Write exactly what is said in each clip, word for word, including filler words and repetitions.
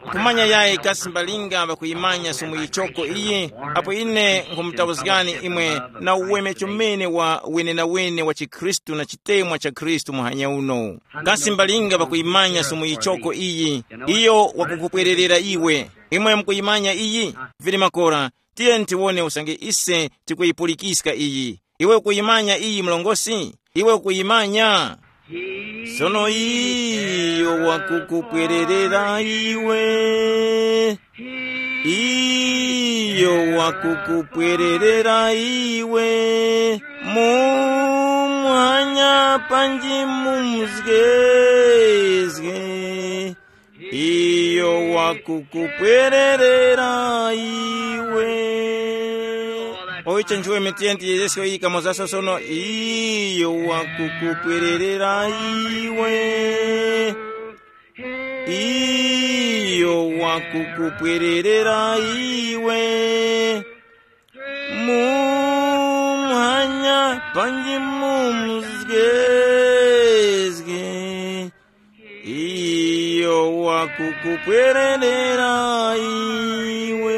Kumanya yayi kasi mbalinga ŵakuyimanya sumu yichoko iyi, apo ine nkhumutauzgani imwe na uweme chomene wa wenenawene wa chikhristu na chitemwa cha Khristu muhanya uno. Kasi mbalinga ŵakuyimanya sumu yichoko iyi, iyo wakukupwererera iwe. Imwe mukuyimanya iyi? Vili makora, tiye tiwone usange ise tikuyipulikiska iyi. Iwe ukuyimanya iyi mlongosi? Iwe ukuyimanya? Sono iyo wakukupwererera iwe. Iyo wakukupwererera iwe. Mumwanya panji mumzgezge. Iyo wakukupwererera iwe. Oicho nchiwe mitenti yesu yikamozaso sono, iyo wakukupwererera iwe. Iyo wakukupwererera iwe. Mumwanya panji mumzgezge. Iyo wakukupwererera iwe.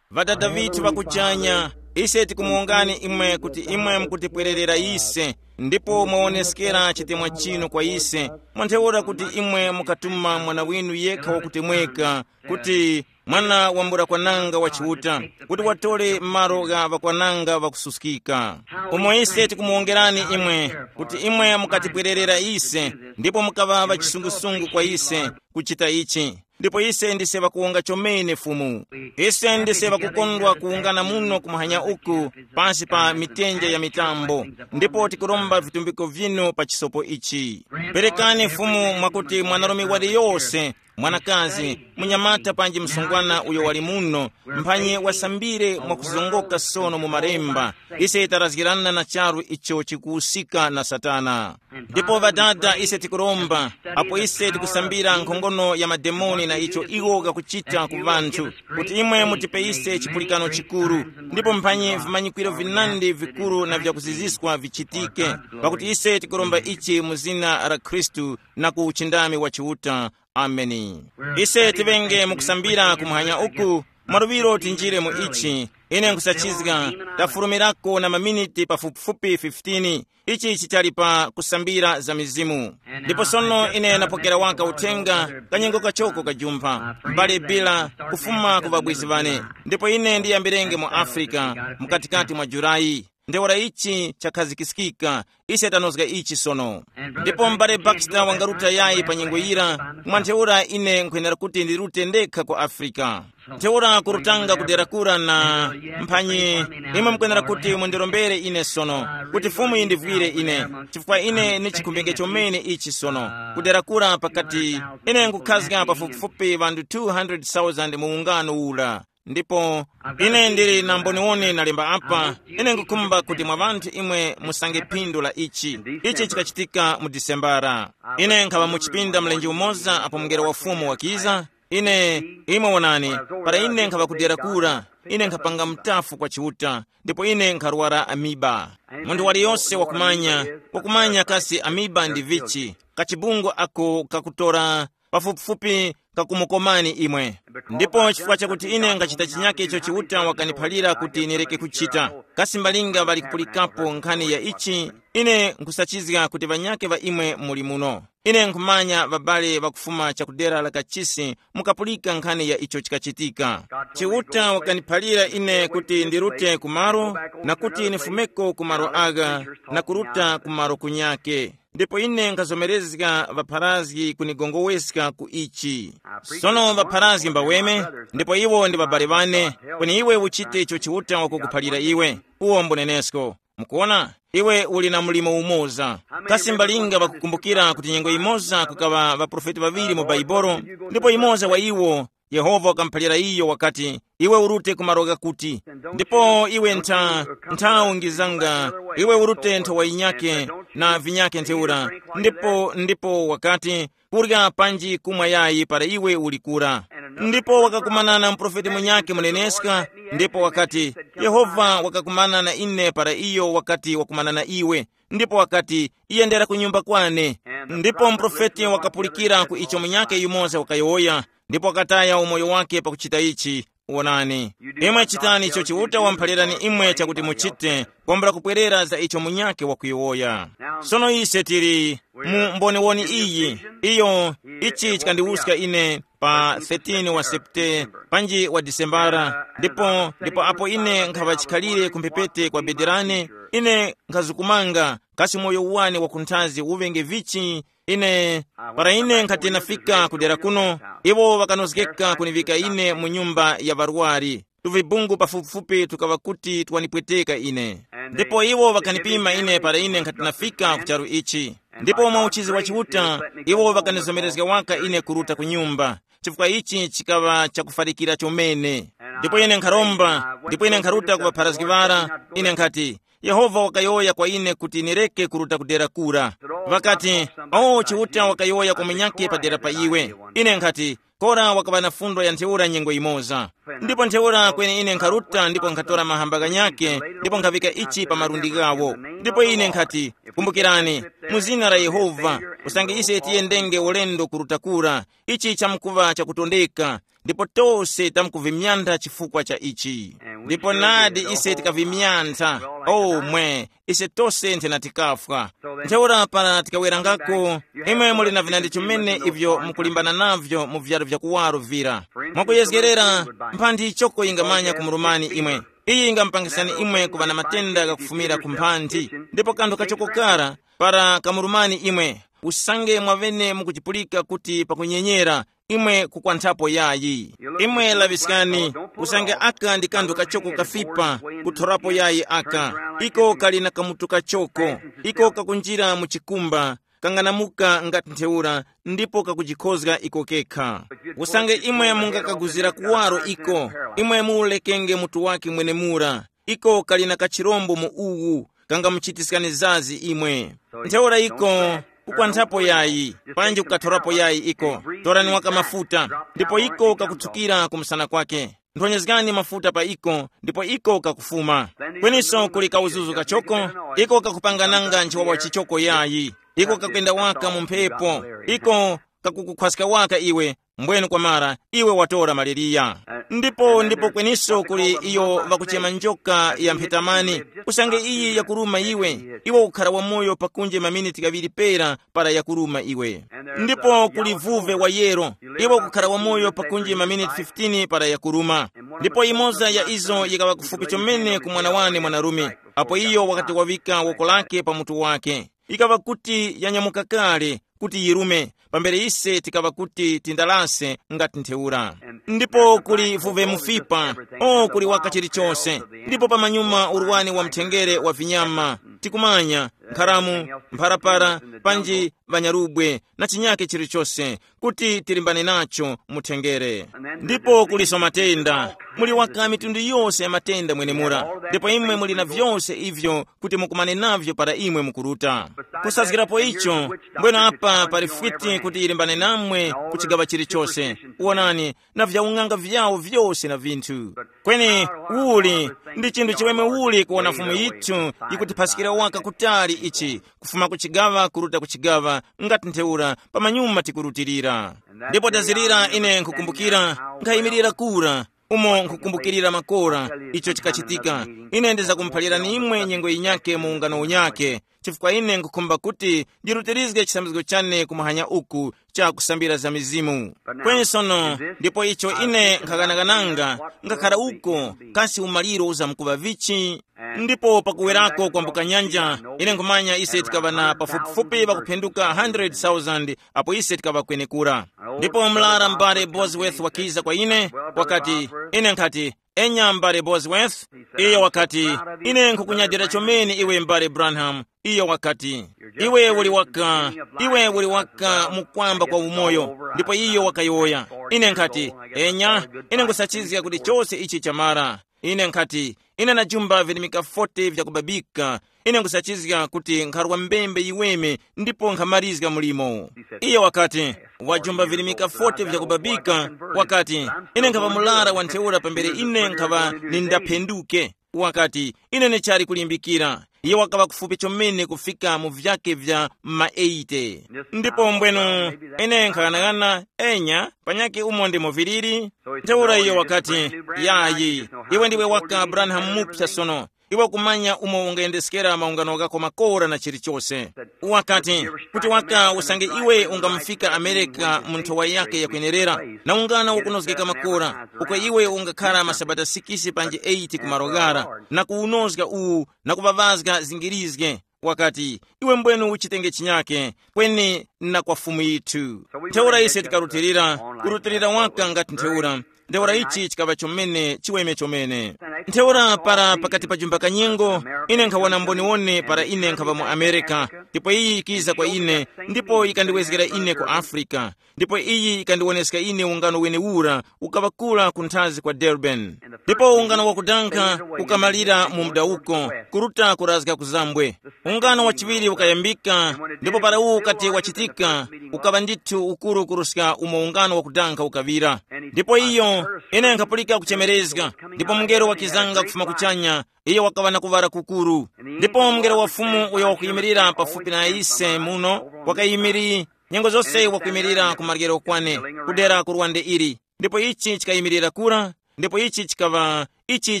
Ŵadada vithu ŵakuchanya, ise tikumuwongani imwe kuti imwe mukutipwererera ise, ndipo mwawoneskera chitemwa chinu kwa ise, mwantheura kuti imwe mukatuma mwana winu yekha wakutemweka, kuti mwana wambula kwananga wa Chiuta, kuti watore malo gha ŵakwananga ŵakususkika. Umo ise tikumuwongerani imwe, kuti imwe mukatipwererera ise, ndipo mukaŵa ŵachisungusungu kwa ise kuchita ichi. Ndipo ise ndise ŵakuwonga chomene Fumu. Ise ndise ŵakukondwa kuwungana muno kumuhanya uku, pasi pa mitenje ya mitambo, ndipo tikuromba vitumbiko vinu pa chisopo ichi. Perekani Fumu mwakuti mwanarume waliyose, mwanakazi, munyamata panji msungwana uyo wali muno, mphanyi wasambire mwakuzongoka sono mu malemba, ise tarazgirana na charu icho chikuwusika na Satana. Ndipo ŵadada ise tikuromba, apo ise tikusambira nkhongono ya mademoni na icho iwo gakuchita ku ŵanthu, kuti imwe mutipe ise chipulikano chikuru, ndipo mphanyi vimanyikwiro vinandi vikuru na vyakuziziswa vichitike, pakuti ise tikuromba ichi mu zina la Khristu na ku uchindami wa Chiuta. Ameni. Ise tivenge mukusambira kumuhanya uku, mwaluŵiro tinjire mu ichi. Ine nkhusachizga, tafurumirako na maminiti pafupifupi fifteen. Ichi chichali pa kusambira za mizimu. Ndipo sono ine napokera waka uthenga kanyengo kachoko kajumpha, mbale bila, kufuma ku ŵabwezi ŵane. Ndipo ine ndiyambirenge mu Afrika, mkatikati mwa Julayi. Ntheura ichi chakhazikiskika, ise tanozga ichi sono. Ndipo m'bale Baxter wangaruta yayi pa nyengo yira, mwa ntheura ine nkhwenera kuti ndirute ndekha ku Afrika. Ntheura kurutanga kudera kura na mphanyi, imwe mukwenera kuti mundirombere ine sono, kuti Fumu yindivwire ine, chifukwa ine ni chikhumbenge chomene ichi sono, kudera kura pakati ine nkukhazga pafupifupi ŵanthu two hundred thousand mu ungano ura. Ndipo ine ndili na mboniwoni nalemba apa, ine nkukhumba kuti mwa ŵanthu imwe musange phindu la ichi. Ichi chikachitika mu Disembara. Ine nkhaŵa mu chipinda mlenje umoza apo mngelo wa Fumu wakiza. Ine, imwe wonani, para ine nkhaŵa kudera kura, ine nkhapanga mutafu kwa Chiuta, ndipo ine nkharwara amiba. Munthu waliyose wakumanya, wakumanya kasi amiba ndi vichi, kachibungu ako kakutora pafupifupi kakumukomani imwe. Ndipo chifukwa chakuti ine ngachita chinyake icho Chiuta wakaniphalira kuti nireke kuchita, kasi mbalinga ŵali kupulikapo nkhani ya ichi? Ine nkhusachizga kuti ŵanyake ŵa imwe muli muno. Ine nkhumanya ŵabale ŵakufuma chakudera la kachisi mukapulika nkhani ya icho chikachitika. Chiuta wakaniphalira ine kuti ndirute kumaro, na kuti nifumeko kumaro agha, na kuruta kumaro kunyake. Ndipo ine nkhazomerezga ŵapharazgi kunigongoweska ku ichi. Sono ŵapharazgi mbaweme, ndipo iwo ndi ŵabale ŵane, kweni iwe uchite icho Chiuta wakukuphalira iwe, uwo mbunenesko. Mukuona, iwe uli na mlimo umoza. Kasi mbalinga ŵakukumbukira kuti nyengo imoza kukaŵa ŵaprofeti ŵaŵiri mu Baibolo, ndipo imoza wa iwo Yehova wakamuphalira iyo wakati, iwe urute ku malo ghakuti, ndipo iwe ntha, ntha ungizanga, iwe urute ntho wa yinyake na vinyake ntheura. Ndipo, ndipo wakati, kurya panji kumwa yayi para iwe uli kura. Ndipo wakakumana na muprofeti munyakhe muneneska, ndipo wakati, Yehova wakakumana na ine para iyo wakati wakumana na iwe. Ndipo wakati, yendera ku nyumba kwane. Ndipo muprofeti wakapulikira ku icho munyakhe yumoza wakayowoya, ndipo wakataya umoyo wake pakuchita ichi. Wonani, imwe chitani icho Chiuta wamphalirani imwe chakuti muchite, kwambula kupwerera za icho munyakhe wakuyowoya. Sono ise tili mu mboniwoni iyi, iyo, ichi chikandiwuska ine pa thirteen wa Septe, panji wa Disembara, ndipo ndipo apo ine nkhaŵa chikhalire ku mphepete kwa bedi lane, ine nkhazukumanga, kasi moyo wane wakunthazi uŵenge vichi? Ine, para ine nkhati nafika ku dera kuno, iwo ŵakanozgeka kuniŵika ine mu nyumba ya ŵarwari, tuvibungu pafupifupi tukaŵa kuti twanipweteka ine. Ndipo iwo ŵakanipima ine para ine nkhati nafika ku charu ichi. Ndipo mwa uchizi wa Chiuta, iwo ŵakanizomerezga waka ine kuruta ku nyumba, chifukwa ichi chikaŵa chakufarikira chomene. Ndipo ine nkharomba, ndipo ine nkharuta ku ŵapharazgi ŵara, ine nkhati, Yehova wakayowoya kwa ine kuti nireke kuruta ku dera kura. Ŵakati, o, Chiuta wakayowoya kwa munyakhe padera pa iwe. Ine nkhati, kora wakaŵa na fundo ya ntheura nyengo yimoza. Ndipo ntheura kweni ine nkharuta ndipo nkhatora mahamba ghanyakhe, ndipo nkhaŵika ichi pa malundi ghawo. Ndipo ine nkhati, kumbukirani, mu zina la Yehova, usange ise tiyendenge ulendo kuruta kura, ichi chamkuŵa chakutondeka, ndipo tose tamkuvimyantha chifukwa cha ichi. Ndipo nadi ise tikavimyantha, omwe, ise tose nthena tikafwa. Ntheura para tikawerangako, imwe muli na vinandi chimene ivyo mukulimbana navyo mu vyaro vya kuwaro vira. Mwakuyezgerera, mphanthi choko yingamanya kumurumani imwe. Iyi yingamupangisani imwe kuŵa na matenda ghakufumira ku mphanthi. Ndipo kanthu kachoko kara para kamurumani imwe, usange mwavene mukujipulika kuti pakunyenyera, imwe kukwanthapo yayi. Imwe laŵiskani, usange aka ndi kanthu kachoko kafipa, kuthorapo yayi aka. Iko kali na kamutu kachoko, iko kakunjira mu chikumba, kanganamuka ngati ntheura, ndipo kakujikhozga iko kekha. Usange imwe mungakaguzira kuwaro iko, imwe muulekenge mutu wake mwenemura. Iko kali na kachirombo mu uwu, kangamuchitiskani zazi imwe. Ntheura iko kukwanthapo yayi, panji kukathorapo yayi iko. Torani waka mafuta, ndipo iko kakutsukira ku msana kwake. Nthonyezgani mafuta pa iko, ndipo iko kakufuma. Kweniso kuli kauzuzu kachoko, iko kakupangananga nchiwawa chichoko yayi. Iko kakwenda waka mu mphepo, iko kakukukhwaska waka iwe, mbwenu kwamara, iwe watora maleriya. Ndipo ndipo kweniso kuli iyo ŵakuchema njoka ya mphetamani, usange iyi yakuruma iwe, iwe ukhara wamoyo pakunje maminiti ghaŵiri pera para yakuruma iwe. Ndipo kuli vuve wa yero, iwe ukukhara wamoyo pakunje maminiti fifteen para yakuruma. Ndipo imoza ya izo yikaŵa kufupi chomene ku mwana wane mwanarume, apo iyo wakati waŵika woko lake pa mutu wake, ikaŵa kuti yanyamuka kale kuti yirume, pambere ise tikaŵa kuti tindalase ngati ntheura. Ndipo kuli vuve mufipa, o kuli waka chilichose. Ndipo pamanyuma urwani wa mthengere wa vinyama, tikumanya, nkharamu, mpharapara, panji ŵanyarubwe, na chinyake chilichose, kuti tilimbane nacho muthengere. Ndipo kuliso matenda, muli waka mitundu yose ya matenda mwenemura. Ndipo imwe muli na vyose ivyo kuti mukumane navyo para imwe mukuruta. Kusazgirapo icho, mbweno apa pali fwiti kuti ilimbane namwe ku chigaŵa chilichose. Wonani, na vyaung'anga vyawo vyose na vinthu. Kweni uli ndi chinthu chiweme uli kuwona Fumu yithu yikutiphaskira waka kutali ichi, kufuma ku chigaŵa kuruta ku chigaŵa, ngati ntheura pamanyuma tikurutilira. Ndipo tazirira ine nkukumbukira, nkhayimirira kura, umo nkukumbukirira makora icho chikachitika. Ine ndizakumuphalirani imwe nyengo yinyake mu ungano unyake, chifukwa ine nkukhumba kuti ndirutirizge chisambizgo chane kumuhanya uku cha kusambira za mizimu. Kweni sono, ndipo icho ine nkhaganagananga, ngakhara uko, kasi umaliro uzamkuŵa vichi? Ndipo pakuwerako kwambuka nyanja, ine nkhumanya ise tikaŵa na pafupifupi pakuphenduka one hundred thousand apo ise tikaŵa kwenekura. Ndipo mlara m'bale Bosworth wakiza kwa ine, wakati, ine nkhati, enya m'bale Bosworth, iyo wakati, ine nkhukunyadira chomene iwe m'bale Branham. Iyo wakati, iwe uli waka, iwe uli waka mukwamba kwa umoyo. Ndipo iyo wakayowoya. Ine nkhati, enya, ine nkhusachizga kuti chose ichi chamara. Ine nkhati, ine najumba virimika forty vyakubabika. Ine nkhusachizga kuti nkharwa mbembe yiweme ndipo nkhamalizga mulimo. Iyo wakati, wajumba virimika forty vyakubabika. Wakati, ine nkhava mulara wa ntheura pambere ine nkhava nindaphenduke. Wakati, ine ndichali kulimbikira. Iye wakaŵa kufupi chomene kufika mu vyake vya ma eighty. Ndipo mbwenu, ine nkhaghanaghana, enya, panyakhe umo ndimo viliri. Ntheura iyo wakati, yayi, iwe ndiwe waka Branham mupsa sono. Iwe kumanya umo ungayendeskera maungano ghako makora na chilichose. Wakati, kuti waka usange iwe ungamufika Amerika mu nthowa yake yakwenerera, na ungano ukunozgeka makora, uko iwe ungakhara masabata sikisi panji eight ku malo ghara, na kuwunozga uwu, na kuŵaŵazga zingirizge. Wakati, iwe mbwenu uchitenge chinyake, kweni na kwa Fumu yithu. Ntheura ise tikarutilira, kurutilira waka ngati ntheura. Ntheura ichi chikaŵa chomene chiweme chomene. Ntheura para pakati pa jumba kanyengo, ine nkhawona mboniwone para ine nkhaŵa mu Amerika, ndipo iyi yikiza kwa ine, ndipo yikandiwezgera ine ku Afrika. Ndipo iyi yikandiwoneska ine ungano wenewura ukaŵakula kunthazi kwa Durban. Ndipo ungano wakudankha ukamalira mu mdawuko, kuruta kurazga ku zambwe. Ungano wachiŵiri ukayambika, ndipo para uwu ukati wachitika, ukaŵa ndithu ukuru kuruska umo ungano wakudankha ukaŵira. Ndipo iyo, ine nkhapulika kuchemerezga, ndipo mungelo wakizanga kufuma kuchanya, iyo wakaŵa na kuŵala kukuru. Ndipo mungelo wa Fumu uyo wakuyimirira pafupi na ise muno, wakayimiri, nyengo zose wakwimirira ku maryero kwane, kudera ku lwande ili. Ndipo ichi chikayimirira kura, ndipo ichi chikaŵa, ichi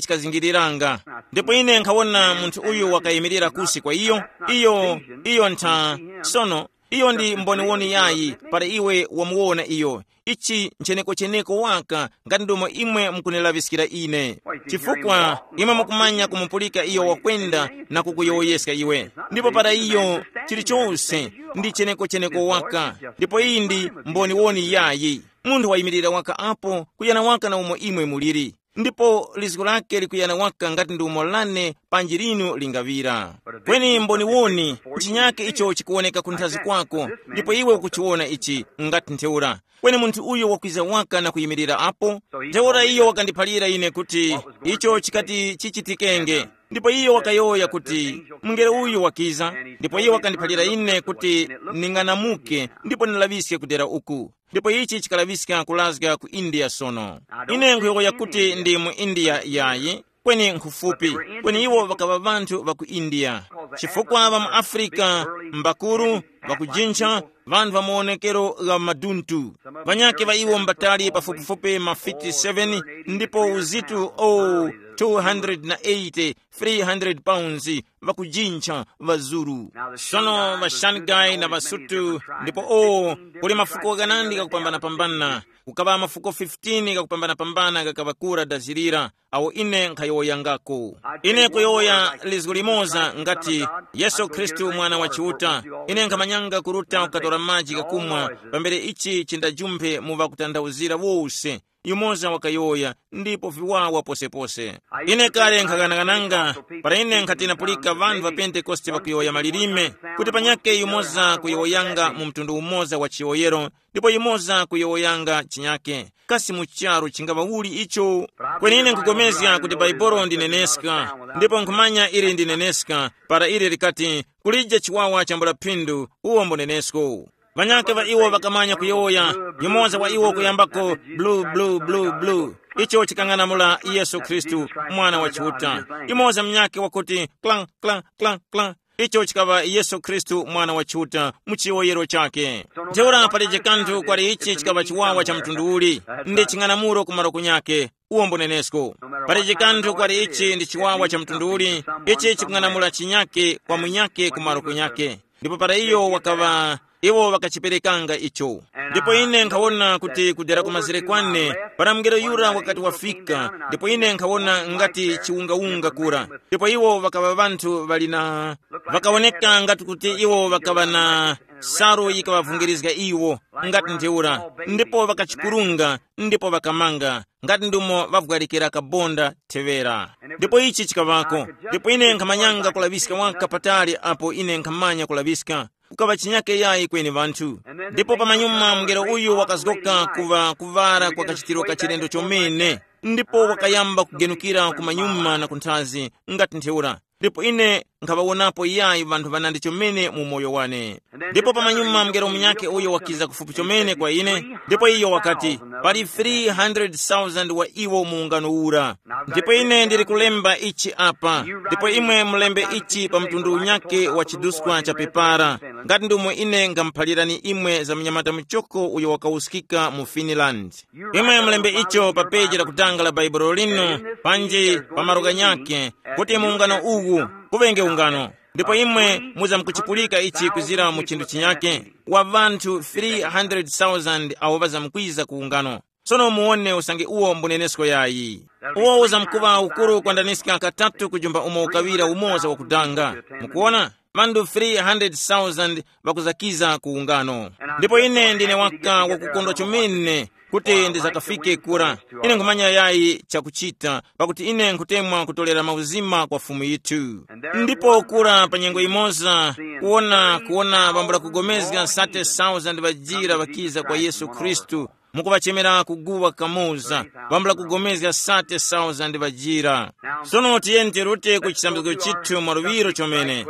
chikazingiriranga. Ndipo ine nkhawona munthu uyu wakayimirira kusi kwa iyo, iyo, iyo ntha, sono, iyo ndi mboniwoni yayi, para iwe wamuwona iyo. Ichi ncheneko-cheneko waka, ngati ndomo imwe mukunilaŵiskira ine. Chifukwa imwe mukumanya kumupulika iyo wakwenda na kukuyowoyeska iwe. Ndipo para iyo, chilichose ndi cheneko-cheneko waka. Ndipo iyi ndi mboniwoni yayi. Munthu wayimirira waka apo, kuyana waka na umo imwe muliri. Ndipo lizgu lake likuyana waka ngati ndi umo lane panji linu lingaŵira. Kweni mboniwoni, chinyake icho chikuwoneka kunthazi kwako, ndipo iwe ukuchiwona ichi ngati ntheura. Kweni munthu uyo wakwiza waka na kuyimirira apo, ntheura iyo wakandiphalira ine kuti icho chikati chichitikenge. Ndipo iyo wakayowoya kuti, mungelo uyu wakiza, ndipo iyo wakandiphalira ine kuti ning'anamuke ndipo ndilaŵiske kudera uku. Ndipo ichi chikalaŵiska kulazga ku India sono. Ine nkhuyowoya kuti ndi mu India yayi, kweni nkhufupi, kweni iwo ŵakaŵa ŵanthu ŵa ku India. Chifukwa ŵa mu Afrika mbakuru, ŵakujincha, ŵanthu ŵa maonekero gha maduntu. Ŵanyakhe ŵa iwo mbatali pafupifupi mafiti seven, ndipo uzitu o two hundred na eighty, three hundred pounds, ŵakujincha ŵazuru. Sono ŵaShangai na ŵaSutu, ndipo o, kuli mafuko ghanandi gakupambanapambana. Kukaŵa mafuko fifteen gakupambanapambana gakaŵa kura dazirira, awo ine nkhayowoyangako. Ine kuyowoya lizgu limoza ngati, Yesu Khristu Mwana wa Chiuta. Ine nkhamanyanga kuruta kukatora maji ghakumwa, pambere ichi chindajumphe mu ŵakutanthauzira wose. Yumoza wakayowoya, ndipo viwawa posepose. Ine kale nkhaghanaghananga, para ine nkhati napulika ŵanthu ŵa Pentekoste ŵakuyowoya malilime, kuti panyakhe yumoza kuyowoyanga mu mtundu umoza wa chiyowoyero, ndipo yumoza kuyowoyanga chinyakhe. Kasi mu charu chingaŵa uli icho? Kweni ine nkupulikana kuti Bhaibuli ndi neneska, ndipo nkhumanya ili ndi neneska, para ili likati, kulije chiwawa chambula phindu, uwo mbo nenesko. Ŵanyakhe ŵa iwo ŵakamanya kuyowoya, yumoza wa iwo kuyambako, blu blu blu blu, icho chikang'anamula Yesu Khristu, Mwana wa Chiuta. Yumoza munyakhe wakuti, klang klang klang klang, icho chikaŵa Yesu Khristu, Mwana wa Chiuta, mu chiyowoyero chakhe. Ntheura palije kanthu kwali ichi chikaŵa chiwawa cha mtundu uli, ndi ching'anamulo ku malo kunyakhe, uwo mbo nenesko. Palije kanthu kwali ichi ndi chiwawa cha mtundu uli, ichi chikung'anamula chinyakhe kwa munyakhe ku malo kunyakhe. Ndipo para iyo wakaŵa, iwo ŵakachiperekanga icho. Ndipo ine nkhawona kuti kudera ku mazere kwane, para mngelo yura wakati wafika, ndipo ine nkhawona ngati chiwungawunga kura. Ndipo iwo ŵakaŵa ŵanthu ŵali na, ŵakawoneka ngati kuti iwo ŵakaŵa na salu yikaŵavungirizga iwo, ngati ntheura, ndipo ŵakachikurunga, ndipo ŵakamanga, ngati ndumo ŵavwarikira kabonda theŵera. Ndipo ichi chikaŵako, ndipo ine nkhamanyanga kulaŵiska waka patali apo ine nkhamanya kulaŵiska, kukaŵa chinyake yayi kweni ŵanthu. Ndipo pamanyuma mungelo uyu wakazgoka kuŵa kuŵara kwa kachitiro ka chilendo chomene, ndipo wakayamba kugenukira kumanyuma na kunthazi, ngati ntheura. Ndipo ine nkhaŵawonapo yayi vanthu ŵanandi chomene mu moyo wane. Ndipo pamanyuma mngelo munyakhe uyo wakiza kufupi chomene kwa ine, ndipo iyo wakati, pali three hundred thousand wa iwo mu ungano ura. Ndipo ine ndili kulemba ichi apa, ndipo imwe mulembe ichi pa mtundu unyakhe wa chiduskwa cha pepara, ngati ndomwe ine ngamuphalirani imwe za mnyamata muchoko uyo wakawuskika mu Finland. Imwe mulembe icho pa peji lakutanga la Baibulo linu, panji pa malo ghanyakhe, kuti mu ungano uwu kuŵenge ungano. Ndipo imwe muzamkuchipulika ichi kuzira mu chinthu chinyake, wa vanthu three hundred thousand awo ŵazamkwiza ku ungano. Sono muwone usange uwo mbunenesko yayi. Uwo uzamkuŵa ukuru kwandaniska katatu kujumba umo ukaŵira umoza wakudanga. Mukuona? Vanthu three hundred thousand ŵakuzakiza ku ungano. Ndipo ine ndine waka wakukondwa chomene kuti ndizakafike kura. Ine nkhumanya yayi chakuchita, pakuti ine nkhutemwa kutolera mauzima kwa Fumu yithu. Ndipo kura pa nyengo imoza, kuwona kuwona bambula kugomezga thirty thousand ŵajira ŵakiza kwa Yesu Khristu, mukuŵachemera kuguwa kamoza, bambula kugomezga thirty thousand ŵajira. Sono tiyeni tirute ku chisambizgo chithu mwaluŵiro chomene.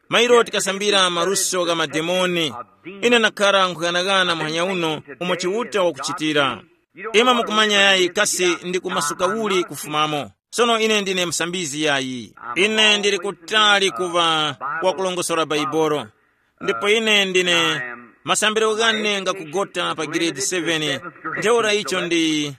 Mairo tikasambira maluso gha mademoni. Ine nakhala nkhuyanaghana muhanya uno umo Chiuta wakuchitira. Imwe mukumanya yayi kasi ndi kumasuka uli kufumamo. Sono ine ndine msambizi yayi. Ine ndili kutali kuva wakulongosora Baibolo. Ndipo ine ndine masambiro ghane ngakugota pa giredi seven. Ntheura icho ndi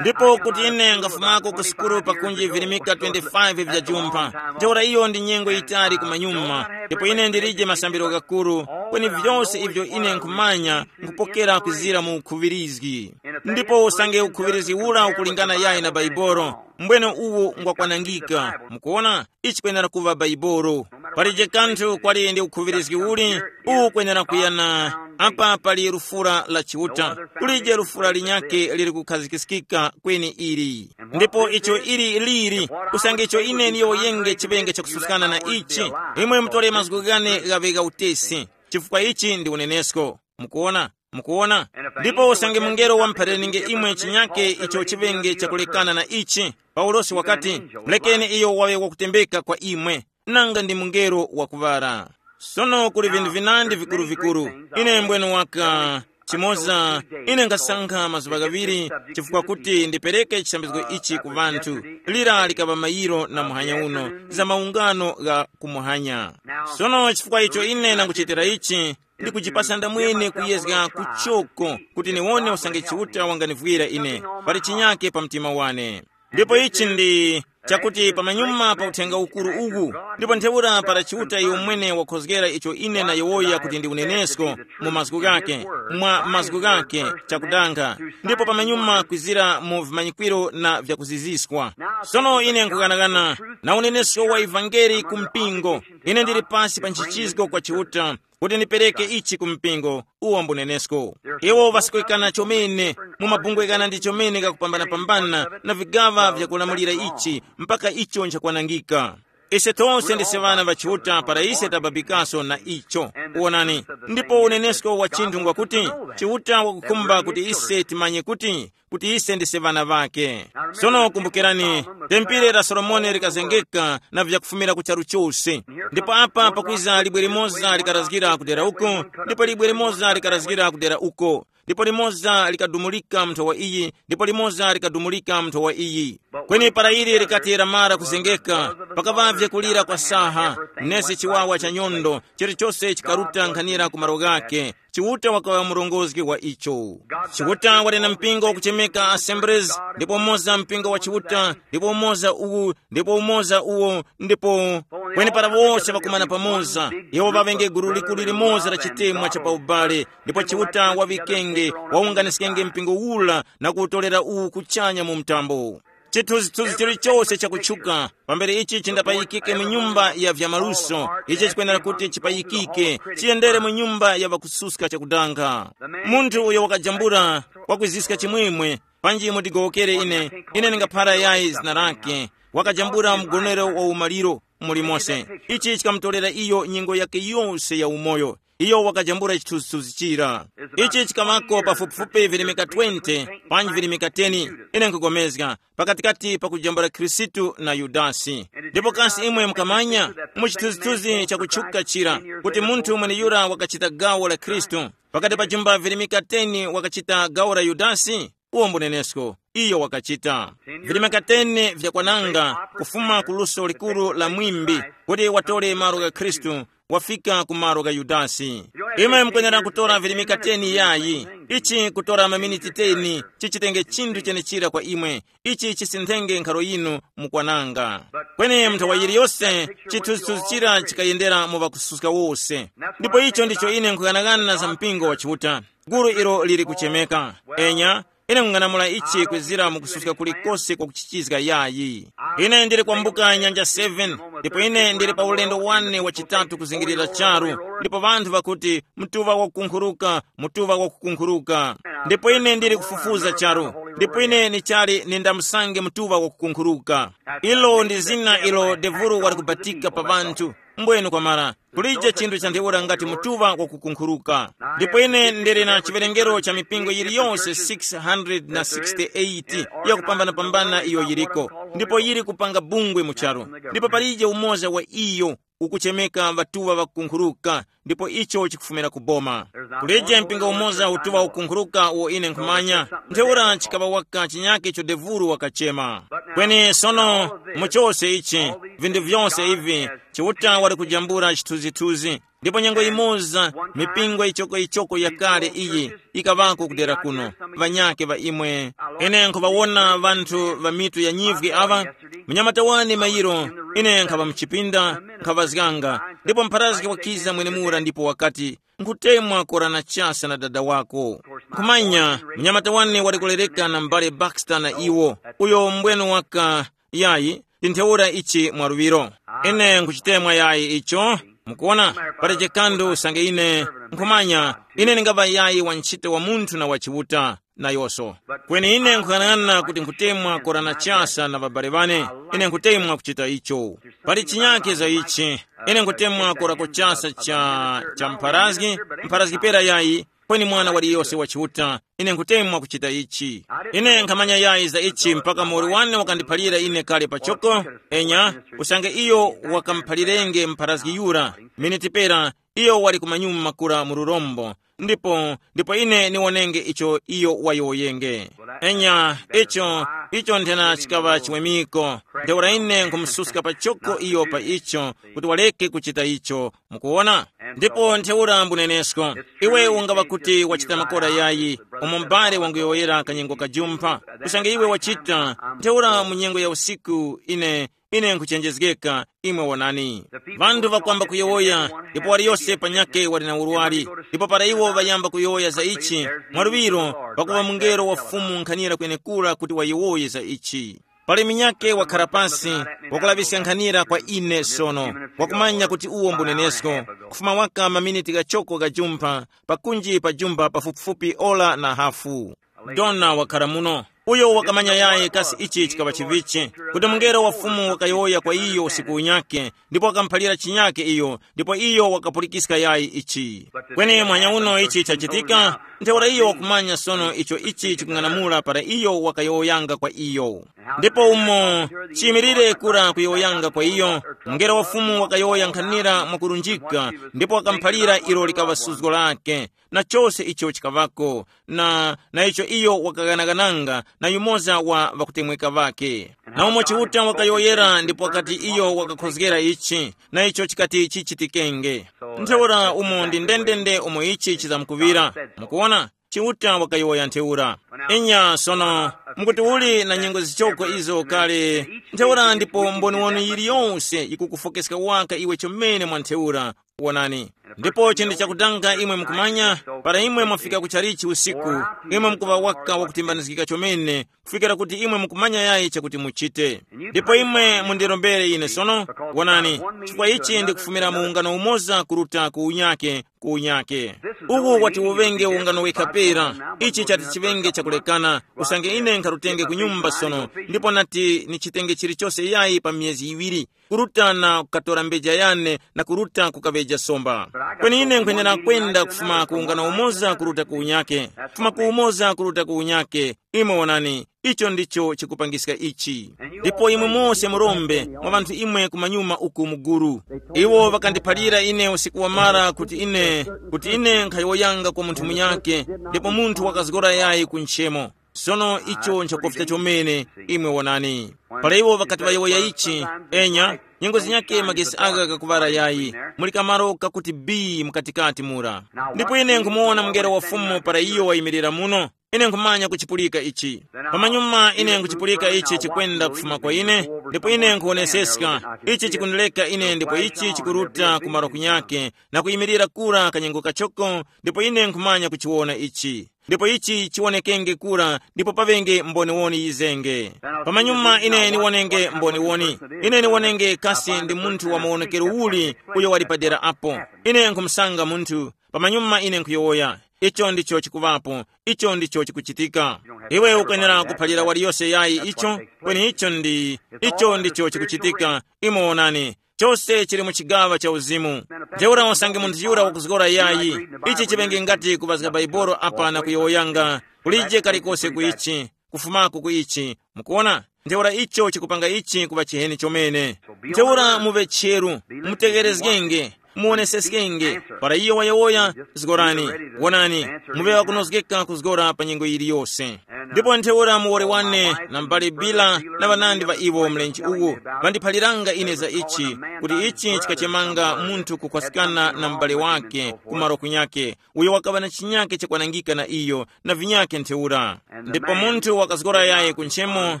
ndipo kuti ine ngafumako ku sukulu pakunji virimika twenty-five vya jumpha. Ntheura iyo ndi nyengo yitali kumanyuma. Ndipo ine ndilije masambiro ghakuru, kweni vyose ivyo ine nkhumanya nkupokera kuzira mu ukhuŵirizgi. Ndipo usange ukhuŵirizgi ura ukulingana yayi na Baibolo, mbwene uwo ngwakwanangika. Mukuona, ichi kwenera kuŵa Baibolo. Palije kanthu kwali ndi ukhuŵirizgi uli, uwu kwenera kuyana. Apa pali lufura la Chiuta, kulije lufura linyake liri kukhazikiskika kweni ili. Ndipo icho ili liri, usange icho ine niyo yenge chiŵenge chakususkana na ichi, imwe mutore mazgu ghane ghaŵe gha utesi, chifukwa ichi ndi unenesko. Mukuona? Mukuona? Ndipo usange mungelo wamuphaliraninge imwe chinyake icho chiŵenge chakulekana na ichi, Paulosi wakati, mulekeni iyo waŵe wakutembeka kwa imwe, nanga ndi mungelo wakuŵala. Sono kuli vinthu vinandi vikuru-vikuru. Ine mbwene waka chimoza, ine ngasankha mazuŵa ghaŵiri, chifukwa kuti ndipereke chisambizgo ichi ku vanthu. Lira likaŵa mayiro na muhanya uno za maungano gha kumuhanya. Sono chifukwa icho ine nanguchitira ichi, ndikujipasa ndamwene kuyezga kuchoko kuti niwone usange Chiuta wanganivwira ine, pali chinyake pa mtima wane. Ndipo ichi ndi chakuti pamanyuma pa uthenga ukuru uwu, ndipo ntheura para Chiuta iyo mwene wakhozgera icho ine nayowoya kuti ndi unenesko mu mazgu ghake, mwa mazgu ghake, chakudanga, ndipo pamanyuma kwizira mu vimanyikwiro na vyakuziziskwa. Sono ine nkughanagana na unenesko wa ivangeli ku mpingo. Ine ndili pasi pa nchichizgo kwa Chiuta kuti ndipereke ichi ku mpingo, uwo mbunenesko. Iwo ŵasikwekana chomene mu mabungwe ghana ndi chomene ghakupambana-pambana na vigaŵa vyakulamulira ichi mpaka icho nchakwanangika. Ise tose ndise ŵana ŵa Chiuta para ise tababikaso na icho. Wonani, ndipo unenesko wa chinthu ngwakuti, Chiuta wakukhumba kuti ise timanye kuti kuti ise ndise ŵana ŵakhe. Sono kumbukirani, tempere la Solomoni likazengeka na vyakufumira ku charu chose. Ndipo apa pakwiza libwe limoza likarazgira kudera uko, ndipo libwe limoza likarazgira kudera uko, ndipo limoza likadumulika mu nthowa iyi, ndipo limoza likadumulika mu nthowa iyi. Kweni para ili likati lamara kuzengeka, pakaŵavye kulira kwa saha, nesi chiwawa cha nyondo, chilichose chikaruta nkhanira ku malo ghakhe. Chiuta wakaŵa murongozgi wa icho. Chiuta wali na mpingo wakuchemeka Assemblies, ndipo umoza mpingo wa Chiuta, ndipo umoza uwu, ndipo umoza uwo, ndipo kweni para wose ŵakumana pamoza, iwo ŵaŵenge gulu likuru limoza la chitemwa cha paubale, ndipo Chiuta waŵikenge, wawunganiskenge mpingo ula na kuwutolera uwu kuchanya mu mtambo. Chithunzithunzi chilichose chakutchuka pambere ichi chindapayikike mu nyumba ya vyamaluso, ichi chikwenera kuti chipayikike, chiyendere mu nyumba ya ŵakususka chakudanga. Munthu uyo wakajambula, wakwiziska chimwemwe, panji mutigowokere ine, ine ndingaphara yayi zina lake, wakajambula mgonero wa umaliro mulimonse. Ichi chikamutolera iyo nyengo yake yose ya umoyo. Iyo wakajambula chithunzithunzi chira. Ichi chikamako pafupifupi virimika twenty, panji virimika ten, ine nkugomezga, pakatikati pa kujambula Khristu na Yudasi. Ndipo kasi imwe mukamanya, mu chithunzithunzi chakutchuka chira, kuti munthu mweneyura wakachita gawo la Khristu, pakati pa jumba virimika ten wakachita gawo la Yudasi? Uwo mbunenesko, iyo wakachita. Virimika ten vyakwananga kufuma ku luso likuru la mwimbi, kuti watole malo gha Khristu, wafika ku malo gha Yudasi. Imwe mukwenera kutora virimika ten yayi. Ichi kutora maminiti ten chichitenge chinthu chenechira kwa imwe. Ichi chisinthenge nkharo yinu mukwananga. Kweni nthawa yiliyose chithunzithunzi chira chikayendera mu ŵakususka wose. Ndipo icho ndicho ine nkughanagana za mpingo wa Chiuta, gulu ilo lili kuchemeka. Enya, ine nkung'anamula ichi kwezira mu kususka kulikose kwa kuchichizga yayi. Ine ndili kwambuka nyanja seven, ndipo ine ndili pa ulendo wane wachitatu kuzingirira charu, ndipo vanthu vakuti, mtuŵa wakukunkhuruka, mtuŵa wakukunkhuruka. Ndipo ine ndili kufufuza charu, ndipo ine nichali nindamusange mtuŵa wakukunkhuruka. Ilo ndi zina ilo devuru wali kubatika pa vanthu. Mbwenu kwamara, kulije chinthu cha ntheura ngati mutuŵa wakukunkhuruka. Ndipo ine ndili na chiwerengero cha mipingo yiliyonse six hundred na sixty-eight yakupambanapambana iyo yiliko, ndipo yili kupanga bungwe mu charu. Ndipo palije umoza wa iyo ukuchemeka ŵatuŵa ŵakukunkhuruka, ndipo icho chikufumira ku boma. Kulije mpingo umoza utuŵa ukunkhuruka uwo ine nkhumanya, ntheura chikaŵa waka chinyake icho devuru wakachema. Kweni sono, mu chose ichi, vinthu vyose ivi, Chiuta wali kujambula chithunzithunzi. Ndipo nyengo yimoza, mipingo ichokoyichoko yakale iyi yikaŵako kudera kuno. Ŵanyake ŵa imwe, ine nkhuŵawona ŵanthu ŵa mitu ya nyivwi aŵa. Munyamata wane mayiro, ine nkhaŵa mchipinda, nkhaŵazganga, ndipo mpharazgi wakiza mwenemura ndipo wakati, nkhutemwa kora na chasa na dada wako. Nkhumanya, munyamata wane wali kulereka na m'bale Baxter na iwo, uyo mbwenu waka, yayi, ndi ntheura ichi mwaluŵiro. Ine nkhuchitemwa yayi icho. Mukuona, pali chikandu usange ine nkhumanya, ine ndingaŵa yayi wa ntchito wa munthu na wa Chiuta, nayoso. Kweni ine nkhuyang'ana kuti nkhutemwa kora na chasa na ŵabale ŵane, ine nkhutemwa kuchita icho. Pali chinyake za ichi, ine nkhutemwa kora ku chasa cha, cha mpharazgi, mpharazgi pera yayi, kweni mwana waliyose wa Chiuta, ine nkhutemwa kuchita ichi. Ine nkhamanya yayi za ichi mpaka muwoli wane wakandiphalira ine kale pachoko, enya, usange iyo wakamuphalirenge mpharazgi yura, miniti pera, iyo wali kumanyuma makura mu lurombo, ndipo, ndipo ine niwonenge icho iyo wayowoyenge. Enya, icho, icho nthena chikaŵa chiwemiko, ntheura ine nkhumususka pachoko iyo pa icho, kuti waleke kuchita icho, mukuwona? Ndipo ntheura mbunenesko, iwe ungaŵa kuti wachita makora yayi, umo m'bale wanguyowoyera kanyengo kajumpha, usange iwe wachita, ntheura mu nyengo ya usiku ine, ine nkhuchenjezgeka, imwe wonani. Vanthu vakwamba kuyowoya, ndipo waliyose panyakhe wali na urwari, ndipo para iwo ŵayamba kuyowoya za ichi, mwaluŵiro pakuŵa mungelo wa Fumu nkhanira kwenekura kuti wayowoye za ichi. Pali minyakhe wakhara pasi, wakulaŵiska nkhanira kwa ine sono, wakumanya kuti uwo mbunenesko, kufuma waka maminiti ghachoko ghajumpha, pakunji pa jumba pafupifupi ora na hafu. Dona wakhara muno. Uyo wakamanya yayi kasi ichi chikaŵa chivichi, kuti mungelo wa Fumu wakayowoya kwa iyo usiku unyakhe, ndipo wakamuphalira chinyakhe iyo, ndipo iyo wakapulikiska yayi ichi. Kweni mwanya uno ichi chachitika, ntheura iyo wakumanya sono icho ichi chikung'anamula para iyo wakayowoyanga kwa iyo. Ndipo umo chiyimirire kura kuyowoyanga kwa iyo, mungelo wa Fumu wakayowoya nkhanira mwakurunjika, ndipo wakamuphalira ilo likaŵa suzgo lake, na chose icho chikaŵako, na, na icho iyo wakaghanaghananga na yumoza wa ŵakutemweka ŵakhe. Na umo Chiuta wakayowoyera ndipo wakati iyo wakakhozgera ichi, na icho chikati chichitikenge. Ntheura umo ndi ndendende umo ichi chizamkuŵira. Mukuwona? Chiuta wakayowoya ntheura. Inya sono, mukuti uli na nyengo zichoko izo kale, ntheura ndipo mboni wanu yiliyonse yikukufokeska waka iwe chomene mwa ntheura. Wonani. Ndipo chinthu chakudanga imwe mukumanya, para imwe mwafika ku chalichi usiku, imwe mukuŵa waka wakutimbanizgika chomene, kufikira kuti imwe mukumanya yayi chakuti muchite. Ndipo imwe mundirombere ine sono, wonani, chifukwa ichi ndikufumira mu ungano umoza kuruta ku unyake, ku unyake. Uwu wati uŵenge ungano wekha pera, ichi chati chiŵenge chakulekana, usange ine nkharutenge ku nyumba sono, ndipo nati nichitenge chilichose yayi pa myezi yiŵiri, kuruta na kukatora mbeja yane na kuruta kukaŵeja somba. Kweni ine nkhwenera kwenda kufuma ku ungano umoza kuruta ku unyake, kufuma ku umoza kuruta ku unyake. Imwe wonani, icho ndicho chikupangiska ichi. Ndipo imwe mose murombe mwa ŵanthu imwe kumanyuma uku muguru. Iwo ŵakandiphalira ine usiku wamara kuti ine, kuti ine nkhayowoyanga kwa munthu munyake, ndipo munthu wakazgora yayi ku nchemo. Sono icho nchakufika chomene, imwe wonani. Para iwo ŵakati ŵayowoya ichi, enya, nyengo zinyakhe magesi aka kakuŵara yayi, muli kamaro kakuti bii mukatikati mura. Ndipo ine nkhumuwona mungelo wa Fumu para iyo wayimirira muno. Ine nkhumanya kuchipulika ichi. Pamanyuma ine nkuchipulika ichi chikwenda kufuma kwa ine, ndipo ine nkhuwoneseska, ichi chikundileka ine ndipo ichi chikuruta kumaro kunyake, na kuyimirira kura kanyengo kachoko, ndipo ine nkhumanya kuchiwona ichi. Ndipo ichi chiwonekenge kura, ndipo paŵenge mboniwoni yizenge. Pamanyuma ine niwonenge mboniwoni. Ine niwonenge kasi ndi munthu wa mawonekero uli uyo wali padera apo. Ine nkhumusanga munthu, pamanyuma ine nkhuyowoya. Icho ndicho chikuŵapo. Icho ndicho chikuchitika. Iwe ukwenera kuphalira waliyose yayi icho, kweni icho ndi, icho ndicho chikuchitika. Imwe wonani, chose chili mu chigaŵa cha uzimu. Ntheura usange munthu yura wakuzgora yayi, ichi chiŵenge ngati kuŵazga Baibolo apa na kuyowoyanga, kulije kalikose ku ichi, kufumako ku ichi. Mukuona? Ntheura icho chikupanga ichi kuŵa chiheni chomene. Ntheura muŵe cheru, mutegherezgenge, muwoneseskenge. Para iyo wayowoya, zgorani. Wonani, muŵe wakunozgeka kuzgora pa nyengo yiliyose. Ndipo ntheura muwoli wane na m'bale Bila na ŵanandi ŵa iwo mlenje uwu, ŵandiphaliranga ine za ichi, kuti ichi chikachemanga munthu kukhwasikana na m'bale wake ku malo kunyake, uyo wakaŵa na chinyake chakwanangika na iyo, na vinyake ntheura. Ndipo munthu wakazgora yayi ku nchemo,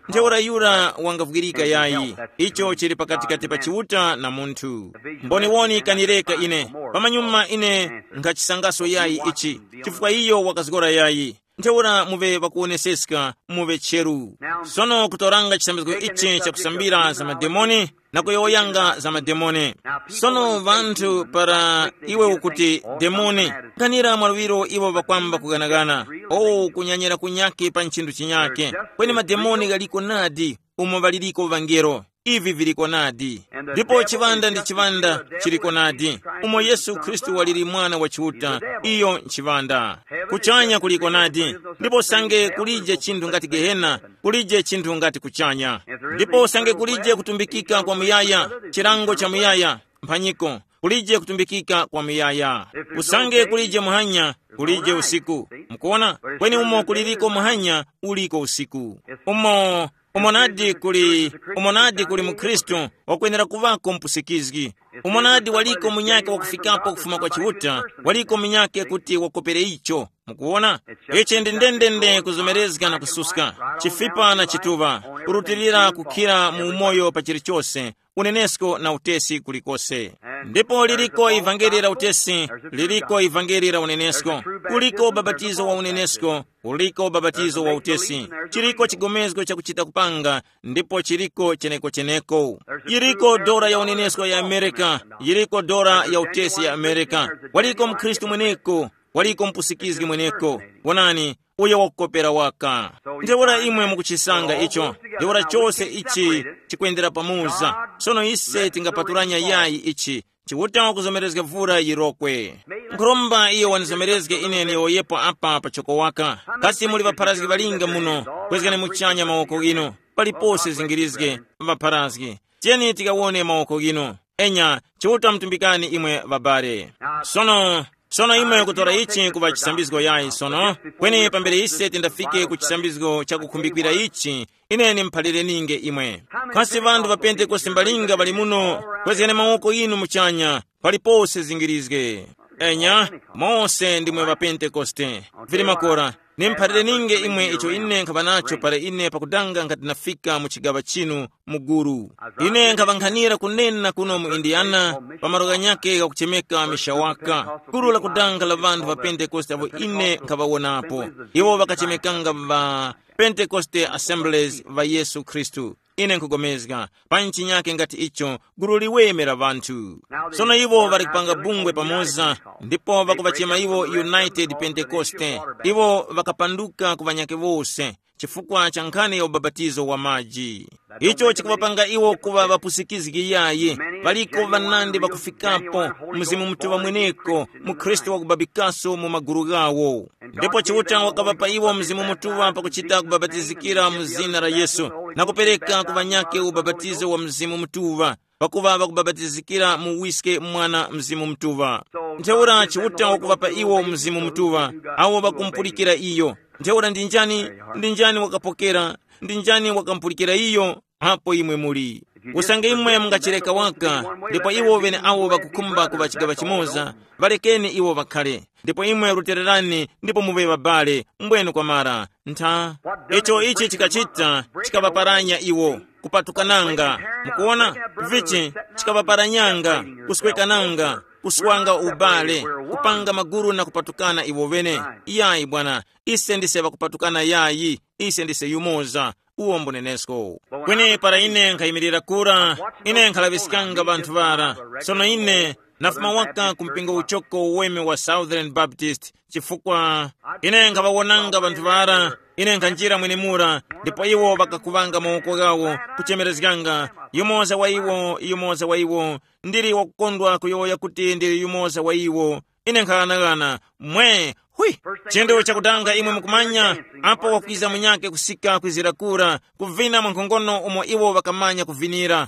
ntheura yura wangavwirika yayi. Icho chili pakatikati pa Chiuta na munthu. Mboniwoni kanireka ine, pamanyuma ine nkhachisangaso yayi ichi, chifukwa iyo wakazgora yayi. Ntheura muŵe ŵakuwoneseska, muŵe cheru. Sono kutoranga chisambizgo ichi chakusambira za mademoni, na kuyowoyanga za mademoni. Sono ŵanthu para iwe ukuti demoni, kanira mwaluŵiro iwo ŵakwamba kuganagana. O, kunyanyira kunyake pa nchinthu chinyake. Kweni mademoni ghaliko nadi, umo ŵaliriko ŵangelo. Ivi viliko nadi. Ndipo chiŵanda ndi chiŵanda chiliko nadi. Umo Yesu Khristu waliri Mwana wa Chiuta, iyo nchiŵanda. Kuchanya kuliko nadi. Ndipo usange kulije chinthu ngati Gehena, kulije chinthu ngati kuchanya. Ndipo usange kulije kutumbikika kwa muyaya, chilango cha muyaya, mphanyiko, kulije kutumbikika kwa muyaya. Usange kulije muhanya, kulije usiku. Mukuona? Kweni umo kuliriko muhanya, uliko usiku. Umo, umo nadi kuli, umo nadi kuli mukhristu, wakwenera kuŵako mpusikizgi. Umo nadi waliko munyake wakufikapo kufuma kwa Chiuta, waliko munyake kuti wakopere icho. Mukuwona? Ichi ndi ndendende kuzomerezga na kususka, chifipa na chituŵa, kurutilira kukhira mu umoyo pa chilichose, unenesko na utesi kulikose. Ndipo liliko ivangeli la utesi, liliko ivangeli la unenesko, kuliko ubapatizo wa unenesko, uliko ubapatizo wa utesi, chiliko chigomezgo chakuchita kupanga, ndipo chiliko cheneko-cheneko. Yiriko dora ya unenesko ya Amerika, yiriko dora ya utesi ya Amerika. Waliko mkhristu mweneko, waliko mpusikizgi mweneko. Wonani, uyo wakukopera waka. Ntheura imwe mukuchisanga icho, ntheura chose ichi chikwendera pamoza. Sono ise tingapaturanya yayi ichi, Chiuta wakuzomerezga vura yirokwe. Nkhuromba iyo wandizomerezge ine ndiyowoyepo apa pachoko waka. Kasi muli ŵapharazgi ŵalinga muno? Kwezgani muchanya mawoko ghinu. Palipose zingirizge, ŵapharazgi. Tiyeni tikawone mawoko ghinu. Enya, Chiuta mutumbikani imwe ŵabale. Sono, sono imwe kutora ichi kuŵa chisambizgo yayi sono, kweni pambere ise tindafike ku chisambizgo chakukhumbikira ichi, ine nimuphalire ninge imwe. Kasi ŵanthu ŵa Pentekoste mbalinga ŵali muno? Kwezgani mawoko ghinu muchanya, palipose zingirizge. Enya, mose ndimwe ŵa Pentekoste. Vili makora, nimuphalire ninge imwe icho ine nkhaŵa nacho para ine pakudanga nkhati nafika mu chigaŵa chinu mu gulu. Ine nkhaŵankhanira kunena kuno mu Indiana, pa malo ghanyakhe ghakuchemeka Mishawaka, gulu lakudanga la ŵanthu ŵa Pentekoste apo ine nkhaŵawonapo. Iwo ŵakachemekanga ŵa Pentekoste Assemblies va Yesu Khristu. Ine nkhugomezga, pa nchinyake ngati icho, gulu liweme la ŵanthu. Sono iwo ŵali kupanga bungwe pamoza, ndipo ŵakuŵachema iwo United Pentecoste. Iwo ŵakapanduka ku ŵanyakhe wose. chifukwa cha nkhani ya ubapatizo wa maji. Icho chikuŵapanga iwo kuŵa ŵapusikizgi yayi. Ŵaliko ŵanandi ŵakufikapo, Mzimu Mutuŵa mweneko, mu Khristu wakubabikaso mu maguru ghawo. Ndipo Chiuta wakaŵapa iwo Mzimu Mutuŵa pakuchita kubabatizikira mu zina la Yesu, na kupereka ku ŵanyakhe ubapatizo wa Mzimu Mutuŵa, pakuva ŵakubabatizikira mu wiske Mwana Mzimu Mutuŵa. Ntheura Chiuta wakuŵapa iwo Mzimu Mutuŵa, awo ŵakumpulikira iyo. Ntheura ndi njani, ndi njani wakapokera, ndi njani wakampulikira iyo? Apo imwe muli. Usange imwe mungachireka waka, ndipo iwo ŵene awo ŵakukhumba kuŵa chigaŵa chimoza, ŵalekeni iwo ŵakhare. Ndipo imwe rutererani, ndipo muŵe ŵabale, mbwenu kwamara. Ntha. Icho ichi chikachita, chikaŵaparanya iwo, kupatukananga. Mukuona? Vichi? Chikaŵaparanyanga, kuswekananga, kuswanga ubale, kupanga maguru na kupatukana iwo ŵene. Iyayi bwana, ise ndise ŵakupatukana yayi, ise ndise yumoza. Uwo mbunenesko. Kweni para ine nkhayimirira kura, ine nkhalaŵiskanga ŵanthu ŵara. Sono ine nafuma waka ku mpingo uchoko uweme wa Southern Baptist, chifukwa ine nkhaŵawonanga ŵanthu ŵara. Ine nkhanjira mwenemura, ndipo iwo ŵakakuŵanga mawoko ghawo, kuchemerezganga, yumoza wa iwo, yumoza wa iwo. Ndili wakukondwa kuyowoya kuti ndili yumoza wa iwo. Ine nkhaghanaghana. Mwe, hui. Chinthu chakudanga imwe mukumanya, apo wakwiza munyakhe kusika kwizira kura, kuvina mwa nkhongono umo iwo ŵakamanya kuvinira.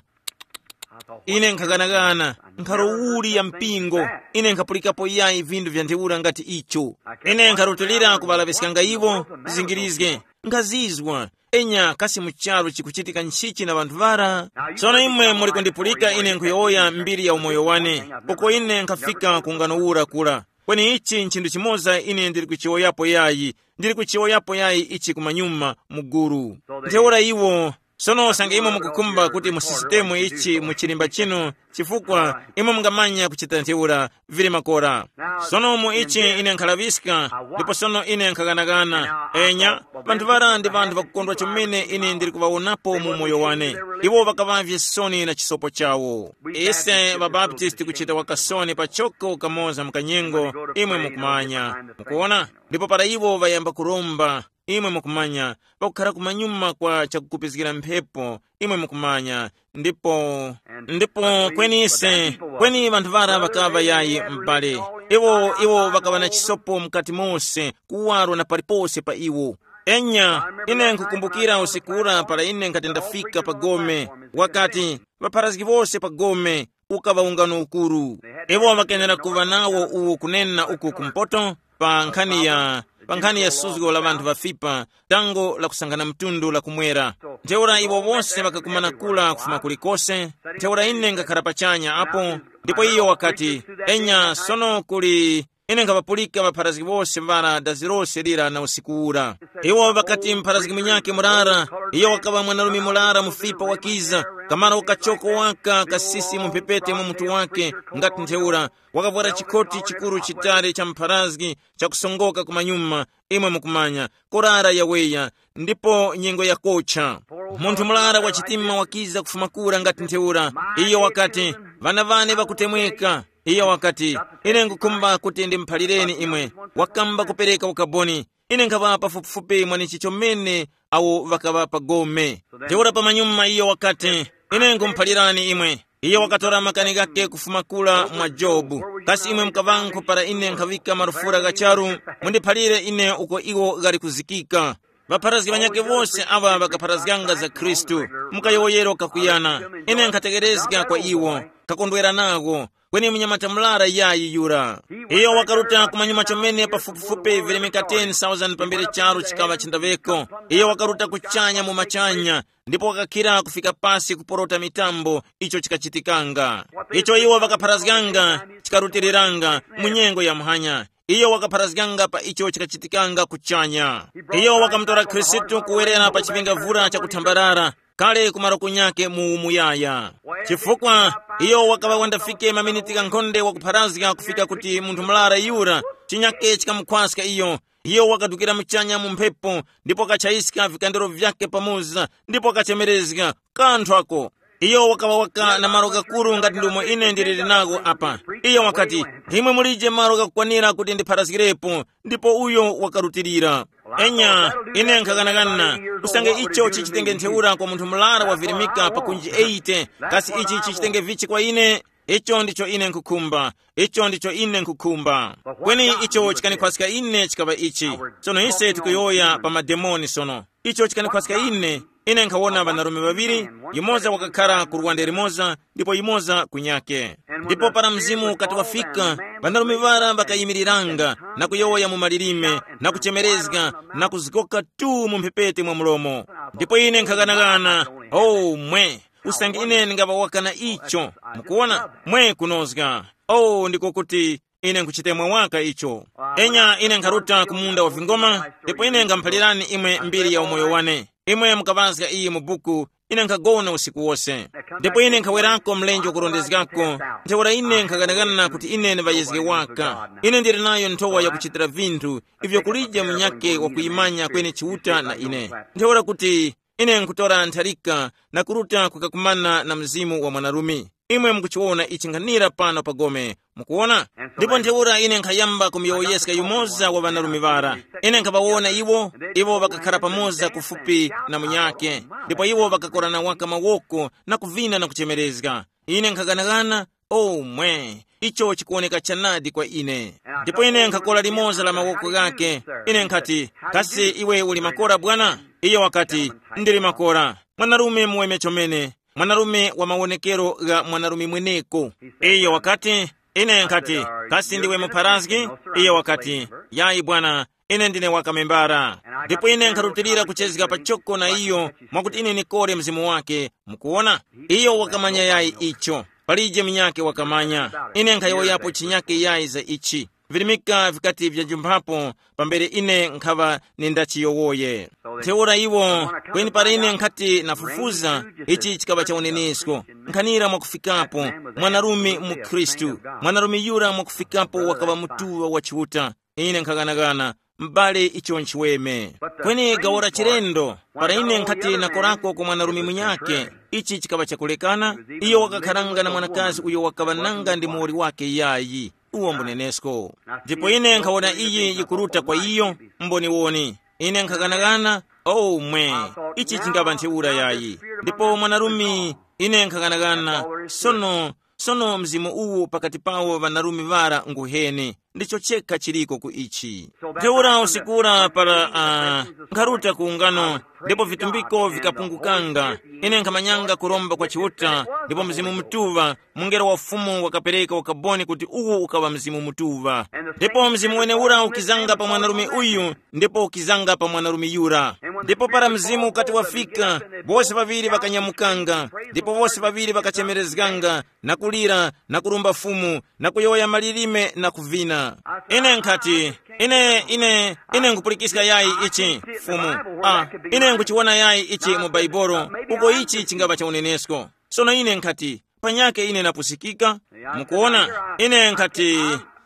Ine nkhaghanaghana, nkharo uli ya mpingo. Ine nkhapulikapo yayi vindu vya ntheura ngati icho. Ine nkharutilira kuŵalaŵiskanga iwo, zizingirizge. Nkhazizwa. Enya kasi mu charu chikuchitika nchichi na ŵanthu ŵara? Sono imwe muli kundipulika ine nkhuyowoya mbiri ya umoyo wane, uko ine nkhafika ku ngano ura kura. Kweni ichi nchinthu chimoza ine ndili kuchiwoyapo yayi, ndili kuchiwoyapo yayi ichi kumanyuma, muguru. Ntheura iwo. Sono usange imwe mukukhumba kuti mu sisitemu ichi mu chilimba chinu, chifukwa imwe mungamanya kuchita ntheura, vili makora. Sono mu ichi ine nkhalaŵiska, ndipo sono ine nkhaganagana. Enya, vanthu vara ndi vanthu vakukondwa chomene ine ndili kuŵawonapo mu moyo wane. Iwo ŵakaŵavye soni na chisopo chawo. Ise ŵabaptisti kuchita wakasoni pachoko kamoza mu kanyengo, imwe mukumanya. Mukuona? Ndipo para iwo ŵayamba kuromba, imwe mukumanya, pakukhara kumanyuma kwa chakukupizgira mphepo, imwe mukumanya. Ndipo ndipo kweni ise, kweni vanthu vara ŵakaŵa yayi m'bale. Iwo iwo ŵakaŵa na chisopo mukati mose, kuwaro na palipose pa iwo. Enya, ine nkukumbukira usiku ura para ine nkhati ndafika pa gome, wakati, ŵapharazgi wose pa gome, ukaŵa ungano ukuru. Iwo ŵakenera kuŵa nawo uwo kunena uku kumpoto, pa nkhani ya pa nkhani ya suzgo la ŵanthu ŵafipa, dango la kusangana mtundu la kumwera. Ntheura iwo wose ŵakakumana kula kufuma kulikose. Ntheura ine ngakhara pachanya apo, ndipo iyo wakati, enya sono kuli, ine nkhaŵapulika ŵapharazgi wose ŵara dazi lose lira na usiku ura. Iwo ŵakati mpharazgi munyakhe murara, iyo wakaŵa mwanarume murara mufipa wakiza, kamara ukachoko waka kasisi mu mphepete mwa mutu wake, ngati ntheura, wakavwara chikoti chikuru chitali cha mpharazgi, chakusongoka kumanyuma, imwe mukumanya, kurara yaweya, ndipo nyengo yakocha. Munthu murara wa chitima wakiza kufuma kura ngati ntheura. Iyo wakati, ŵana ŵane ŵakutemweka. Iyo wakati, ine ngukhumba kuti ndimuphalireni imwe. Wakamba kupereka ukaboni. Ine nkhaŵa pafupifupi mwanichi chomene awo ŵakaŵa pa gome. Ntheura pamanyuma iyo wakati, ine nkhumuphalirani imwe. Iyo wakatora makani ghakhe kufuma kula mwa Jobu. Kasi imwe mukaŵankhu para ine nkhaŵika marufura gha charu? Mundiphalire ine uko iwo ghali kuzikika. Ŵapharazgi ŵanyakhe wose aŵa ŵakapharazganga za Khristu, mukayowoyero kakuyana. Ine nkhategherezga kwa iwo, kakondwera nawo. Kweni munyamata murara yayi yura. Iyo wakaruta kumanyuma chomene pafupifupi vilemeka ten thousand pambere charu chikaŵa chindaŵeko. Iyo wakaruta kuchanya mu machanya, ndipo wakakhira kufika pasi kuporota mitambo, icho chikachitikanga. Icho iwo ŵakapharazganga, chikarutiriranga mu nyengo ya muhanya. Iyo wakapharazganga pa icho chikachitikanga kuchanya. Iyo wakamutora Khristu kuwerera pa chipingavura chakuthambarara, kale ku maroko nyakhe mu umuyaya. Chifukwa iyo wakaŵa wandafike maminiti ghankhonde wakupharazga kufika kuti munthu murara yura, chinyakhe chikamukhwaska iyo. Iyo wakadukira muchanya mu mphepo, ndipo wakachayiska vikandero vyakhe pamoza, ndipo wakachemerezga, kanthu ako. Iyo wakaŵa waka na malo ghakuru ngati ndomwe ine ndiliri nagho apa. Iyo wakati, imwe mulije malo ghakukwanira kuti ndipharazgirepo, ndipo uyo wakarutilira. Enya, ine nkhaghanaghana, usange icho chichitenge ntheura kwa munthu murara wavirimika pa kunji eighty, kasi ichi chichitenge vichi kwa ine? Icho ndicho ine nkhukhumba, icho ndicho ine nkhukhumba. Kweni icho chikanikhwaska ine chikaŵa ichi. Sono ise tikuyowoya pa mademoni sono. Icho chikanikhwaska ine. Ine nkhawona ŵanarume ŵaŵiri, yumoza wakakhara ku luwande limoza, ndipo yumoza kunyake. Ndipo para mzimu ukati wafika, ŵanarume ŵara ŵakayimiriranga, na kuyowoya mu malilime, na kuchemerezga, na kuzgoka tu mu mphepete mwa mlomo. Ndipo ine nkhaganaghana, oh mwe, usange ine ndingaŵawaka na icho. Mukuwona, mwe kunozga. Oh, ndiko kuti ine nkhuchitemwa waka icho. Enya, ine nkharuta ku munda wa vingoma, ndipo ine nkhamphalirani imwe mbiri ya umoyo wane. Imwe mukaŵazga iyi mu buku. Ine nkhagona usiku wose, ndipo ine nkhawerako mlenje wakurondezgako. Ntheura ine nkhaganagana kuti ine ndiŵayezge waka. Ine ndili nayo nthowa yakuchitira vinthu ivyo kulije munyake wakuyimanya kweni Chiuta na ine. Ntheura kuti ine nkutora ntharika na kuruta kukakumana na mzimu wa mwanarume. Imwe mukuchiwona ichi nkhanira pano pa gome, mukuwona? Ndipo ntheura ine nkhayamba kumuyowoyeska yumoza wa ŵanarume ŵara. Ine nkhaŵawona iwo, iwo ŵakakhara pamoza kufupi na munyake, ndipo iwo ŵakakorana waka mawoko na kuvina na kuchemerezga. Ine nkhaganagana, o mwe, icho chikuwoneka chanadi kwa ine. Ndipo ine nkhakora limoza la mawoko ghake. Ine nkhati, kasi iwe uli makora bwana? Iye wakati, ndili makora. Mwanarume muweme chomene, mwanarume wa mawonekero gha mwanarume mweneko. Iyo wakati, ine nkhati, kasi ndiwe mupharazgi? Iyo wakati, yayi bwana, ine ndine wakamembara. Ndipo ine nkharutilira kuchezga pachoko na iyo, mwakuti ine nikore mzimu wake. Mukuwona, iyo wakamanya yayi icho. Palije munyake wakamanya. Ine nkhayowoyapo chinyake yayi za ichi. Virimika vikati vyajumphapo, pambere ine nkhaŵa nindachiyowoye. Ntheura iwo, kweni para ine nkhati nafufuza, ichi chikaŵa cha unenesko. Nkhanira mwakufikapo, mwanarume mu Khristu, mwanarume yura mwakufikapo wakaŵa mutuŵa wa Chiuta. Ine nkhaganagana, m'bale icho nchiweme. Kweni gawo la chilendo, para ine nkhati nakorako kwa mwanarume munyake, ichi chikaŵa chakulekana. Iyo wakakharanga na mwanakazi uyo wakaŵa nanga ndi muwoli wake yayi. Uwo mbunenesko. Ndipo ine nkhawona iyi yikuruta kwa iyo, mboniwoni. Ine nkhaghanaghana, oh mwe, ichi chingaŵa ntheura yayi. Ndipo mwanarume, ine nkhaghanaghana, sono, sono mzimu uwu pakati pawo ŵanarume ŵara nguhene. Ndicho chekha chiliko ku ichi. Ntheura usiku ura para uh, nkharuta ku ungano, ndipo vitumbiko vikapungukanga, ine nkhamanyanga kuromba kwa Chiuta, ndipo Mzimu Mutuŵa, mungelo wa Fumu wakapereka ukaboni kuti uwu ukaŵa Mzimu Mutuŵa. Ndipo Mzimu weneura ukizanga pa mwanarume uyu, ndipo ukizanga pa mwanarume yura. Ndipo para Mzimu ukati wafika, bose ŵaŵiri ŵakanyamukanga, ndipo bose ŵaŵiri ŵakachemerezganga, na kulira, na kurumba Fumu, na kuyowoya malilime, na kuvina. Ine nkhati, ine, ine, ine nkupulikiska yayi ichi, Fumu. Ah, ine nkuchiwona yayi ichi mu Baibolo, uko ichi chingapa cha unenesko. Sono ine nkhati, panyake ine napusikika. Mukuona, ine nkhati,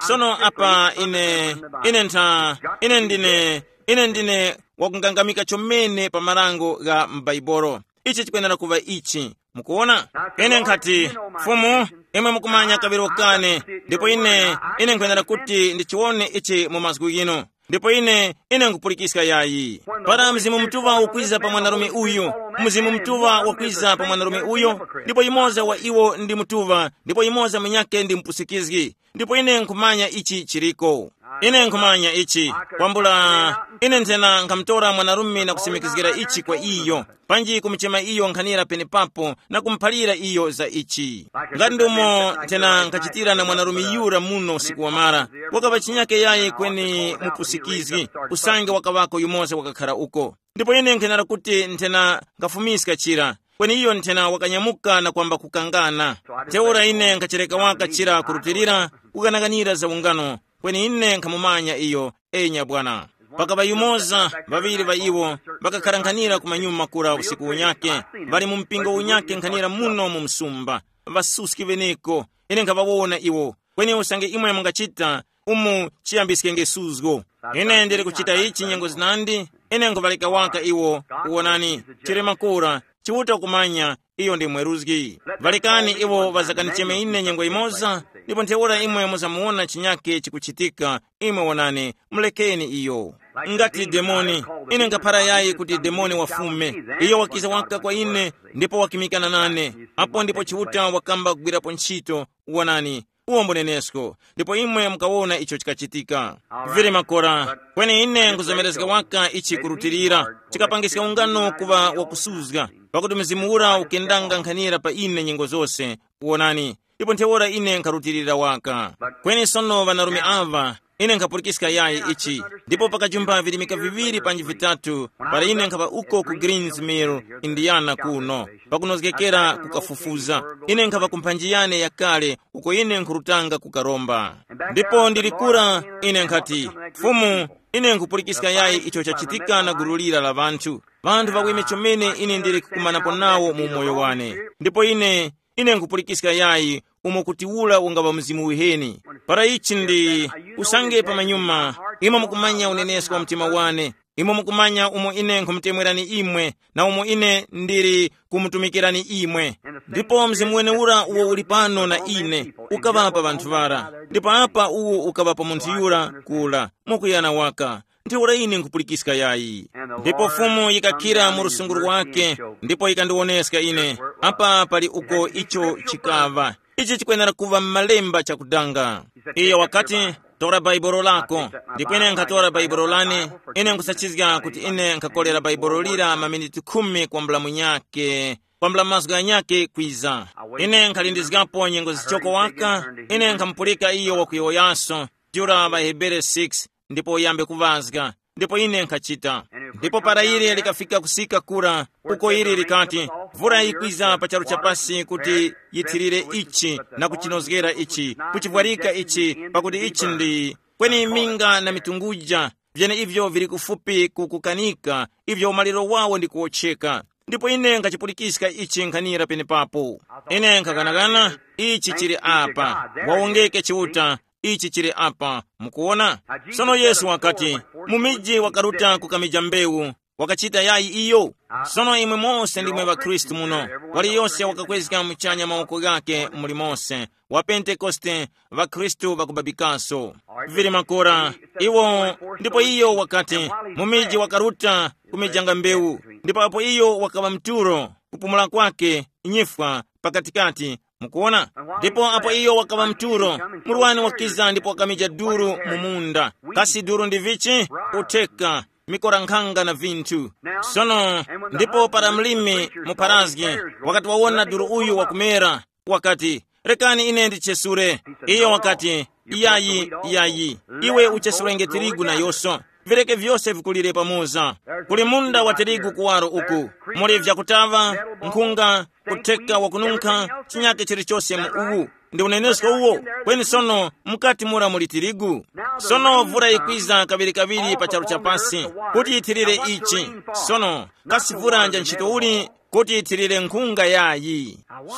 sono apa ine, ine ntha, ine ndine, ine ndine wakungangamika chomene pa marango gha m'Baibolo. Ichi chikwenera kuŵa ichi. Mukuona, ine nkhati, Fumu, imwe mukumanya kaŵiro kane, ndipo ine, ine nkwenera kuti ndichiwone ichi mu mazgu ghino. Ndipo ine, ine nkupulikiska yayi. Para Mzimu Mutuŵa ukwiza pa mwanarume uyu, Mzimu Mutuŵa wakwiza pa mwanarume uyu, ndipo yumoza wa iwo ndi mutuŵa, ndipo yumoza munyakhe ndi mupusikizgi. Ndipo ine nkhumanya ichi chiriko. Ine nkhumanya ichi. Kwambula, ine nthena nkhamutora mwanarume na kusimikizgira ichi kwa iyo, panji kumuchema iyo nkhanira penepapo na kumuphalira iyo za ichi. Ngati ndumo nthena nkhachitira na mwanarume yura muno usiku wamara, wakaŵa chinyake yayi kweni mupusikizgi, usange wakaŵako yumoza wakakhara uko. Ndipo ine nkhenera kuti nthena nkhafumiska chira, kweni iyo nthena wakanyamuka na kwamba kukangana. Ntheura ine nkhachereka waka chira kurutilira, kukanakanira za ungano, kweni ine nkhamumanya iyo. Enya bwana. Pakaŵa yumoza, ŵaŵiri ŵa iwo, ŵakakhara nkhanira ku manyuma kura usiku unyake, ŵali mu mpingo unyake nkhanira muno mu msumba, ŵasuski ŵeneko, ine nkhaŵawona iwo. Kweni usange imwe mungachita, umu chiyambiskenge suzgo. Ine ndili kuchita ichi nyengo zinandi, ine nkhuŵaleka waka iwo. Kuwonani, chili makora, Chiuta kumanya, Iyo ndi mweruzgi. Ŵalekani iwo ŵazakanicheme ine nyengo imoza, ndipo ntheura imwe muzamuwona chinyake chikuchitika. Imwe wonani, mulekeni iyo. Ngati demoni, ine nkhaphara yayi kuti demoni wafume. Iyo wakiza waka kwa ine, ndipo wakimikana nane. Apo ndipo Chiuta wakamba kugwirapo ntchito. Wonani, uwo mbunenesko. Ndipo imwe mukawona icho chikachitika. Vili makora, kweni ine nkuzomerezga waka ichi kurutilira. Chikapangiska ungano kuŵa wakusuzga, pakuti mzimu ura ukendanga nkhanira pa ine nyengo zose. Wonani, ndipo ntheura ine nkharutilira waka. Kweni sono ŵanarume ava, ine nkhapulikiska yayi ichi. Ndipo pakajumba virimika viŵiri panji vitatu, para ine nkhava uko ku Greens Mill, Indiana kuno, pakunozgekera kukafufuza. Ine nkhava ku mphanji yane yakale, uko ine nkhurutanga kukaromba. Ndipo ndili kura, ine nkhati, Fumu, ine nkhupulikiska yayi icho chachitika na gulu lira la ŵanthu. Ŵanthu ŵaweme chomene ine ndili kukumanapo nawo mu umoyo wane. Ndipo ine, ine nkhupulikiska yayi umo kuti ula ungaŵa mzimu uheni. Para ichi ndi, usange pamanyuma, imwe mukumanya unenesko wa mtima wane, imwe mukumanya umo ine nkhumutemwerani imwe, na umo ine ndili kumutumikirani imwe. Ndipo mzimu wenewura uwo uli pano na ine, ukaŵa pa ŵanthu ŵara, ndipo apa uwo ukaŵa pa munthu yura kula, mwakuyana waka. Ntheura ine nkhupulikiska yayi. Ndipo Fumu yikakhira mu lusungu lwake, ndipo yikandiwoneska ine, apa pali uko icho chikaŵa. Ichi chikwenera kuŵa m'malemba chakudanga. Iyo wakati, tora bhaibolo lako. Ndipo ine nkhatora bhaibolo lane. Ine nkusachizga kuti ine nkhakolera bhaibolo lira maminiti khumi kwambula munyake, kwambula mazgu ghanyake kwiza. Ine nkhalindizgapo nyengo zichoko waka. Ine nkhamupulika iyo wakuyowoyaso, jura ŵahebere six, ndipo uyambe kuŵazga. Ndipo ine nkhachita. Ndipo para ili likafika kusika kura, uko ili likati, mvura yikwiza pa charu cha pasi kuti yithirire ichi, na kuchinozgera ichi, kuchivwarika ichi, pakuti ichi ndi, kweni minga na mitunguja, vyeneivyo vili kufupi kukukanika, ivyo umaliro wawo ndi kuwotcheka. Ndipo ine nkhachipulikiska ichi nkhanira penepapo. Ine nkhakanakana, ichi chili apa. Wawongeke Chiuta, ichi chili apa. Mukuwona? Sono Yesu wakati, mu miji wakaruta kukamija mbewu, wakachita yayi iyo? Sono imwe mose ndimwe ŵakhristu muno, waliyose wakakwezga muchanya mawoko ghake muli mose, wa Pentekoste, ŵakhristu ŵakubabikaso. Vili makora, iwo, ndipo iyo wakati, mu miji wakaruta kumijanga mbewu, ndipo apo iyo wakaŵa mturo, kupumula kwake, nyifwa, pakatikati, mukuona? Ndipo apo iyo wakaŵa mturo, murwani wakiza ndipo wakamija duru mu munda. Kasi duru ndi vichi? Utheka, mikora nkhanga na vinthu. Sono, ndipo para mlimi muparazgi wakati wawona duru uyu wakumera, wakati, rekani ine ndichesure. Iyo wakati, iyayi, iyayi, iwe uchesurenge tirigu nayoso, vireke vyose vikulire pamoza. Kuli munda wa tirigu kuwaro uku, muli vyakutaŵa, nkhunga, kutheka wakununkha, chinyake chilichose mu uwu. Ndi unenesko uwo. Kweni sono, mukati mura muli tirigu. Sono vura yikwiza kaŵirikaŵiri pa charu cha pasi, kuti yithirire ichi. Sono, kasi vura nja ntchito uli kuti yithirire nkhunga yayi?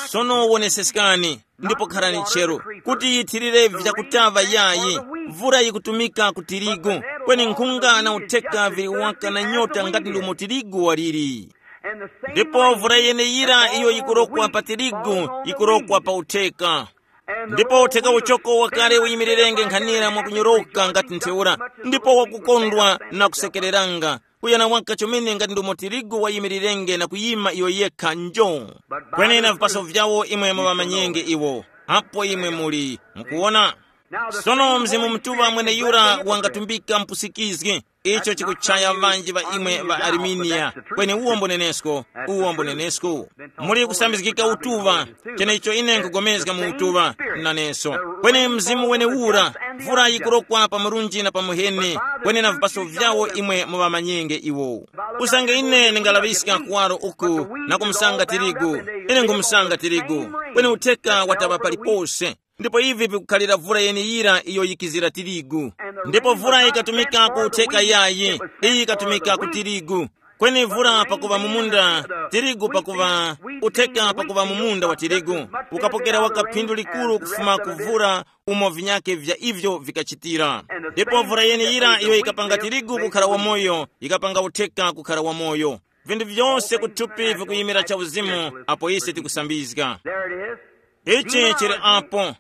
Sono woneseskani, ndipo kharani chero, kuti yithirire vyakutaŵa yayi. Vura yikutumika ku tirigu, kweni nkhunga na utheka vili waka na nyota ngati ndumo tirigu waliri. Ndipo mvura yeneyira iyo yikurokwa pa tirigu, yikurokwa pa utheka. Ndipo utheka uchoko wakale uyimirirenge nkhanira mwakunyoroka ngati ntheura, ndipo wakukondwa na kusekereranga, kuyana waka chomene ngati ndumo tirigu wayimirirenge na kuyima iyo yekha njo. Kweni na vipaso vyawo imwe muŵamanyenge iwo, apo imwe muli, mukuwona. Sono Mzimu Mutuŵa mweneyura wangatumbika mpusikizgi, icho chikuchaya ŵanji ŵa imwe ŵa Armenia. Kweni uwo mbunenesko, uwo mbunenesko. Muli kusambizgika utuŵa, cheneicho ine nkugomezga mu utuŵa, naneso. Kweni Mzimu wenewura, mvura yikurokwa pa murunji na pa muheni, kweni na vipaso vyawo imwe muŵamanyenge iwo. Usange ine ndingalaŵiska kuwaro uku na kumusanga tirigu, ine nkhumusanga tirigu, kweni utheka wataŵa palipose. Ndipo ivi vikukhalira vura yeneyira iyo yikizira tirigu. Ndipo vura yikatumika ku utheka yayi, iyi yikatumika ku tirigu. Kweni vura pakuva mu munda, tirigu pakuva, utheka pakuva mu munda wa tirigu, ukapokera waka phindu likuru kufuma ku vura umo vinyake vya ivyo vikachitira. Ndipo vura yeneyira iyo yikapanga tirigu kukhala wamoyo, yikapanga utheka kukhala wamoyo. Vinthu vyose kuthupi vikuyimira cha uzimu apo ise tikusambizga. Ichi chili apo.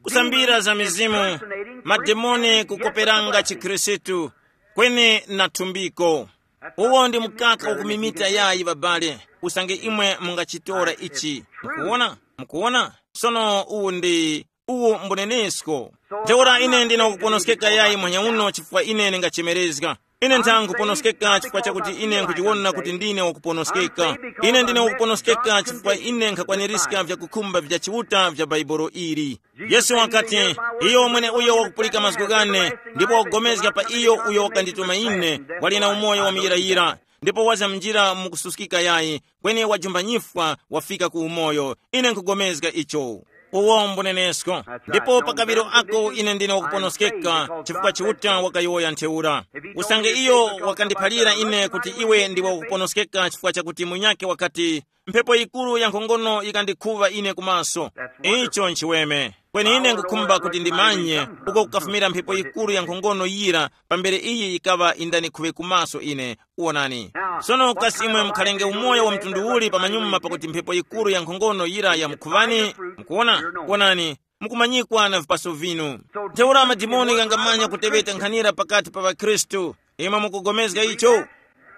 Kusambira za mizimu, mademoni kukoperanga chikhristu, kweni na thumbiko. Uwo ndi mkaka ukumimita yayi babale. Usange imwe mungachitora ichi. Mukuona? Mukuona? Sono uwu ndi uwu mbunenesko. Ntheura ine ndina kuponoskeka yayi mwanya uno chifukwa ine ndingachemerezga. Ine ntha nkuponoskeka chifukwa chakuti ine nkuchiwona kuti ndine wakuponoskeka. Ine ndine wakuponoskeka chifukwa ine nkhakwanirizga vyakukhumba vya chiuta vya bhaibolo ili. Yesu wakati, iyo mwene uyo wakupulika mazgu ghane, ndipo wakugomezga pa iyo uyo wakandituma ine, wali na umoyo wamuyirayira, ndipo waza mnjira mukususkika yayi, kweni wajumba nyifwa wafika ku umoyo. Ine nkugomezga icho. Uwo mbunenesko. Ndipo pa kaŵiro ako ine ndine wakuponoskeka chifukwa chiuta wakayowoya ntheura. Usange iyo wakandiphalira ine kuti iwe ndiwe wakuponoskeka chifukwa chakuti munyake wakati, mphepo yikuru ya nkhongono yikandikhuŵa ine kumaso. Icho nchiweme. Kweni ine ngukhumba kuti ndimanye uko kukafumira mphepo yikuru ya nkhongono yira, pambere iyi yikaŵa indanikhuŵe kumaso ine. Wonani. Sono kasi imwe mukhalenge umoyo wa mtundu uli pamanyuma pakuti mphepo yikuru ya nkhongono yira yamukhuŵani? Mukuona? Wonani, mukumanyikwa na vipaso vinu. Ntheura madimoni ghangamanya kuteweta nkhanira pakati pa ŵakhristu. Imwe mukugomezga icho?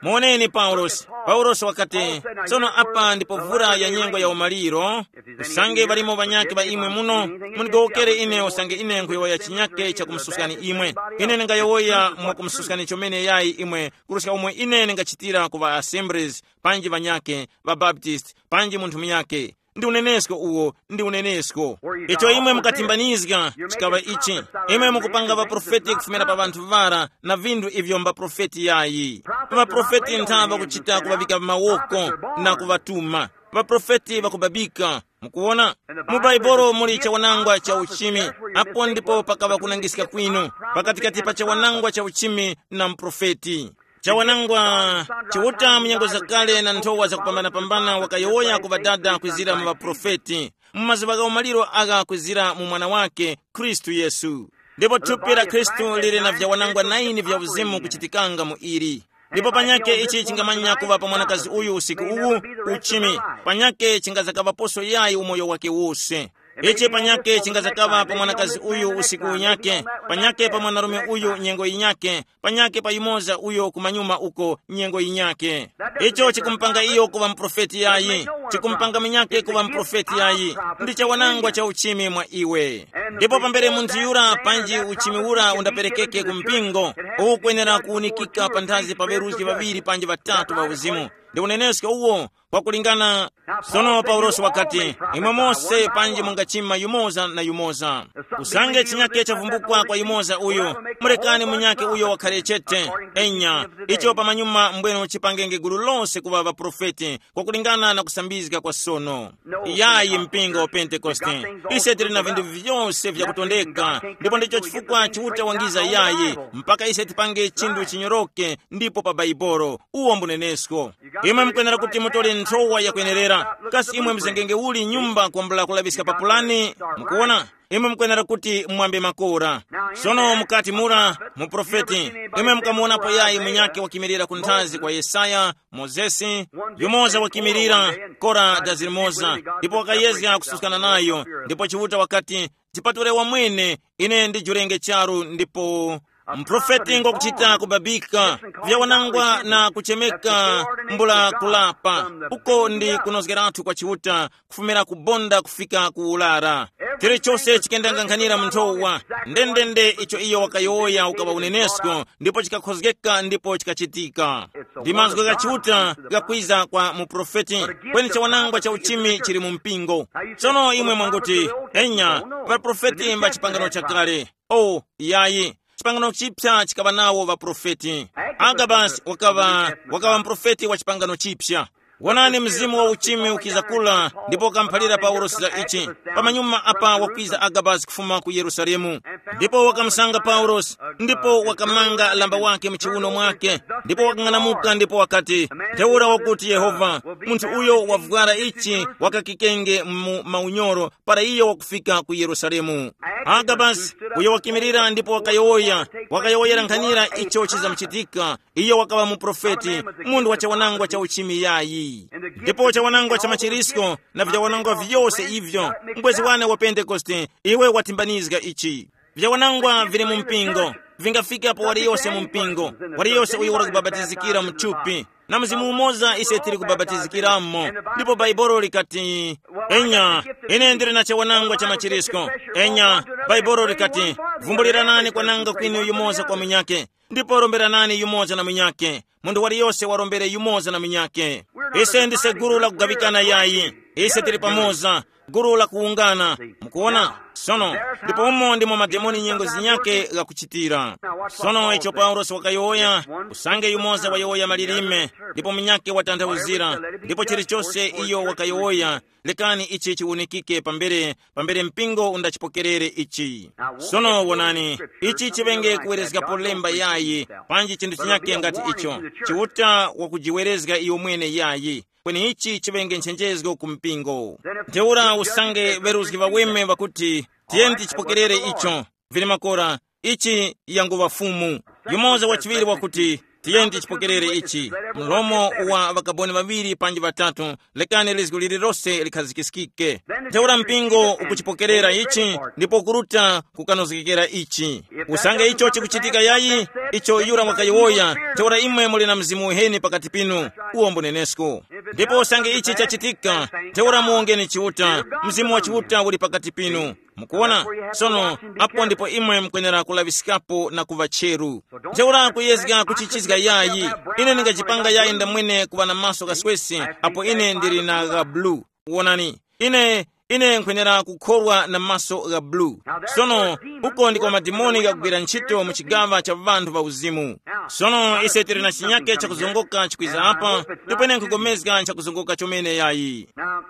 Muwoneni paulosi. Paulosi wakati, sono apa ndipo vura ya nyengo ya umaliro. Usange ŵalimo ŵanyakhe ŵa imwe muno, mundigowokere ine usange ine nkhuyowoya chinyakhe chakumususkani imwe. Ine ndingayowoya mwakumususkani chomene yayi imwe, kuruska umwe ine ndingachitira ku ŵa assemblies, panji ŵanyakhe, ŵabaptist, panji munthu munyakhe. Ndi unenesko uwo, ndi unenesko. Icho imwe mukatimbanizga chikaŵa ichi. Imwe mukupanga ŵaprofeti kufumira pa ŵanthu ŵara na vinthu ivyo mbaprofeti yayi. Ŵaprofeti ntha ŵakuchita kuŵavika mawoko na kuŵatuma. Ŵaprofeti ŵakubabika. Mukuwona? Mu Baibolo muli chawanangwa cha uchimi. Apo ndipo pakaŵa kunangiska kwinu pakatikati pa chawanangwa cha uchimi na muprofeti. Chawanangwa, Chiuta mu nyengo zakale na nthowa zakupambanapambana wakayowoya ku ŵadada kwizira mu ŵaprofeti. Mu mazuŵa gha umaliro agha kwizira mu Mwana wake, Khristu Yesu. Ndipo thupi la Khristu lili na vyawanangwa naini vya uzimu kuchitikanga mu ili. Ndipo panyakhe ichi chingamanya kuŵa pa mwanakazi uyu usiku uwu, uchimi. Panyakhe chingazakaŵaposo yayi umoyo wake wose. Ichi panyakhe chingazakaŵa pa mwanakazi uyu usiku unyakhe, panyakhe pa mwanarume uyu nyengo yinyakhe, panyakhe pa yumoza uyo kumanyuma uko nyengo yinyakhe. Icho chikumupanga iyo kuŵa muprofeti yayi. Chikumupanga munyakhe kuŵa muprofeti yayi. Ndi chawanangwa cha uchimi mwa iwe. Ndipo pambere munthu yura panji uchimi ura undaperekeke ku mpingo, ukwenera kuwunikika panthazi pa ŵeruzgi ŵaŵiri panji ŵatatu ŵa uzimu. Ndi unenesko uwo, kwakulingana. Sono paulosi wakati, imwe mose panji mungachima yumoza na yumoza. Usange chinyake chavumbukwa kwa yumoza uyu, mulekani munyake uyo wakhare chete. Enya, icho pamanyuma mbwenu chipangenge gulu lose kuŵa ŵaprofeti kwakulingana na kusambizga kwa sono. Yayi, mpingo wa Pentekoste, ise tili na vinthu vyose vyakutondeka, ndipo ndicho chifukwa Chiuta wangiza yayi, mpaka ise tipange chinthu chinyoroke ndipo pa Baibolo. Uwo mbunenesko. Imwe mukwenera kuti mutole nthowa yakwenerera. Kasi imwe mzengenge uli nyumba kwambula kulaŵiska pa pulani? Mukuwona, imwe mukwenera kuti mwambe makora. Sono mukati mura muprofeti, imwe mukamuwonapo yayi munyake wakimirira ku nthazi kwa Yesaya, Mozesi, yumoza wakimirira, kora dazi limoza, ndipo wakayezga kususkana nayo. Ndipo Chiuta wakati, chipatule wamwene, ine ndijurenge charu ndipo. Mprofeti ngokuchita kubabika vyawanangwa na kuchemeka mbula kulapa. Uko ndi kunozgeratu kwa Chiuta kufumira kubonda kufika ku ulara. Chilichose chikendanganghanira mu nthowa. Ndendende icho iyo wakayowoya ukaŵa unenesko ndipo chikakhozgeka ndipo chikachitika. Ndi mazgu gha Chiuta gakwiza kwa muprofeti. Kweni chawanangwa cha uchimi chili mu mpingo. Tsono imwe mwanguti, enya, ŵaprofeti mba chipangano chakale. O, yayi. Chipangano chipsa chikaŵa nawo ŵaprofeti. Agabasi wakaŵa wakaŵa mprofeti wa chipangano chipsa. Wonani, mzimu wa uchimi ukiza kula, ndipo wakamuphalira Paulosi za ichi. Pamanyuma apa wakwiza Agabasi kufuma ku Yerusalemu, ndipo wakamusanga Paulosi, ndipo wakamanga lamba wake mu chiuno mwake, ndipo wakang'anamuka ndipo wakati, ntheura wakuti Yehova, munthu uyo wavwara ichi wakakikenge mu maunyoro para iyo wakufika ku Yerusalemu. Agabasi, uyo wakimirira ndipo wakayowoya, wakayowoyera nkhanira icho chizamuchitika. Iyo wakaŵa muprofeti, munthu wa chawanangwa cha uchimi yayi. Ndipo chawanangwa cha machirisko na vyawanangwa vyose ivyo, mubwezi wane wa Pentekoste, iwe watimbanizga ichi. Vyawanangwa vili mu mpingo, vingafika pa waliyose mu mpingo, waliyose uyo wali kubabatizikira mu thupi, na mzimu umoza ise tili kubabatizikiramo. Ndipo Bhaibuli likati, enya, ine ndili na chawanangwa cha machirisko. Enya, Bhaibuli likati, vumbuliranani kwananga kwinu yumoza kwa munyake, ndipo romberanani yumoza na munyake. Munthu waliyose warombere yumoza na munyake. Ise ndise gulu la kugaŵikana yayi. Ise tili pamoza, gulu la kuwungana. Mukuona? Sono, ndipo umo ndimo mademoni nyengo zinyake ghakuchitira. Sono icho Paulosi wakayowoya, usange yumoza wayowoya malilime, ndipo munyake watanthauzira, ndipo chilichose iyo wakayowoya, lekani ichi chiwunikike pambere, pambere mpingo undachipokerere ichi. Sono wonani, ichi chiŵenge kuwerezgapo lemba yayi, panji chinthu chinyake ngati icho. Chiuta wakujiwerezga iyo mwene yayi, kweni ichi chiŵenge nchenjezgo ku mpingo. Ntheura usange ŵeruzgi ŵaweme ŵakuti, tiyeni tichipokerere icho, vili makora, ichi yanguŵa Fumu. Yumoza wachiŵiri wakuti, tiyeni tichipokerere ichi. Mlomo wa ŵakaboni ŵaŵiri panji ŵatatu, lekani lizgu lililose likhazikiskike. Ntheura mpingo ukuchipokerera ichi, ndipo kuruta kukanozgekera ichi. Usange icho chikuchitika yayi, icho yura wakayowoya, ntheura imwe muli na mzimu uheni pakati pinu, uwo mbunenesko. Ndipo usange ichi chachitika, ntheura muwongeni Chiuta, mzimu wa Chiuta uli pakati pinu. Mukuona? Sono, apo ndipo imwe mukwenera kulaŵiskapo na kuŵa cheru. Ntheura kuyezga kuchichizga yayi. Ine ndingachipanga yayi ndamwene kuŵa na maso ghaswesi, apo ine ndili na gha bulu. Wonani, ine, ine nkhwenera kukhorwa na maso gha bulu. Sono, uko ndiko madimoni ghakugwira ntchito mu chigaŵa cha ŵanthu ŵa uzimu. Sono ise tili na chinyake chakuzongoka chikwiza apa, ndipo ine nkhugomezga nchakuzongoka chomene yayi.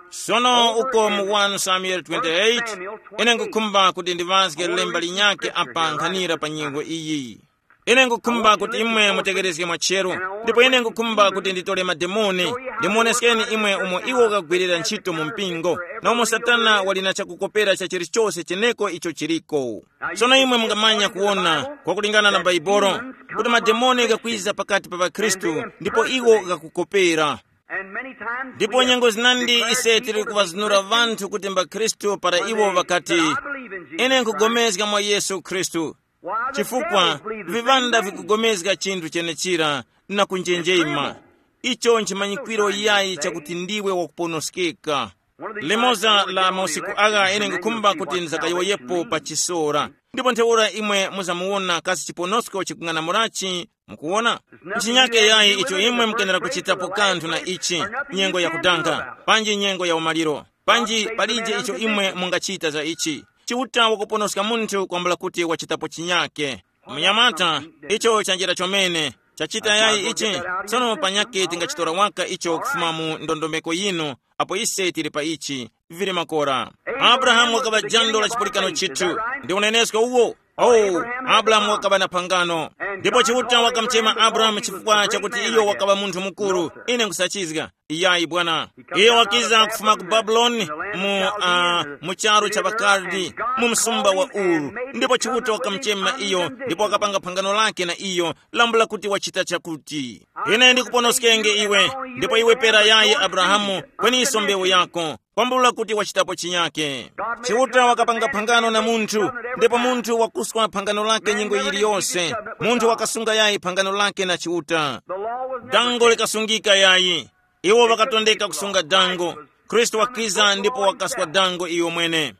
Sono uko mu wani Samuel twenty-eight, ine nkukhumba kuti ndiŵazge lemba linyakhe apa nkhanira pa nyengo iyi. Ine nkukhumba kuti imwe mutekerezge mwachero, ndipo ine nkukhumba kuti nditole mademoni, ndimuoneskeni imwe umo iwo ukagwirira ntchito mu mpingo, na umo Satana wali na chakukopera cha chilichose cheneko icho chiliko. Sono imwe mungamanya kuwona, kwakulingana na Baibolo, kuti mademoni ghakwiza pakati pa ŵakhristu, ndipo iwo ghakukopera. Ndipo nyengo zinandi ise tili kuŵazunura ŵanthu kuti mbakhristu para iwo ŵakati, ine nkugomezga mwa Yesu Khristu. Chifukwa vivanda vikugomezga chinthu chenechira na kunjenjema. Icho nchimanyikwiro yayi chakuti ndiwe wakuponoskeka. Limoza la mausiku agha ine nkukhumba kuti ndizakayowoyepo pa chisora. Ndipo ntheura imwe muzamuwona kasi chiponosko chikung'anamulachi. Mukuwona? Nchinyake yayi icho imwe mukenera kuchitapo kanthu na ichi, nyengo yakudanga, panji nyengo ya umaliro, panji palije icho imwe mungachita za ichi. Chiuta wakuponoska munthu kwambula kuti wachitapo chinyake. Munyamata, icho chanjira chomene. Chachita yayi ichi. Tsono panyakhe tingachitora waka icho kufuma mu ndondomeko yinu, apo ise tili pa ichi, vili makora. Abrahamu wakaŵa jando la chipulikano chithu. Ndi unenesko uwo. Oh, Abrahamu wakaŵa na phangano. Ndipo Chiuta wakamuchema Abrahamu chifukwa chakuti iyo wakaŵa munthu mukuru. Ine nkusachizga. Iyayi bwana. Iyo wakiza kufuma ku Babuloni, mu, uh, mu charu cha Bakaldi, mu msumba wa Uru. Ndipo Chiuta wakamuchema iyo, ndipo wakapanga phangano lake na iyo, lambula kuti wachita chakuti, ine ndikuponoskenge iwe, ndipo iwe pera yayi Abrahamu, kweninso mbewu yako, kwambula kuti wachitapo chinyake. Chiuta wakapanga phangano na munthu, ndipo munthu wakuswa phangano lake nyengo yiliyose. Munthu wakasunga yayi phangano lake na Chiuta. Dango likasungika yayi. Iwo wakatondeka kusunga dango. Khristu wakiza ndipo wakaswa dango iyo mwene.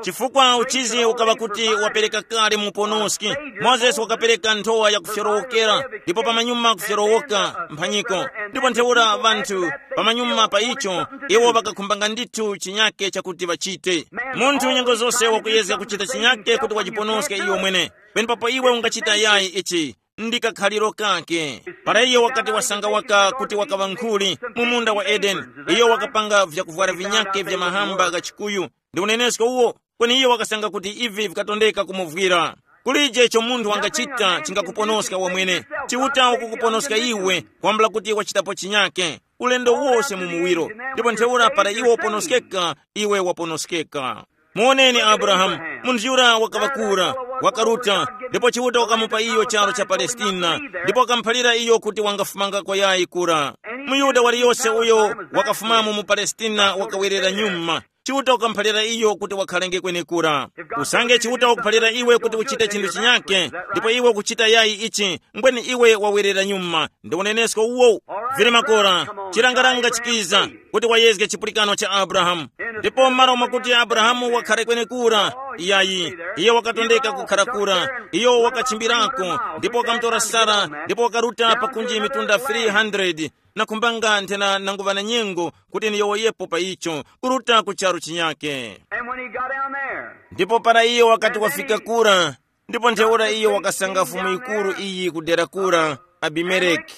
Chifukwa uchizi ukaŵa kuti wapereka kale muponoski. Mozesi wakapereka nthowa ya kufyorowokera, ndipo pamanyuma kufyorowoka mphanyiko. Ndipo ntheura ŵanthu pamanyuma pa icho, iwo ŵakakhumbanga ndithu chinyake chakuti ŵachite. Munthu nyengo zose wakuyezga kuchita chinyake kuti wajiponoske iyo mwene. Penepapo iwe ungachita yayi ichi. ndi kakhaliro kake. Para iyo wakati wasanga waka kuti wakaŵa nkhuli mu munda wa Edeni, iyo wakapanga vyakuvwara vinyake vya mahamba gha chikuyu ndi unenesko uwo, kweni iyo wakasanga kuti ivi vikatondeka kumuvwira. Kulije icho munthu wangachita chingakuponoska wamwene. Chiuta wakukuponoska iwe, kwambula kuti wachitapo chinyake. Ulendo wose mu muwiro, ndipo ntheura para iwe waponoskeka, iwe waponoskeka. Muoneni Abrahamu, munthu yura wakaŵa kura, wakaruta, ndipo Chiuta wakamupa iyo charu cha Palestina, ndipo wakamuphalira iyo kuti wangafumanga kwayayi kura. MuYuda waliyose uyo wakafumamo mu Palestina wakawerera nyuma. Chiuta wakamuphalira iyo kuti wakhalenge kwenekura. Usange Chiuta wakuphalira iwe kuti uchite chinthu chinyake, ndipo iwe ukuchita yayi ichi, mbweni iwe wawerera nyuma. Ndi unenesko uwo. Vili makora, chilangaranga chikiza kuti wayezge chipulikano cha Abrahamu. Ndipo m'malo mwakuti Abrahamu wakhare kwenekura, iyayi, iye wakatondeka kukhara kura. Iyo wakachimbirako, ndipo wakamutora Sara, ndipo wakaruta pakunji mitunda three hundred, na kumbanga nthena nanguŵa na nyengo kuti niyowoyepo pa icho, kuruta ku charu chinyake. And when he got down there, Ndipo para iyo wakati wafika kura, ndipo ntheura iyo wakasanga fumu yikuru iyi kudera kura, Abimeleki.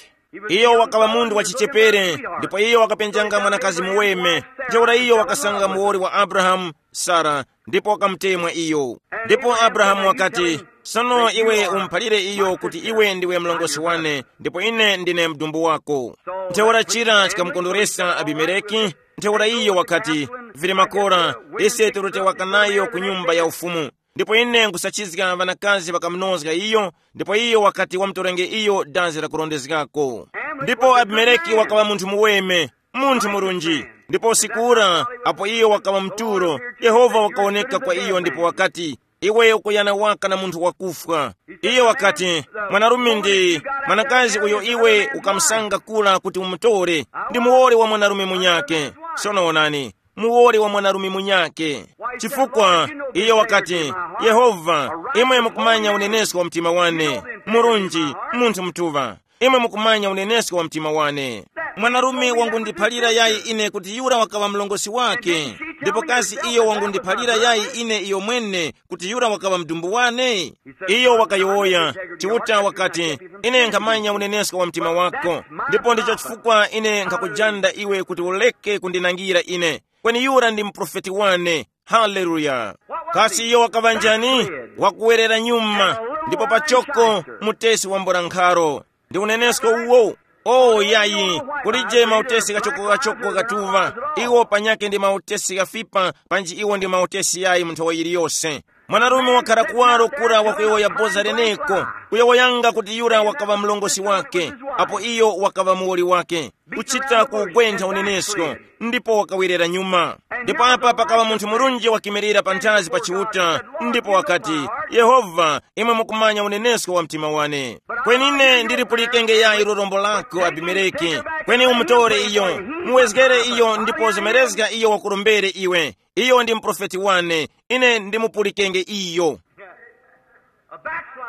Iyo wakaŵa munthu wachichepere, ndipo iyo wakapenjanga mwanakazi muweme. Ntheura iyo wakasanga muwoli wa Abrahamu, Sara, ndipo wakamutemwa iyo. Ndipo Abrahamu wakati, sono iwe umuphalire iyo kuti iwe ndiwe mlongosi wane, ndipo ine ndine mdumbu wako. Ntheura chira chikamukondweresa Abimeleki. Ntheura iyo wakati, vili makora, ise tirutewaka nayo ku nyumba ya ufumu. Ndipo ine nkusachizga ŵanakazi ŵakamunozga iyo, ndipo iyo wakati wamutorenge iyo dazi la kurondezgako. Ndipo Abimeleki wakaŵa munthu muweme, munthu murunji. Ndipo usiku ura, apo iyo wakaŵa mturo, Yehova wakawoneka kwa iyo ndipo wakati, iwe ukuyana waka na munthu wakufwa. Iyo wakati, mwanarume ndi mwanakazi uyo iwe ukamusanga kula kuti umutore, ndi muwoli wa mwanarume munyake. Sono onani, muwoli wa mwanarume munyake. Chifukwa iyo wakati, Yehova, imwe mukumanya unenesko wa mtima wane, murunji, munthu mtuŵa, imwe mukumanya unenesko wa mtima wane. Mwanarume wangundiphalira yayi ine kuti yura wakaŵa mlongosi wake, ndipo kasi iyo wangundiphalira yayi ine iyo mwene kuti yura wakaŵa mdumbu wane? Iyo wakayowoya, Chiuta wakati, ine nkhamanya unenesko wa mtima wako, ndipo ndicho chifukwa ine nkhakujanda iwe kuti uleke kundinangira ine. Kweni yura ndi muprofeti wane. Haleluya! Kasi iyo wakaŵa njani? Wakuwerera nyuma, ndipo pachoko mutesi wambula nkharo. Ndi unenesko uwo. O yayi, kulije mautesi ghachoko-ghachoko ghatuŵa. Iwo panyakhe ndi mautesi ghafipa, panji iwo ndi mautesi yayi mu nthawi yiliyose. Mwanarume wakhara kuwaro kura wakuyowoya boza leneko, kuyowoyanga kuti yura wakaŵa mlongosi wake, apo iyo wakaŵa muwoli wake, kuchita kugwentha unenesko, ndipo wakawerera nyuma. Ndipo apa pakaŵa munthu murunji wakimirira panthazi pa Chiuta, ndipo wakati, Yehova, imwe mukumanya unenesko wa mtima wane. Kweni ine ndilipulikenge yayi lurombo lako Abimeleki. Kweni umutore iyo, muwezgere iyo ndipo zemerezga iyo wakurombere iwe. Iyo ndi muprofeti wane, ine ndimupulikenge iyo.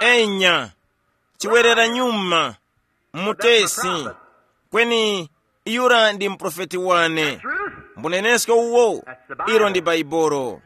Enya, chiwerera nyuma, mutesi. Kweni yura ndi muprofeti wane. Mbunenesko uwo, ilo ndi Baibolo.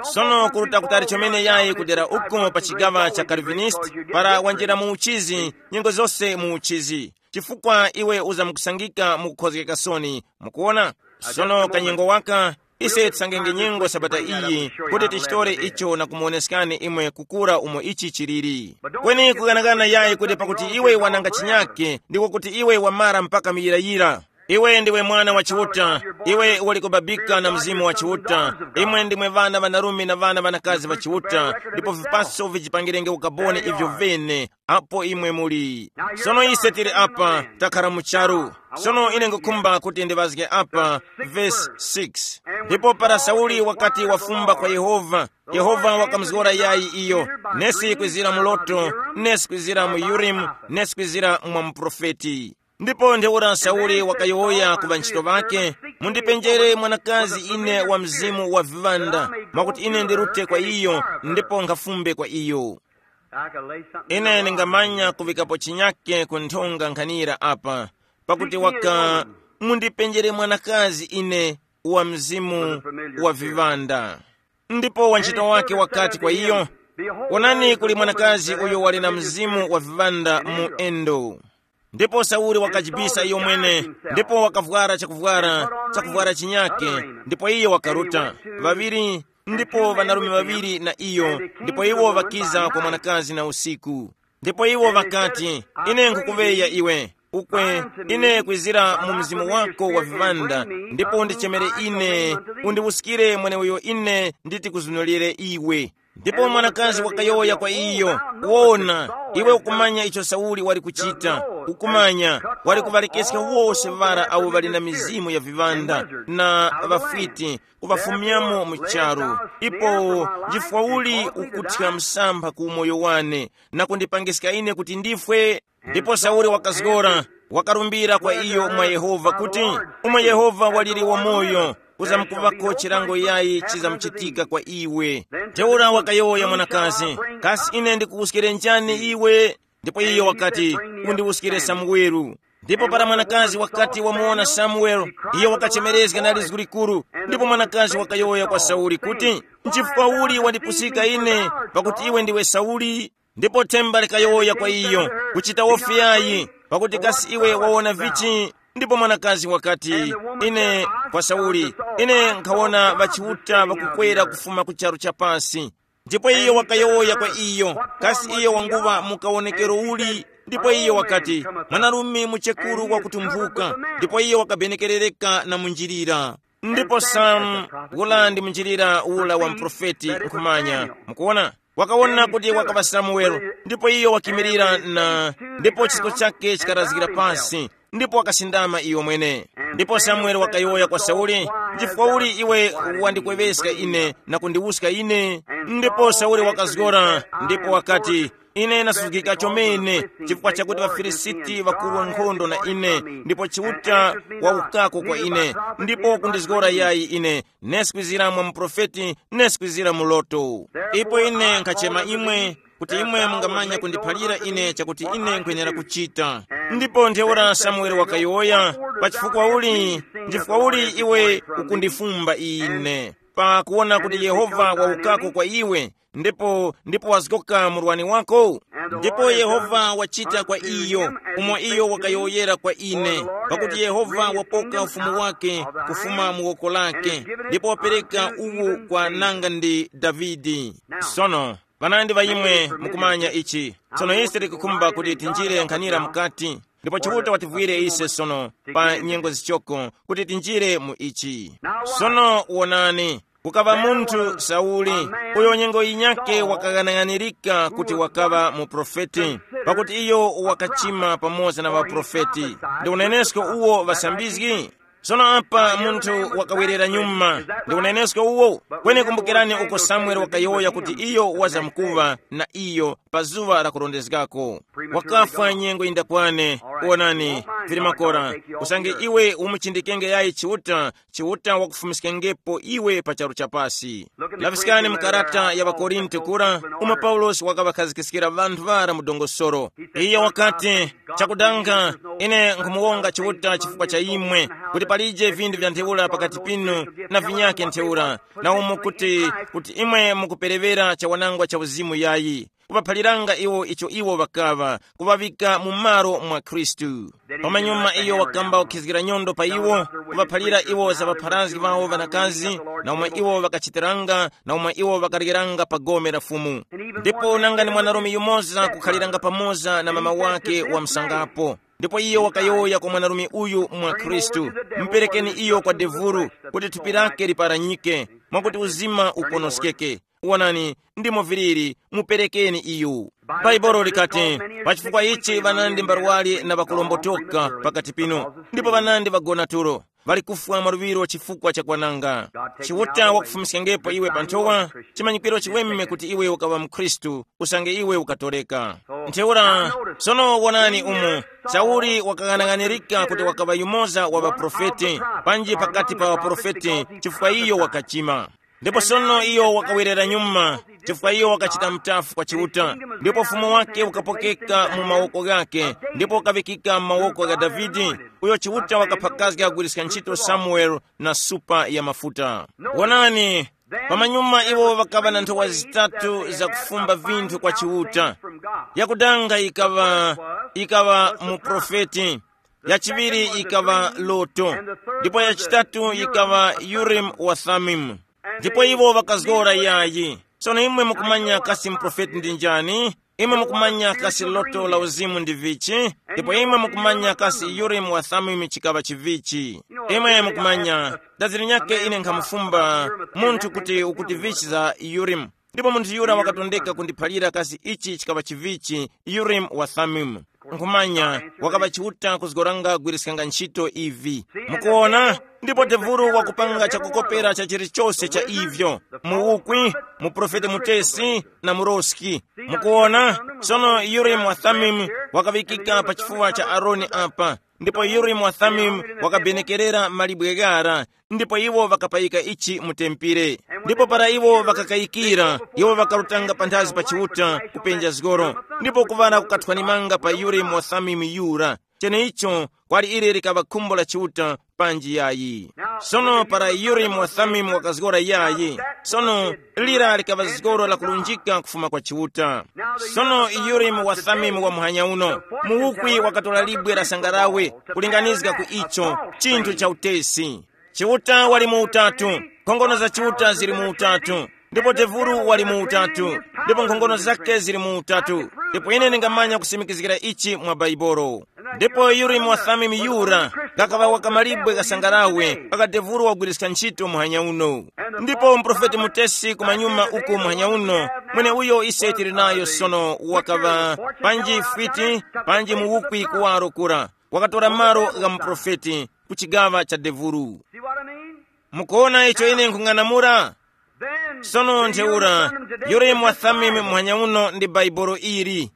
Sono kuruta kutali chomene yayi kudera uko pa chigawa cha Calvinist, para wanjira mu uchizi, nyengo zose mu uchizi. Chifukwa iwe uzamkusangika mukukhozgeka soni. Mukuona? Sono kanyengo waka, ise tisangenge nyengo sabata iyi, kuti tichitore icho na kumuoneskani imwe kukura umo ichi chiliri. Kweni kuganagana yayi kuti pakuti iwe wananga chinyake, ndiko kuti iwe wamara mpaka muyirayira. Iwe ndiwe mwana wa Chiuta, iwe ulikubabika na Mzimu wa Chiuta. Imwe ndimwe ŵana ŵanarume na ŵana ŵanakazi ŵa Chiuta, ndipo vipaso vijipangirenge ukaboni ivyo vene, apo imwe muli. Sono ise tili apa, takhara mu charu. Sono ine ngukhumba kuti ndiŵazge apa, vesi six. Ndipo para Sauli wakati wafumba kwa Yehova, Yehova wakamuzgora yayi iyo, nesi kwizira mu loto, nesi kwizira mu Urimu, nesi kwizira mwa muprofeti. Ndipo ntheura Sauli wakayowoya ku ŵanchito ŵakhe, mundipenjere mwanakazi ine wa mzimu wa viŵanda, mwakuti ine ndirute kwa iyo, ndipo nkhafumbe kwa iyo. Ine ndingamanya kuŵikapo chinyake ku nthonga nkhanira apa, pakuti waka, mundipenjere mwanakazi ine wa mzimu wa viŵanda. Ndipo wantchito wake wakati kwa iyo, Wonani, kuli mwanakazi uyo wali na mzimu wa viŵanda mu endo. Ndipo Sauli wakajibisa iyo mwene, ndipo wakavwara chakuvwara, chakuvwara chinyake, ndipo iyo wakaruta. Ŵaŵiri, ndipo ŵanarume ŵaŵiri na iyo, ndipo iwo ŵakiza kwa mwanakazi na usiku. Ndipo iwo ŵakati, "Ine nkhukuŵeya iwe, ukwe, ine kwizira mu mzimu wako wa viŵanda, ndipo undichemere ine, undiwuskire mweneuyo ine nditi kuzunulire iwe." Ndipo mwanakazi wakayowoya kwa iyo, "Wona, iwe ukumanya icho Sauli wali kuchita, ukumanya, wali kuŵalekeska wose ŵara awo ŵali na mizimu ya viŵanda na ŵafwiti, kuŵafumyamo mu charu. Ipo chifukwa uli ukuthya msampha ku umoyo wane na kundipangiska ine kuti ndifwe?" Ndipo Sauli wakazgora, wakarumbira kwa iyo mwa Yehova kuti, "Umo Yehova waliri wamoyo, kuzamkuvako chilango yayi chizamuchitika kwa iwe." Ntheura wakayowoya mwanakazi, "Kasi ine ndikuwuskire njani iwe?" Ndipo iyo wakati, "Undiwuskire Samuwelu." Ndipo para mwanakazi wakati wamuwona Samuweli, iyo wakachemerezga na lizgu likuru. Ndipo mwanakazi wakayowoya kwa Sauli kuti, "Nchifukwa uli wandipusika ine, pakuti iwe ndiwe Sauli?" Ndipo themba likayowoya kwa iyo, "Kuchita wofi yayi, pakuti kasi iwe wawona vichi?" Ndipo mwanakazi wakati, "Ine, kwa Sauli, ine nkhawona ŵachiuta ŵakukwera kufuma ku charu cha pasi." Ndipo iyo wakayowoya kwa iyo, "Kasi iyo wanguŵa mu kawonekero uli?" Ndipo iyo wakati, "Mwanarume muchekuru wakutumphuka." Ndipo iyo wakabenekerereka na munjilira. Ndipo Samu, ula ndi munjilira ula wa muprofeti nkhumanya, mukuona, wakawona kuti wakaŵa Samuwelo, ndipo iyo wakimirira na, ndipo chisko chake chikarazgira pasi, ndipo wakasindama iyo mwene. Ndipo Samuweli wakayowoya kwa Sauli, "Nchifukwa uli iwe wandikweŵeska ine na kundiwuska ine?" Ndipo Sauli wakazgora, ndipo wakati, "Ine nasuzgika chomene, chifukwa chakuti ŵaFilisiti ŵakurwa nkhondo na ine, ndipo Chiuta wawukako kwa ine, ndipo kundizgora yayi ine, nesi kwizira mwa muprofeti, nesi kwizira mu loto. Ipo ine nkhachema imwe, kuti imwe mungamanya kundiphalira ine chakuti ine nkwenera kuchita." Ndipo ntheura Samueli wakayowoya, "Pa chifukwa uli, nchifukwa uli iwe ukundifumba ine, pakuwona kuti Yehova wawukako kwa iwe, ndipo, ndipo wazgoka murwani wako?" Ndipo Yehova wachita kwa iyo umo iyo wakayowoyera kwa ine, pakuti Yehova wapoka ufumu wake kufuma mu woko lake, ndipo wapereka uwu kwa nanga ndi Davide. Sono, panandi ŵa imwe mukumanya ichi. Tsono ise tikukhumba kuti tinjire nkhanira mukati, ndipo Chiuta wativwire ise sono pa nyengo zichoko kuti tinjire mu ichi. Sono wonani, kukaŵa munthu Sauli, uyo nyengo yinyakhe wakaghanaghanirika kuti wakaŵa muprofeti, pakuti iyo wakachima pamoza na ŵaprofeti. Ndi unenesko uwo ŵasambizgi? Sono apa munthu wakawerera nyuma, ndi unenesko uwo? Kweni kumbukirani uko Samueli wakayowoya kuti iyo wazamkuŵa na iyo pa zuŵa la kurondezgako. Wakafwa nyengo yindakwane. Wonani, vili makora, usange iwe umuchindikenge yayi Chiuta, Chiuta wakufumiskengepo iwe pa charu cha pasi. Laŵiskani mu karata ya ŵaKorinto kura, umo Paulosi wakaŵakhazikiskira ŵanthu ŵara mu dongosolo. Iyo wakati, "Chakudanga, ine nkhumuwonga Chiuta chifukwa cha imwe, kuti palije vindu vya ntheura pakati pinu na vinyakhe ntheura, na umo kuti, kuti imwe mukupereŵera chawanangwa cha uzimu yayi, kuŵaphaliranga iwo icho iwo ŵakaŵa, kuŵaŵika mu malo mwa Khristu." Pamanyuma iyo wakamba kukhizgira nyondo pa iwo, kuŵaphalira iwo za ŵapharazgi ŵawo ŵanakazi, na umwe iwo ŵakachitiranga, na umwe iwo ŵakaryeranga pa gome la Fumu. Ndipo nanga ni mwanarume yumoza kukhaliranga pamoza na mama wake wa msangapo. Ndipo iyo wakayowoya kwa mwanarume uyu mwa Khristu, "Muperekeni iyo kwa devuru, kuti thupi lake liparanyike, mwakuti uzima uponoskeke. Wonani, ndimo viliri, muperekeni iyo." Bhaibuli likati, "Pa chifukwa ichi ŵanandi mbarwali na ŵakulombotoka pakati pinu, ndipo ŵanandi ŵagona tulo, ŵali kufwa mwaluŵiro chifukwa cha kwananga." Chiuta wakufumiskangepo iwe pa nthowa, chimanyikwiro chiweme kuti iwe ukaŵa mukhristu, usange iwe ukatoreka. Ntheura, sono wonani umu, Sauli wakaghanaghanirika kuti wakaŵa yumoza wa ŵaprofeti, panji pakati pa ŵaprofeti, chifukwa iyo wakachima. Ndipo sono iyo wakawerera nyuma, chifukwa iyo wakachita mutafu kwa Chiuta, ndipo ufumu wake ukapokeka mu mawoko ghake, ndipo ukaŵikika mu mawoko gha Davide, uyo Chiuta wakaphakazga kugwiriska ntchito Samueli na supa ya mafuta. Wonani, Pamanyuma iwo ŵakaŵa na nthowa zitatu zakufumba vinthu kwa Chiuta. Yakudanga ikaŵa, ikaŵa muprofeti, yachiŵiri ikaŵa loto, ndipo yachitatu ikaŵa Urim wa Thummim. Ndipo iwo ŵakazgora yayi. Sono imwe mukumanya kasi muprofeti ndi njani? Imwe mukumanya kasi loto la uzimu ndi vichi? Ndipo imwe mukumanya kasi Urim wa Thummim chikaŵa chivichi? Imwe mukumanya, daziri nyake ine nkhamufumba munthu kuti ukuti vichi za Urim. Ndipo munthu yura wakatondeka kundiphalira kasi ichi chikaŵa chivichi, Urim wa Thummim. Nkhumanya, wakaŵa Chiuta kuzgoranga gwiriskanga ntchito ivi. Mukuona? Ndipo devuru wakupanga chakukopera cha chilichose cha ivyo, muwukwi, muprofeti mutesi, na muroski. Mukuona? Sono Urim wa Thummim wakaŵikika pa chifuwa cha Aroni apa, ndipo Urim wa Thummim wakabenekerera malibwe ghara, ndipo iwo ŵakapayika ichi mu tempere. Ndipo para iwo ŵakakayikira, iwo ŵakarutanga panthazi pa Chiuta kupenja zgoro, ndipo kuŵala kukathwanimanga pa Urim wa Thummim yura. Cheneicho kwali ili likaŵa khumbo la Chiuta panji yayi. Sono para Urim wa Thummim wakazgora yayi, sono lira likaŵa zgoro lakulunjika kufuma kwa Chiuta. Sono Urim wa Thummim wa muhanya uno, muwukwi wakatora libwe la sangarawe kulinganizga ku icho, chinthu cha utesi. Chiuta wali mu utatu, nkhongono za Chiuta zili mu utatu, ndipo devuru wali mu utatu, ndipo nkhongono zake zili mu utatu. Ndipo ine ndingamanya kusimikizgira ichi mwa Baibolo. Ndipo Urim wa Thummim yura kakaŵa wakamalibwe kasangarawe, kakadevuru wagwiriska ntchito muhanya uno. Ndipo muprofeti mutesi kumanyuma uku muhanya uno, mwene uyo ise tili nayo sono wakaŵa panji fwiti, panji muwukwi kuwaro kura, wakatora malo gha muprofeti ku chigaŵa cha devuru. Mukuona icho ine nkhung'anamula? Sono ntheura, Urim wa Thummim muhanya uno ndi Baibolo ili.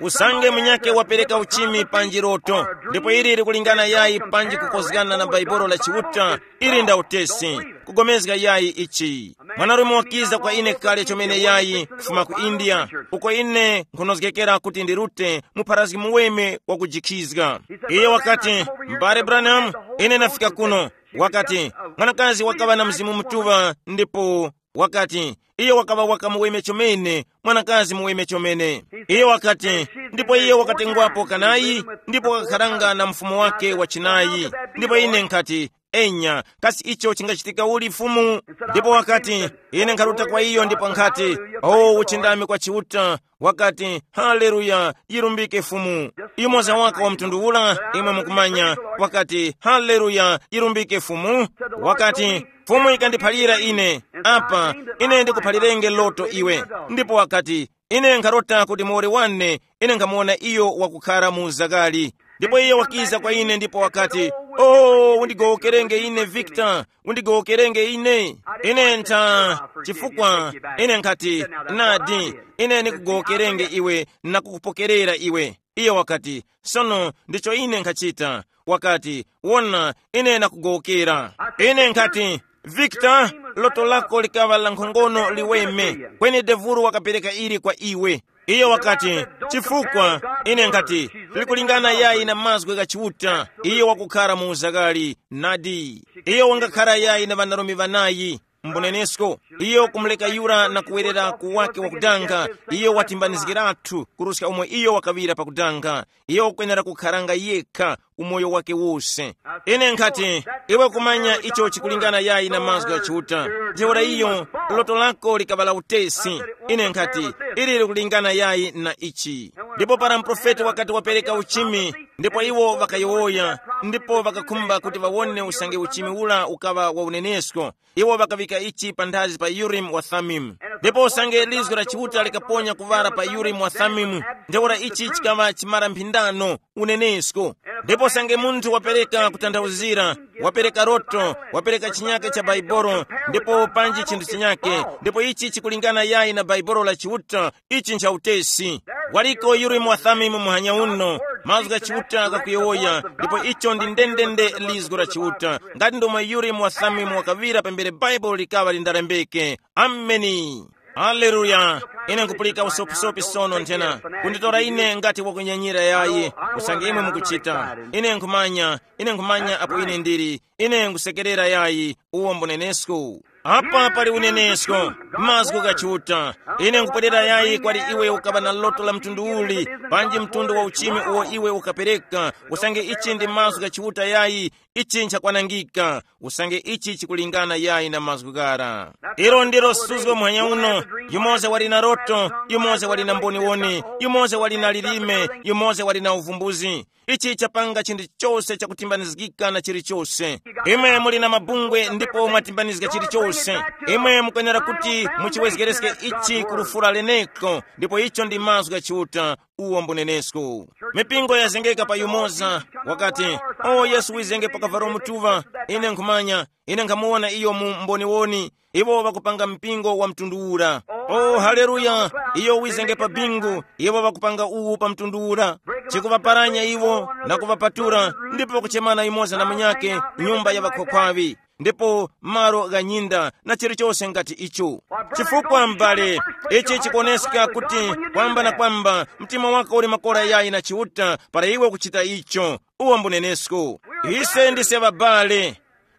Usange munyake wapereka uchimi panji loto, ndipo ili likulingana yayi panji kukozgana na Baibolo la Chiuta, ili nda utesi, kugomezga yayi ichi. Mwanarume wakiza kwa ine kale chomene yayi kufuma ku India, uko ine nkhunozgekera kuti ndirute mupharazgi muweme wakujikhizga. Iye wakati, "M'bale Branham, ine nafika kuno." Wakati, "Mwanakazi wakaŵa na Mzimu Mutuŵa, ndipo," wakati, "iyo wakaŵa waka muweme chomene, mwanakazi muweme chomene." Iyo wakati, "Ndipo iye wakatengwapo kanayi, ndipo wakakharanga na mfumu wake wa chinayi." Ndipo ine nkhati, "Enya, kasi icho chingachitika uli Fumu?" Ndipo wakati, ine nkharuta kwa iyo ndipo nkhati, "O, uchindami kwa Chiuta." Wakati, "Haleluya, yirumbike Fumu." Yumoza waka wa mtundu ula, imwe mukumanya, wakati, "Haleluya, yirumbike Fumu." Wakati, "Fumu ikandiphalira ine, apa, ine ndikuphalirenge loto iwe." Ndipo wakati, "Ine nkharota kuti muwoli wane, ine nkhamuwona iyo wakukhara mu zakali." Ndipo iye wakiza kwa ine ndipo wakati, "Oh, undigowokerenge ine, Victor, undigowokerenge ine." Ine ntha, chifukwa ine nkhati, "Nadi, ine ndikugowokerenge iwe na kukupokerera iwe." Iye wakati, "Sono ndicho ine nkhachita." Wakati, "Wona, ine nakugowokera." Ine nkhati, "Victor, loto lako likaŵa la nkhongono liweme, kweni devulu wakapereka ili kwa iwe." Iyo wakati, "Chifukwa," ine nkhati, "likulingana yayi na mazgu gha Chiuta, iyo wakukhara mu uzakali." Nadi, iyo wangakhara yayi na ŵanarume ŵanayi, mbunenesko, iyo kumuleka yura na kuwerera ku wake wakudanga, iyo watimbanizgiratu kuruska umo iyo wakaŵira pakudanga. Iyo wakwenera kukharanga yekha umoyo wake wose. Ine nkhati, iwe kumanya icho chikulingana yayi na mazgu gha Chiuta. Ntheura iyo, loto lako likaŵa la utesi. Ine nkhati, ili likulingana yayi na ichi. Ndipo para muprofeti wakati wapereka uchimi, ndipo iwo ŵakayowoya, ndipo ŵakakhumba kuti ŵawone usange uchimi ula ukaŵa wa unenesko. Iwo ŵakaŵika ichi panthazi pa Urimu wa Thumimu. Ndipo usange lizgu la Chiuta likaponya kuŵala pa Urimu wa Thumimu, ntheura ichi chikaŵa chimara mphindano, unenesko. Ndipo usange munthu wapereka kutanthauzira, wapereka loto, wapereka chinyake cha Baibolo, ndipo panji chinthu chinyake, ndipo ichi chikulingana yayi na Baibolo la Chiuta, ichi ncha utesi. Waliko Urimu wa Thumimu muhanya uno, mazgu gha Chiuta ghakuyowoya, ndipo icho ndi ndendende lizgu la Chiuta. Ngati ndomwe Urimu wa Thumimu wakaŵira pambere Baibulo likaŵa lindalembeke. Ameni. Haleluya. Ine nkupulika usopisopi sono nthena. Kunditora ine ngati wakunyanyira yayi, usange imwe mukuchita. Ine nkhumanya, ine nkhumanya apo ine ndili. Ine nkusekerera yayi, uwo mbunenesko. Apa pali unenesko, mazgu gha Chiuta. Ine nkupwerera yayi kwali iwe ukaŵa na loto la mtundu uli, panji mtundu wa uchimi uwo iwe ukapereka, usange ichi ndi mazgu gha Chiuta yayi, ichi nchakwanangika, usange ichi chikulingana yayi na mazgu ghara. Ilo ndilo suzgo muhanya uno, yumoza wali na loto, yumoza wali na mboniwoni, yumoza wali na lilime, yumoza wali na uvumbuzi. Ichi chapanga chinthu chose chakutimbanizgika na chilichose. Imwe muli na mabungwe ndipo mwatimbanizga chilichose. Imwe mukwenera kuti muchiwezgereske ichi ku lufura leneko, ndipo icho ndi mazgu gha Chiuta, uwo mbunenesko. Mipingo yazengeka pa yumoza, wakati, o Yesu wizenge pa kavalo mutuŵa, ine nkhumanya, ine nkhamuwona iyo mu mboniwoni. Iwo ŵakupanga mpingo wa mtundu ura. O haleluya! Iyo wizenge pa bingu, iwo ŵakupanga uwu pa mtundu ura. Chikuŵaparanya iwo na kuŵapatura, ndipo kuchemana yumoza na munyake, nyumba ya ŵakhwakhwaŵi, ndipo malo gha nyinda na chilichose ngati icho. Chifukwa m'bale, ichi chikuoneska kuti kwamba na kwamba mtima wako uli makora yayi na Chiuta para iwe ukuchita icho. Uwo mbunenesko. Ise ndise ŵabale.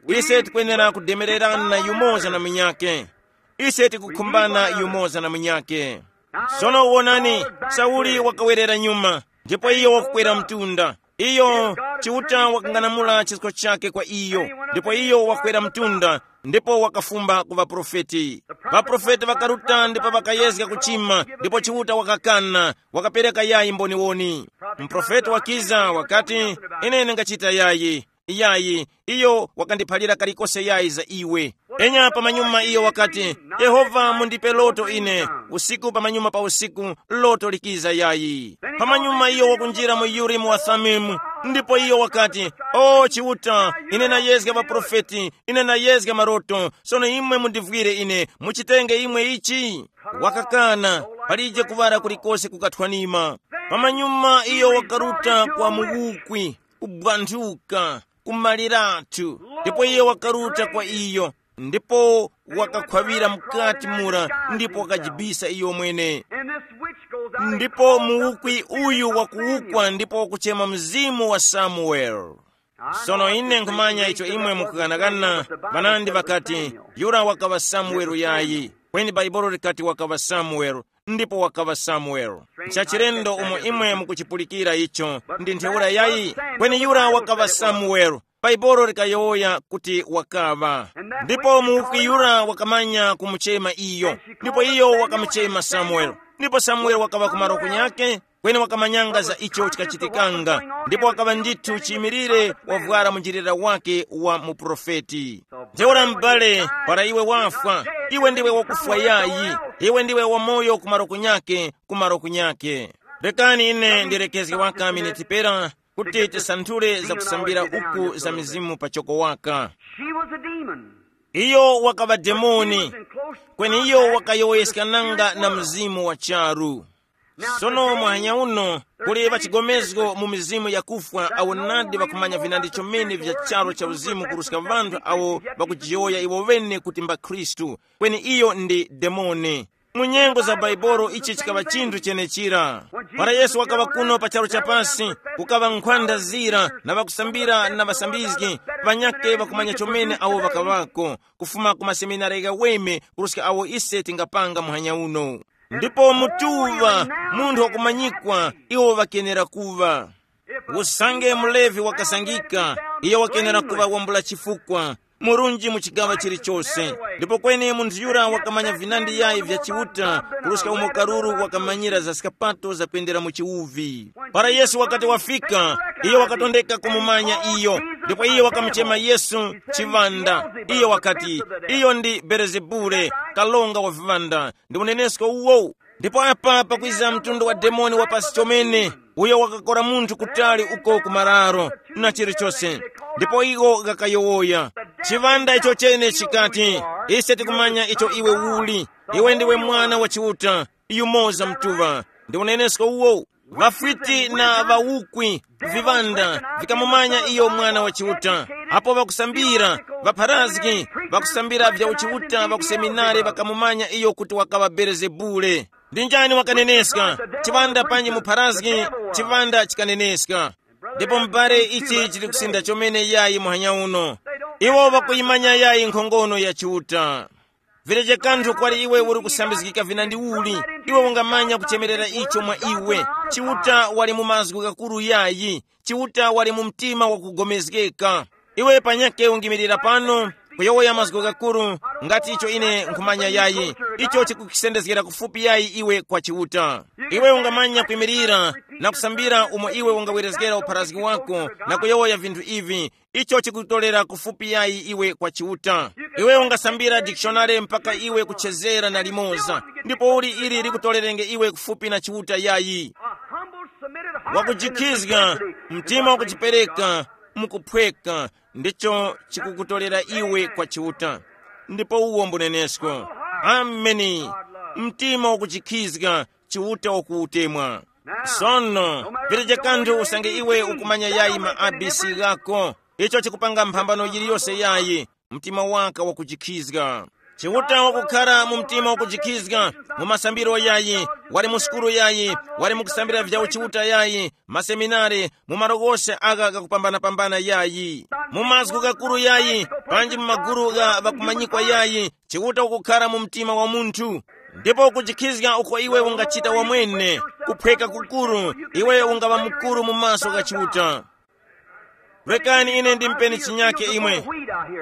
Ise tikwenera kudemererana yumoza na munyake. Ise tikukhumbana yumoza na munyake. Sono wonani, Sauli wakawerera nyuma, ndipo iyo wakukwera mtunda. Iyo, Chiuta wakang'anamula chisko chake kwa iyo, ndipo iyo wakwera mtunda, ndipo wakafumba ku ŵaprofeti. Ŵaprofeti ŵakaruta ndipo ŵakayezga kuchima, ndipo Chiuta wakakana, wakapereka yayi mboniwoni. Mprofeti wakiza wakati, ine ndingachita yayi. Yayi, iyo wakandiphalira kalikose yayi za iwe. Enya pamanyuma iyo wakati, Yehova mundipe loto ine, usiku pamanyuma pa usiku, loto likiza yayi. Pamanyuma iyo wakunjira mu Urimu wa Thumimu, ndipo iyo wakati, o Chiuta, ine nayezga ŵaprofeti, ine nayezga maroto, sono imwe mundivwire ine, muchitenge imwe ichi? Wakakana, palije kuŵala kulikose kukathwanima. Pamanyuma iyo wakaruta kwa muwukwi, kubwanthuka, kumaliratu, ndipo iye wakaruta kwa iyo, ndipo wakakhwawira mukati mura, ndipo wakajibisa iyo mwene. Ndipo muwukwi uyu wakuwukwa ndipo wakuchema mzimu wa Samuel. Sono ine nkhumanya icho imwe mukukanakana, ŵanandi ŵakati, yura wakaŵa Samuel yayi. Kweni Bhaibuli likati wakaŵa Samuel, ndipo wakaŵa Samuel. Nchachilendo umo imwe mukuchipulikira icho, ndi ntheura yayi, kweni yura wakaŵa Samuel. Bhaibuli likayowoya kuti wakaŵa. Ndipo muwukwi yura wakamanya kumuchema iyo, ndipo iyo wakamuchema Samuel. Ndipo Samuel wakaŵa ku malo kunyake, kweni wakamanyanga za icho chikachitikanga, ndipo wakaŵa ndithu chiyimilire wavwara munjilira wake wa muprofeti. Ntheura m'bale, para iwe wafwa, iwe ndiwe wakufwa yayi, iwe ndiwe wamoyo kumaro kunyake, kumaro kunyake. Rekani ine ndirekezge waka miniti pera, kuti tisanthule za kusambira uku za mizimu pachoko waka. She was a demon. Iyo wakaŵa demoni, kweni iyo wakayowoyeskananga na mzimu wa charu. Sono muhanya uno, kuli ŵachigomezgo mu mizimu yakufwa awo nadi ŵakumanya vinandi chomene vya charu cha uzimu kuruska ŵanthu awo ŵakujiyowoya iwo ŵene kuti mba Khristu, kweni iyo ndi demoni. Mu nyengo za Baibolo ichi chikaŵa chinthu chenechira. Para Yesu wakaŵa kuno pa charu cha pasi, kukaŵa nkhwanda zira na ŵakusambira na ŵasambizgi, ŵanyakhe ŵakumanya chomene awo ŵakaŵako, kufuma ku maseminari ghaweme kuruska awo ise tingapanga muhanya uno. Ndipo mutuŵa, munthu wakumanyikwa, iwo ŵakenera kuŵa. Usange mulevi wakasangika, iyo wakenera kuŵa wambula chifukwa, murunji mu chigaŵa chilichose. Ndipo kweni munthu yura wakamanya vinandi yayi vya Chiuta, kuruska umo karuru wakamanyira za skapato zakwendera mu chiwuvi. Para Yesu wakati wafika, iyo wakatondeka kumumanya iyo, ndipo iyo wakamuchema Yesu chiŵanda. Iyo wakati, iyo ndi Belezebule, kalonga wa viŵanda, ndi unenesko uwo. Ndipo apa pakwiza mtundu wa demoni wa pasi chomene, uyo wakakora munthu kutali uko ku mararo na chilichose. Ndipo iwo ghakayowoya, chiŵanda icho chene chikati, ise tikumanya icho iwe uli. Iwe ndiwe Mwana wa Chiuta, yumoza mtuŵa. Ndi unenesko uwo. Ŵafwiti na ŵawukwi, viŵanda, vikamumanya iyo Mwana wa Chiuta. Apo ŵakusambira, ŵapharazgi, ŵakusambira vya uchiuta ŵa ku seminari ŵakamumanya iyo kuti wakaŵa Belezebule. Ndi njani wakaneneska? Chiŵanda panji mupharazgi, chiŵanda chikaneneska. Ndipo m'bale, ichi chili kusinda chomene yayi muhanya uno. Iwo ŵakuyimanya yayi nkhongono ya Chiuta. Vileje kanthu kwali iwe uri kusambizgika vinandi uli, iwe ungamanya kuchemerera icho mwa iwe. Chiuta wali mu mazgu ghakuru yayi. Chiuta wali mu mtima wakugomezgeka. Iwe panyake ungimirira pano, kuyowoya mazgu ghakuru, ngati icho ine nkhumanya yayi. Icho chikukisendezgera kufupi yayi iwe kwa Chiuta. Iwe ungamanya kwimirira na kusambira umo iwe ungawerezgera upharazgi wako na kuyowoya vinthu ivi. Icho chikutorera kufupi yayi iwe kwa Chiuta. Iwe ungasambira dikishonare mpaka iwe kuchezera na limoza, ndipo uli ili likutorerenge iwe kufupi na Chiuta yayi. Wakujikhizga, mtima wakujipereka, mukuphweka, ndicho chikukutolera iwe kwa Chiuta. Ndipo uwo mbunenesko. Ameni. Mtima wakujikhizga, Chiuta wakuutemwa. Sono, vilijo kanthu usange iwe ukumanya yayi ma A B C ghako, icho chikupanga mphambano yiliyose yayi, mtima waka wakujikhizga. Chiuta wakukhara mu mtima wakujikhizga, mu masambiro yayi, wali mu sukulu yayi, wali mu kusambira vya uchiuta yayi, maseminari, mu malo ghose agha ghakupambana-pambana yayi, mu mazgu ghakuru yayi, panji mu maguru gha ŵakumanyikwa yayi, Chiuta ukukhara mu mtima wa munthu. Ndipo kujikhizga uko iwe ungachita wamwene, kuphweka kukuru, iwe ungaŵa mukuru mu maso gha Chiuta. Rekani ine ndimpeni chinyake imwe.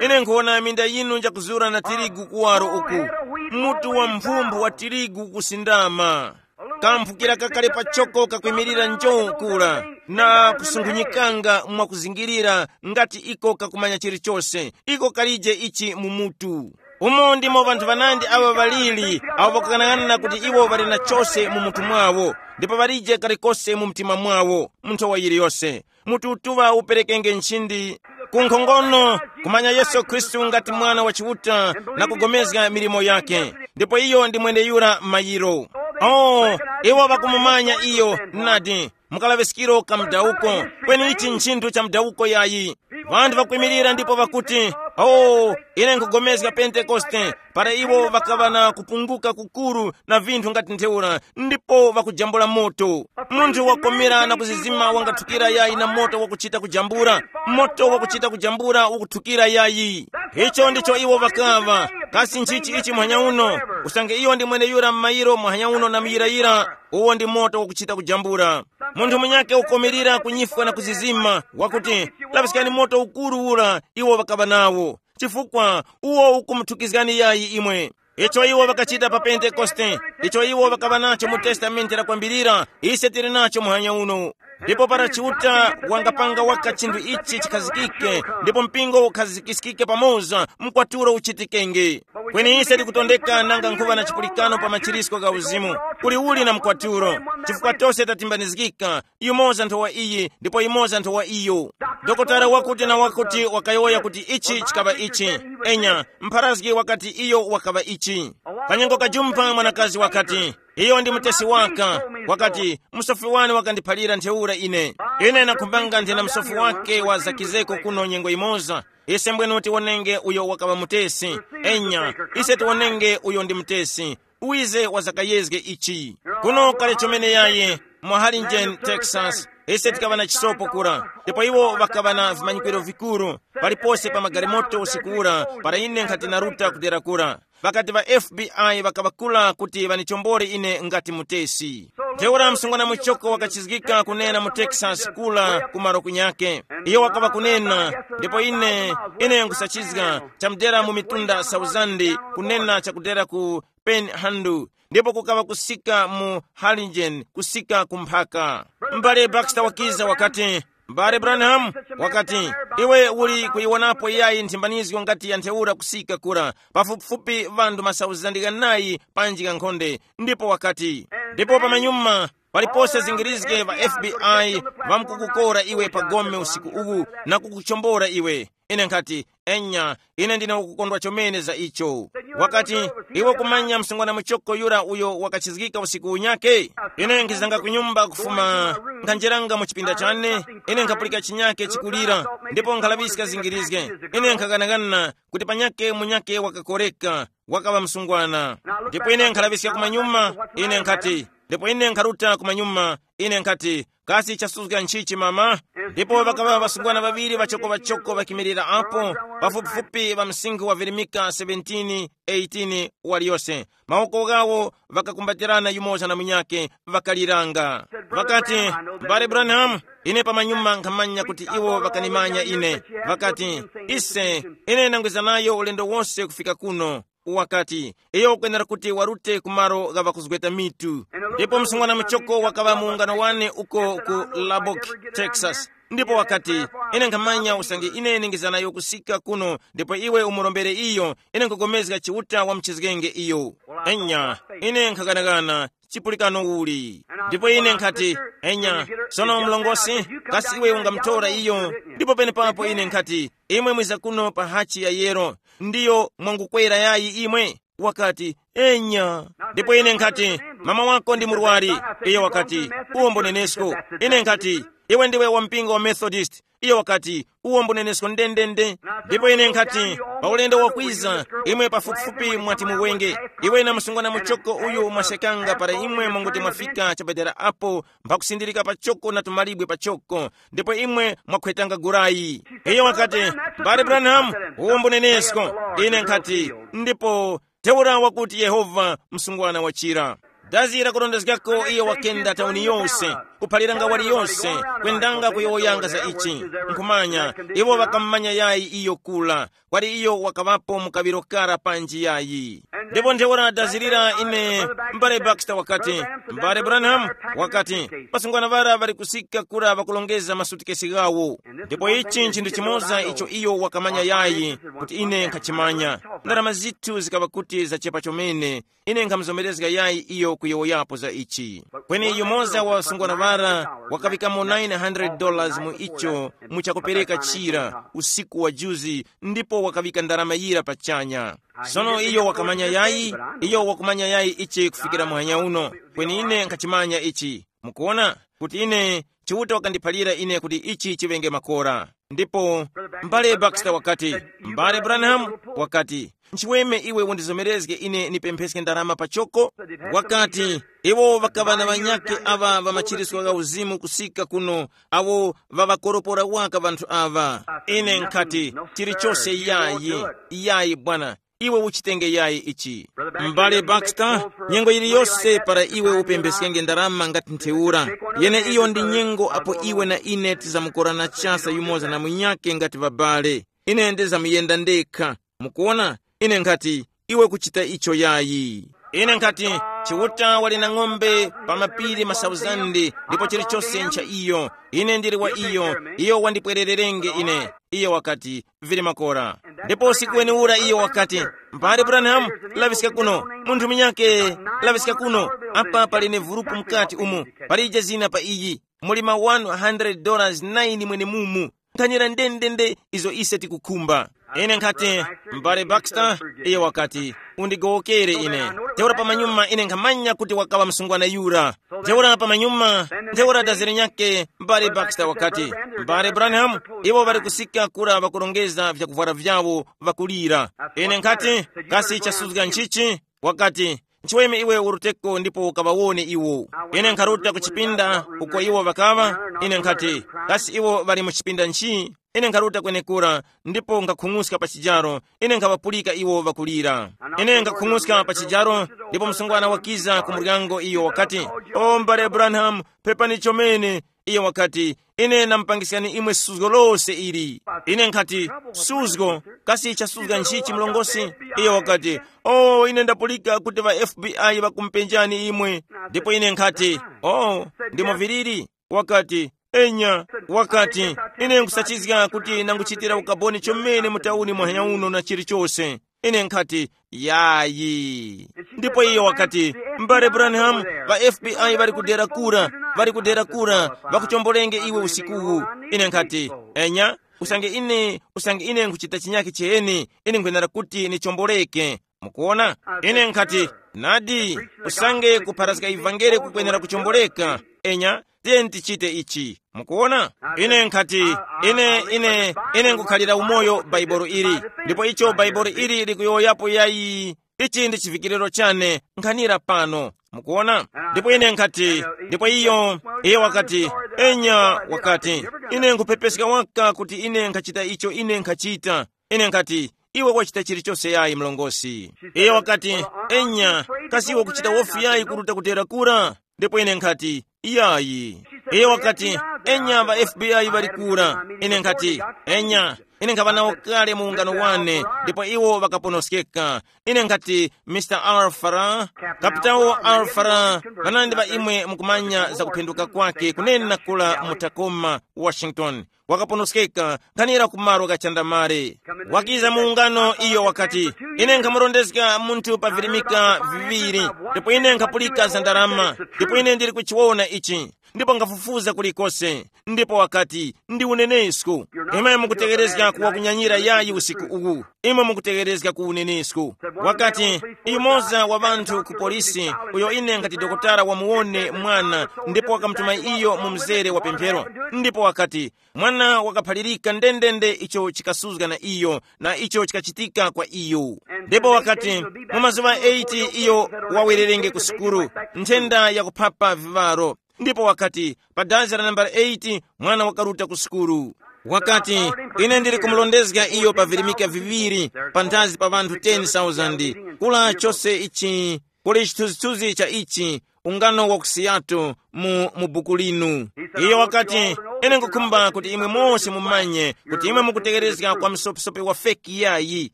Ine nkhuwona minda yinu njakuzura na tirigu kuwaro uku. Mutu wa mphumphu wa tirigu kusindama. Kamphukira kakale pachoko kakwimirira njo kura, na kusunkhunyikanga mwakuzingirira, ngati iko kakumanya chilichose. Iko kalije ichi mu mutu. Umo ndimo ŵanthu ŵanandi aŵa ŵaliri, awo ŵakukang'ana kuti iwo ŵali na chose mu mutu mwawo, ndipo ŵalije kalikose mu mtima mwawo, mu nthowa yiliyose. Mututuŵa uperekenge nchindi ku nkhongono, kumanya Yesu Khristu ngati Mwana wa Chiuta, na kugomezga milimo yake. Ndipo iyo ndi mweneyura mayiro. Oh, iwo ŵakumumanya iyo, nadi, mukalaŵiskiro ka mudawuko, kweni ichi nchinthu cha mudawuko yayi. Ŵanthu ŵakwimirira ndipo ŵakuti, oh, ine nkugomezga Pentekoste, para iwo ŵakaŵa na kupunguka kukuru na vinthu ngati ntheura, ndipo ŵakujambula moto. Munthu wakomera na kuzizima wangathukira yayi na moto wakuchita kujambura. Moto wakuchita kujambura ukuthukira yayi. Icho ndicho iwo ŵakaŵa. Kasi nchichi ichi muhanya uno? Usange iyo ndi mweneyura m'mayiro muhanya uno na muyirayira, uwo ndi moto wakuchita kujambura. Munthu munyake ukomerera kunyifwa na kuzizima, wakuti, laŵiskani moto ukuru ura iwo ŵakaŵa nawo, chifukwa uwo ukumuthukizgani yayi imwe. Icho iwo ŵakachita pa Pentekoste, icho iwo ŵakaŵa nacho mu Testamenti la Kwambirira, ise tili nacho muhanya uno. Ndipo para Chiuta wangapanga waka chinthu ichi chikhazikike, ndipo mpingo ukhazikiskike pamoza, mkwaturo uchitikenge. Kweni ise tikutondeka nanga nkhuŵa na chipulikano pa machirisko gha uzimu, kuli uli na mkwaturo, chifukwa tose tatimbanizgika, yumoza nthowa iyi ndipo yumoza nthowa iyo. Dokotala wakuti na wakuti wakayowoya kuti ichi chikaŵa ichi. Enya, mpharazgi wakati iyo wakaŵa ichi. Kanyengo kajumpa mwanakazi wakati, iyo ndi mutesi waka. Wakati, musofi wani wakandiphalira ntheura ine. Ine nakhumbanga nthena musofi wake wa zakizeko kuno nyengo imoza. Ise mbwenu tiwonenge uyo wakaŵa mutesi. Enya, ise tiwonenge uyo ndi mutesi. Uwize wazakayezge ichi. Kuno kale chomene yayi, mu Harlingen, Texas, ise tikaŵa na chisopo kura, ndipo iwo ŵakaŵa na vimanyikiro vikuru, palipose pa magalimoto usiku ura, para ine nkhati naruta kudera kura. Ŵakati ŵa F B I ŵakaŵakula kuti ŵanichombore ine ngati mutesi. Ntheura msungwana muchoko wakachizgika kunena mu Texas kula ku malo kunyake. Iyo wakaŵa kunena, ndipo ine, ine nkusachizga chamudera mu mitunda sauzande, kunena chakudera ku Penhandu, ndipo kukaŵa kusika mu Harlingen, kusika ku mphaka. M'bale Baxter wakiza wakati, m'bale Branham, wakati, iwe uli kuyiwonapo yayi nthimbanizgo ngati ya ntheura kusika kura, pafupifupi ŵanthu masauzandi ghanayi panji ghankhonde, ndipo wakati, ndipo pamanyuma palipose zingirizge ŵa F B I ŵamkukukora iwe pa gome usiku uwu na kukuchombora iwe. Ine nkhati, enya, ine ndine wakukondwa chomene za icho. Wakati, iwe kumanya msungwana muchoko yura uyo wakachizgika usiku unyake? Ine nkhizanga ku nyumba kufuma, nkhanjeranga mu chipinda chane, ine nkhapulika chinyake chikulira, ndipo nkhalaŵiska zingirizge. Ine nkhaganagana kuti panyake munyake wakakoreka, wakaŵa msungwana. Ndipo ine nkhalaŵiska kumanyuma, ine nkhati, Ndipo ine nkharuta kumanyuma, ine nkhati, kasi chasuzga nchichi mama? Ndipo ŵakaŵa ŵasungwana ŵaŵiri ŵachoko-ŵachoko ŵakimirira apo, pafupifupi ŵa msinkhu wa virimika seventeen eighteen waliyose. Mawoko ghawo ŵakakumbatirana yumoza na munyakhe, ŵakaliranga. Ŵakati, mbale Branham, ine pamanyuma nkhamanya kuti iwo ŵakanimanya ine. Ŵakati, ise, ine ndangwiza nayo ulendo wose kufika kuno. Wakati, iyo ukwenera kuti warute ku malo gha ŵakuzgweta mitu. Ndipo msungwana muchoko wakaŵa muungano wane uko ku Lubbock, Texas. Ndipo wakati, ine nkhamanya usange ine ningizanayo kusika kuno, ndipo iwe umurombere iyo, ine nkugomezga Chiuta wa mchizgenge iyo. Enya, ine nkhaganagana, chipulikano uli? Ndipo ine nkhati, enya, sono mlongosi, kasi iwe ungamutora iyo? Ndipo penepapo ine nkhati, imwe mwiza kuno pa hachi ya yero, ndiyo mwangukwera yayi imwe? Wakati, enya. Ndipo ine nkhati, mama wako ndi murwari. Iyo wakati, uwo mbunenesko. Ine nkhati, iwe ndiwe wa mpingo wa Methodist. Iyo wakati, uwo mbunenesko ndendende. Ndipo ine nkhati, pa ulendo wakwiza, imwe pafupifupi mwati muwenge. Iwe na msungwana muchoko uyu mwasekanga para imwe mwanguti mwafika chapadera apo, mphakusindilika pachoko na tumalibwe pachoko, ndipo imwe mwakhwetanga gurayi. Iyo wakati, mbale Branham, uwo mbunenesko. Ine nkhati, ndipo ntheura wakuti Yehova msungwana wachira. Dazi lakurondezgako iyo wakenda tauni yose, kuphaliranga wali yose, kwendanga kuyowoyanga za ichi. Nkhumanya, iwo ŵakammanya yayi iyo kula, kwali iyo wakaŵapo mu kaŵiro kara panji yayi. Ndipo ntheura dazirira ine, mbale Baxter wakati, mbale Branham, wakati, pasungwana ŵara ŵali kusika kura ŵakulongeza masutikesi ghawo. Ndipo ichi nchinthu chimoza icho iyo wakamanya yayi, kuti ine nkhachimanya. Ndarama zithu zikaŵa kuti zachepa chomene, ine nkhamuzomerezga yayi iyo kuyowoyapo za ichi. Kweni yumoza wa ŵasungwana ŵara wakaŵikamo nine hundred dollars mu icho, mu chakupereka chira usiku wa juzi, ndipo wakaŵika ndarama yira pachanya. Sono iyo wakamanya yayi, iyo wakumanya yayi ichi kufikira muhanya uno, kweni ine nkhachimanya ichi. Mukuona kuti ine, Chiuta wakandiphalira ine kuti ichi chiŵenge makora. Ndipo mbale Baxter wakati, mbale Branham, wakati, nchiweme iwe undizomerezge ine nipempheske ndarama pachoko? Wakati, iwo ŵakaŵa na ŵanyakhe aŵa ŵa machiritso gha uzimu kusika kuno, awo ŵaŵakoropora waka ŵanthu aŵa. Ine nkhati, chilichose yayi, yayi bwana, iwe uchitenge yayi ichi. M'bale Baxter, nyengo yiliyose para iwe upempheskenge ndarama ngati ntheura, yene iyo ndi nyengo apo iwe na ine tizamukorana chasa yumoza na munyakhe ngati ŵabale. Ine ndizamuyenda ndekha. Mukuona, ine nkhati, iwe kuchita icho yayi. Ine nkhati, Chiuta wali na ng'ombe pa mapiri masauzande, ndipo chilichose ncha iyo. Ine ndili wa iyo, iyo wandipwererenge ine. Iyo wakati, vili makora. Ndipo usiku wenewura iyo wakati, mbale Branham, laŵiska kuno. Munthu munyake, laŵiska kuno. Apa pali ne vurupu mukati umu. Palije zina pa iyi. Muli ma one hundred dollars nine mwenemumu. Nkhanira ndendende izo ise tikukhumba. Ine nkhati, mbale Baxter, iye wakati, undigowokere ine. Ntheura pamanyuma ine nkhamanya kuti wakaŵa msungwana yura. Ntheura pamanyuma, ntheura dazere nyake, mbale Baxter wakati, mbale Branham, iwo ŵali kusika kura ŵakurongeza vyakuvwara vyawo, ŵakulira. Ine nkhati, kasi chasuzga nchichi? Wakati, nchiweme iwe uruteko ndipo ukaŵawone iwo. Ine nkharuta ku chipinda uko iwo ŵakaŵa. Ine nkhati, kasi iwo ŵali mu chipinda nchi? Ine nkharuta kwenekura, ndipo nkhakhung'uska pa chijaro. Ine nkhaŵapulika iwo ŵakulira. Ine nkhakhung'uska pa chijaro, ndipo msungwana wakiza ku muryango iyo wakati, o mbale Branham, pepani chomene. Iyo wakati, ine namupangiskani imwe suzgo lose ili. Ine nkhati, suzgo? Kasi chasuzga nchichi mlongosi? Iyo wakati, o ine ndapulika kuti ŵa F B I ŵakumupenjani imwe. Ndipo ine nkhati, o, ndimo viliri? Wakati, enya. Wakati, ine nkusachizga kuti nanguchitira ukaboni chomene mu tauni muhanya uno na chilichose. Ine nkhati, yayi. Ndipo iyo wakati, mbale Branham, ŵa F B I ŵali kudera kura, ŵali kudera kura, ŵakuchombolenge iwe usikuwu. Ine nkhati, enya, usange ine, usange ine nkuchita chinyakhe cheni, ine nkhwenera kuti nichomboleke. Mukuona? Ine nkhati, nadi, usange kupharazga ivangeli kukwenera kuchomboleka. Enya, tiyeni tichite ichi. Mukuona? Ine nkhati, ine, ine, ine nkukhalira umoyo Bhaibuli ili. Ndipo icho Bhaibuli ili likuyowoyapo yayi, ichi ndi chivikiriro chane, nkhanira pano. Mukuona? Ndipo ine nkhati, ndipo iyo, iyo wakati, enya, wakati, ine nkuphepeska waka kuti ine nkhachita icho ine nkhachita. Ine nkhati, iwe wachita chilichonse yayi mlongosi. Iyo wakati, enya, kasi iwe kuchita wofi yayi kuruta kudera kura? Ndipo ine nkhati, iyayi. Iyo wakati, enya ŵa F B I ŵali kura. Ine nkhati, enya, ine nkhaŵa nawo kale mu ungano wane, ndipo iwo ŵakaponoskeka. Ine nkhati, Mr Alfara, kapitawo Alfara, ŵanandi ŵa imwe mukumanya za kuphenduka kwake kunena kula mu Tacoma, Washington. Wakaponoskeka nkhanira ku malo gha chandamale. Wakiza mu ungano iyo wakati, ine nkhamurondezga munthu pa virimika viŵiri, ndipo ine nkhapulika za ndarama, ndipo ine ndili kuchiwona ichi, ndipo nkhafufuza kulikose. Ndipo wakati, ndi unenesko. Imwe mukutegerezga kuwa kunyanyira yayi usiku uwu. Imwe mukutegerezga ku unenesko. Wakati, yumoza wa ŵanthu ku polisi, uyo ine ngati dokotala wamuwone mwana, ndipo wakamutuma iyo mu mzere wa pemphero. Ndipo wakati, mwana wakaphalirika ndendende icho chikasuzga na iyo na icho chikachitika kwa iyo. Ndipo wakati, mu mazuŵa eight iyo wawererenge ku sukulu, nthenda yakuphapa viŵaro. Ndipo wakati, pa dazi la nambala eight mwana wakaruta ku sukulu. Wakati, ine ndili kumulondezga iyo pa virimika viŵiri, panthazi pa ŵanthu ten thousand. Kula chose ichi, kuli chithunzithunzi cha ichi, ungano wa ku Seattle mu, mu buku linu. Iyo wakati, ine nkukhumba kuti imwe mose mumanye kuti imwe mukutegerezga kwa msopesope wa feki yayi,